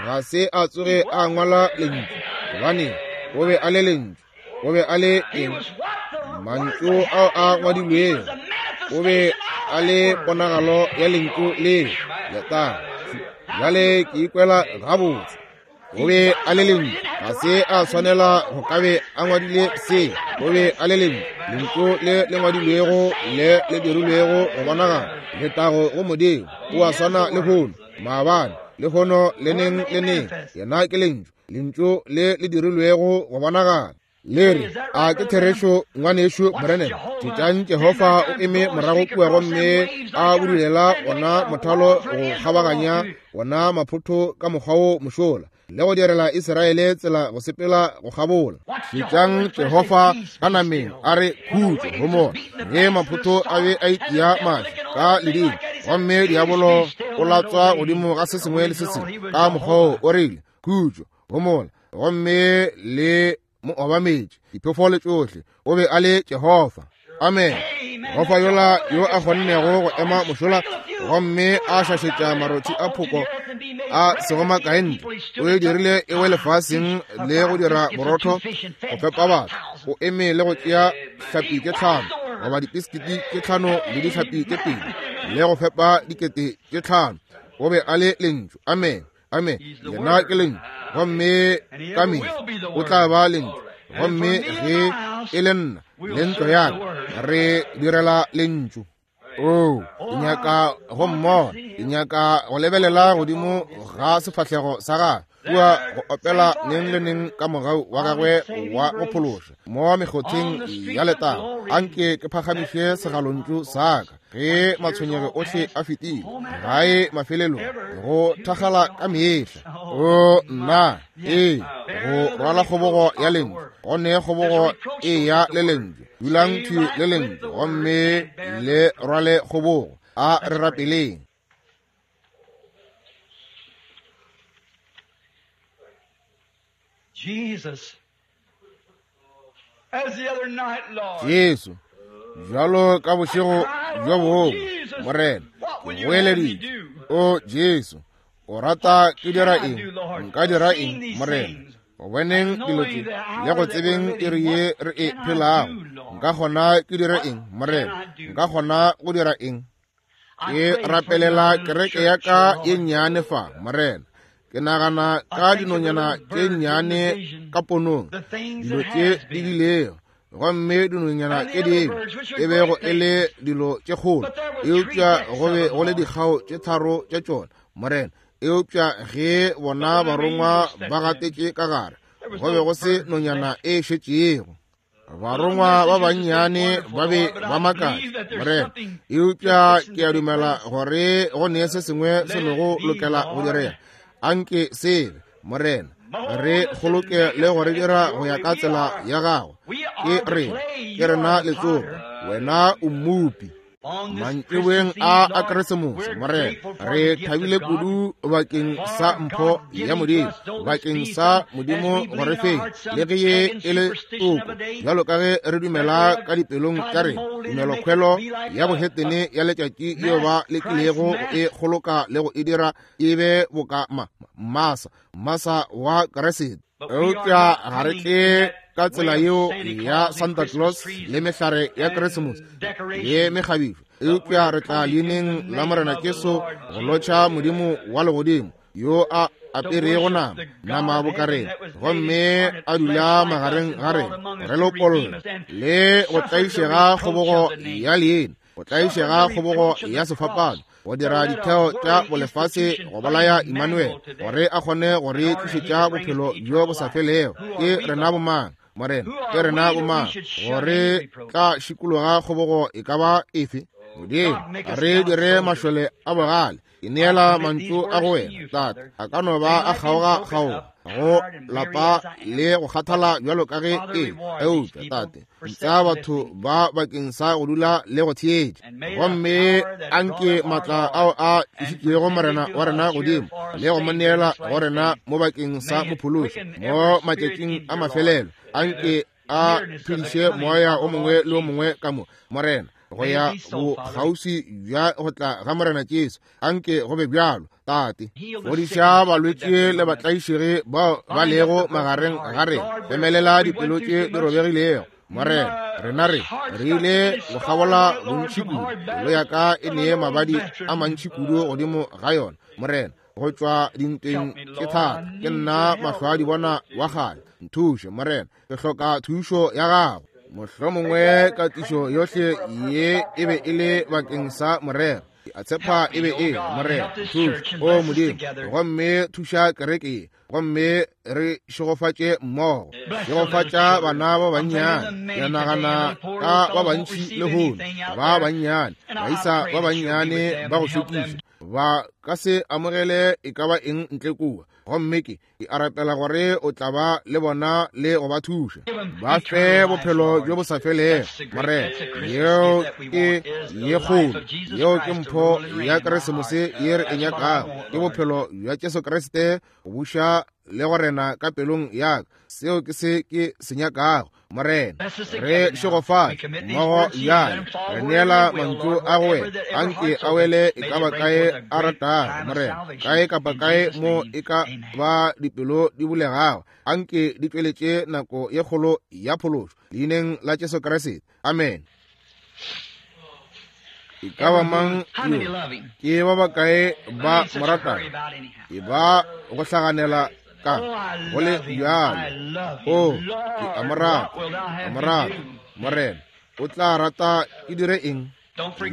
Ga se a tsoge a ngwala lentšu, gobane o be a le lentšu. O be a le eng? Mantšu ao a ngwadilwego. O be a le ponagalo ya lentšu leo. Letago. Bjale ke ikwela gabotse. O be a le lentšu. Ga se a swanela go ka be a ngwadile se. O be a le lentšu, lentšu le le ngwadilwego le le dirilwego go bonagala. Letago go Modimo. O a swana lehono, maabane, lehono le neng le neng. Yena ke lentšu, lentšu le le dirilwego go bonagala. Le re, a ke therešo ngwanešo Branham? Tšetšang Jehofa o eme morago kua gomme a budulela ona mothalo go kgabaganya ona maphotho ka mokgwa wo mošola. le go direla Israele tsela go sepela go kgabola. Šetšang Jehofa ka nameng a re khutšo homola, ge maphotho a be a itia maši ka ledimo, gomme diabolo o latswa godimo ga se sengwe le se sengwe ka mokgwa wo, o rile khutšo homola, gomme le mo obametše diphefo tšohle. O be a le Jehofa. Amen. Jehofa yola yo a kgonnego go ema mošola gomme a šašetša marothi a phoko a sego makae ntle, o e dirile e we lefaseng le go dira borotho go fepa batho. O eme le go tšea hlapi tše tlhano goba dipiskiti tše tlhano le dihlapi tše pedi le go fepa dikete tše tlhano. O be a le lentšu. Amen. Amen. Yena ke lentšu, gomme ka mehla o tla ba lentšu. Gomme ge e le nna le ntlo ya ka, re direla lentšu. Oh, ke nyaka go mmona, ke nyaka go lebelela godimo ga sefahlego sa gagwe kua go opela neng le neng ka mogau wa gagwe wa go phološa mo mekgotheng ya letago. Anke ke phagamiše segalontšu sa ka ge matshwenyego ohle a fetile gae mafelelong go thakgala ka mehla. O nna, ee, go rwala kgobogo ya lentšu, go ne kgobogo e ya le lentšu. Dulang thwi le lentšu gomme le rwale kgobogo. A re rapeleng. Jesus, as the other night, Lord, Jesu, bjalo ka bošego bjo bongwe, Morena, ke goeleditše, o Jesu, o rata ke dira eng? Nka dira eng, Morena? Go boneng dilo tše le go tsebeng iri ye re e phelago, nka kgona ke dire eng, Morena? Nka kgona go dira eng? Ke rapelela kereke ya ka ye nnyane fa, Morena. Ke nagana ka dinonyana tše nnyane ka ponong, dilo tše di bilego, gomme dinonyana tše dingwe e bego e le dilo tše kgolo, eupša go be go le dikgao tše tharo tša tšona, Morena. Eupša ge bona barongwa ba gatetše ka gare, go be go se nonyana e šetšego. Barongwa ba bannyane ba be ba makatša, Morena, eupša ke a dumela gore go ne se sengwe se lego lokela go direga. Anke sebe, Morena, re kgoloke le go re dira go ya ka tsela ya gago. Ke rena, ke rena letsopa, wena o mmopi. Mantšiboeng a a Keresemose, Morena, re thabile kudu bakeng sa mpho ya Modimo, bakeng sa Modimo go re feng le ge ye e le toko, bjalo ka ge re dumela ka dipelong tša rena tumelokhwelo ya bohetene ya letšatši yeo ba lekilego go e kgoloka le go e dira e be boka ma masa masa wa Keresete. Eupša ga re tle ka tsela yeo ya Santa Claus le mehlare ya Keresemose le mekgabišo, eupša re tla leineng la Morena Jesu go lotšha Modimo wa legodimo yo a aperego nama nama bokareng, gomme a dula magareng ga rena re lopolla le go tlaišega kgobogo ya leina, go tlaišega kgobogo ya sefapano, go dira ditheo tša bolefase go bolaya Emmanuel, gore a kgone go re tlišetša bophelo bjo bo sa felego. Ke rena bomang, Morena? Ke rena bomang gore tla šikologa kgobogo e ka ba efe? Modimo, re dire mašole a bogale. Ke neela mantšu a go wena, Tate. A ka no ba a kgaoga kgaoga go lapa le go kgathala bjalo ka ge e, eupša Tate, ntša batho ba bakeng sa go dula le go theetša, gomme anke matla ao a tlišitšego Morena wa rena godimo le go mo neela go rena mo bakeng sa mophološi mo matšatšing a mafelelo, anke a phediše moya o mongwe le o mongwe ka mo, Morena, go ya bokgauswi bja go tla ga Morena Jesu. Anke go be bjalo, Tate. Fodiša balwetši le batlaišegi bao ba lego magareng ga rena. Emelela dipelo tše di robegilego, Morena. Rena re re ile go kgabola bontši kudu, pelo ya ka e nee mabadi a mantši kudu godimo ga yona, Morena, go tšwa dintweng tše thata. Ke nna mahlo a di bona wa kgale. Nthuše, Morena, ke hloka thušo ya gago. Mohlomongwe katišo yohle ye e be e le bakeng sa morero. Ke a tshepa e be e, Morena, thuša, o Modimo, gomme thuša kereke ye, gomme re šegofatše mmogo. Šegofatša bana ba bannyane. Ke nagana ka ba bantši lehono, ba bannyane, baisa ba bannyane ba go šokiša, ba ka se amogele e ka ba eng ntle kua. Gomme ke ke a rapela gore o tla ba le bona le go ba thuša. Ba fe bophelo bjo bo sa felego, Morena. Yeo ke ye kgolo, yeo ke mpho ya Keresemose ye re e nyakago, ke bophelo bja Jesu Kriste go buša le go rena ka pelong ya ka. Seo ke se ke se nyakago, Morena. Re šegofatše mmogo bjale, re neela mantšu a go wena, anke a wele e ka ba kae a ratago, Morena, kae kapa kae mo e ka ba dipelo di bulegago, anke di tšweletše nako ye kgolo ya phološo, leineng la Jesu Kriste. Amen. E ka ba mang yo? Ke ba bakae ba mo ratago? E ba go hlaganela ka go le bjalo. O, ke a mo rata, a mo rata, Morena. O tla rata ke dire eng?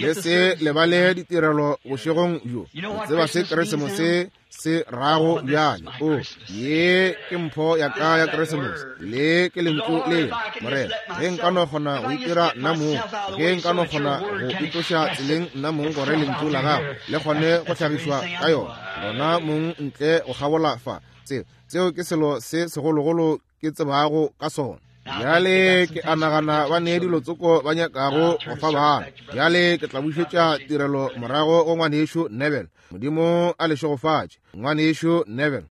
Le se lebale ditirelo bošegong bjo. O tseba se Keresemose se rago bjale. O, ye ke mpho ya ka ya Keresemose. Le ke lentšu le, Morena. Ge nka no kgona go itira nna mong, ge nka no kgona go itloša tseleng nna mong gore lentšu la gago le kgone go hlagišwa ka yona, lona mong ntle go kgabola fa. Seo, seo ke selo se segologolo ke tsebago ka sona. Bjale ke a nagana ba ne dilo tsoko ba nyakago go fa bana. Bjale ke tla bušetša tirelo morago go ngwanešu Neville. Modimo a le šegofatše, ngwanešu Neville.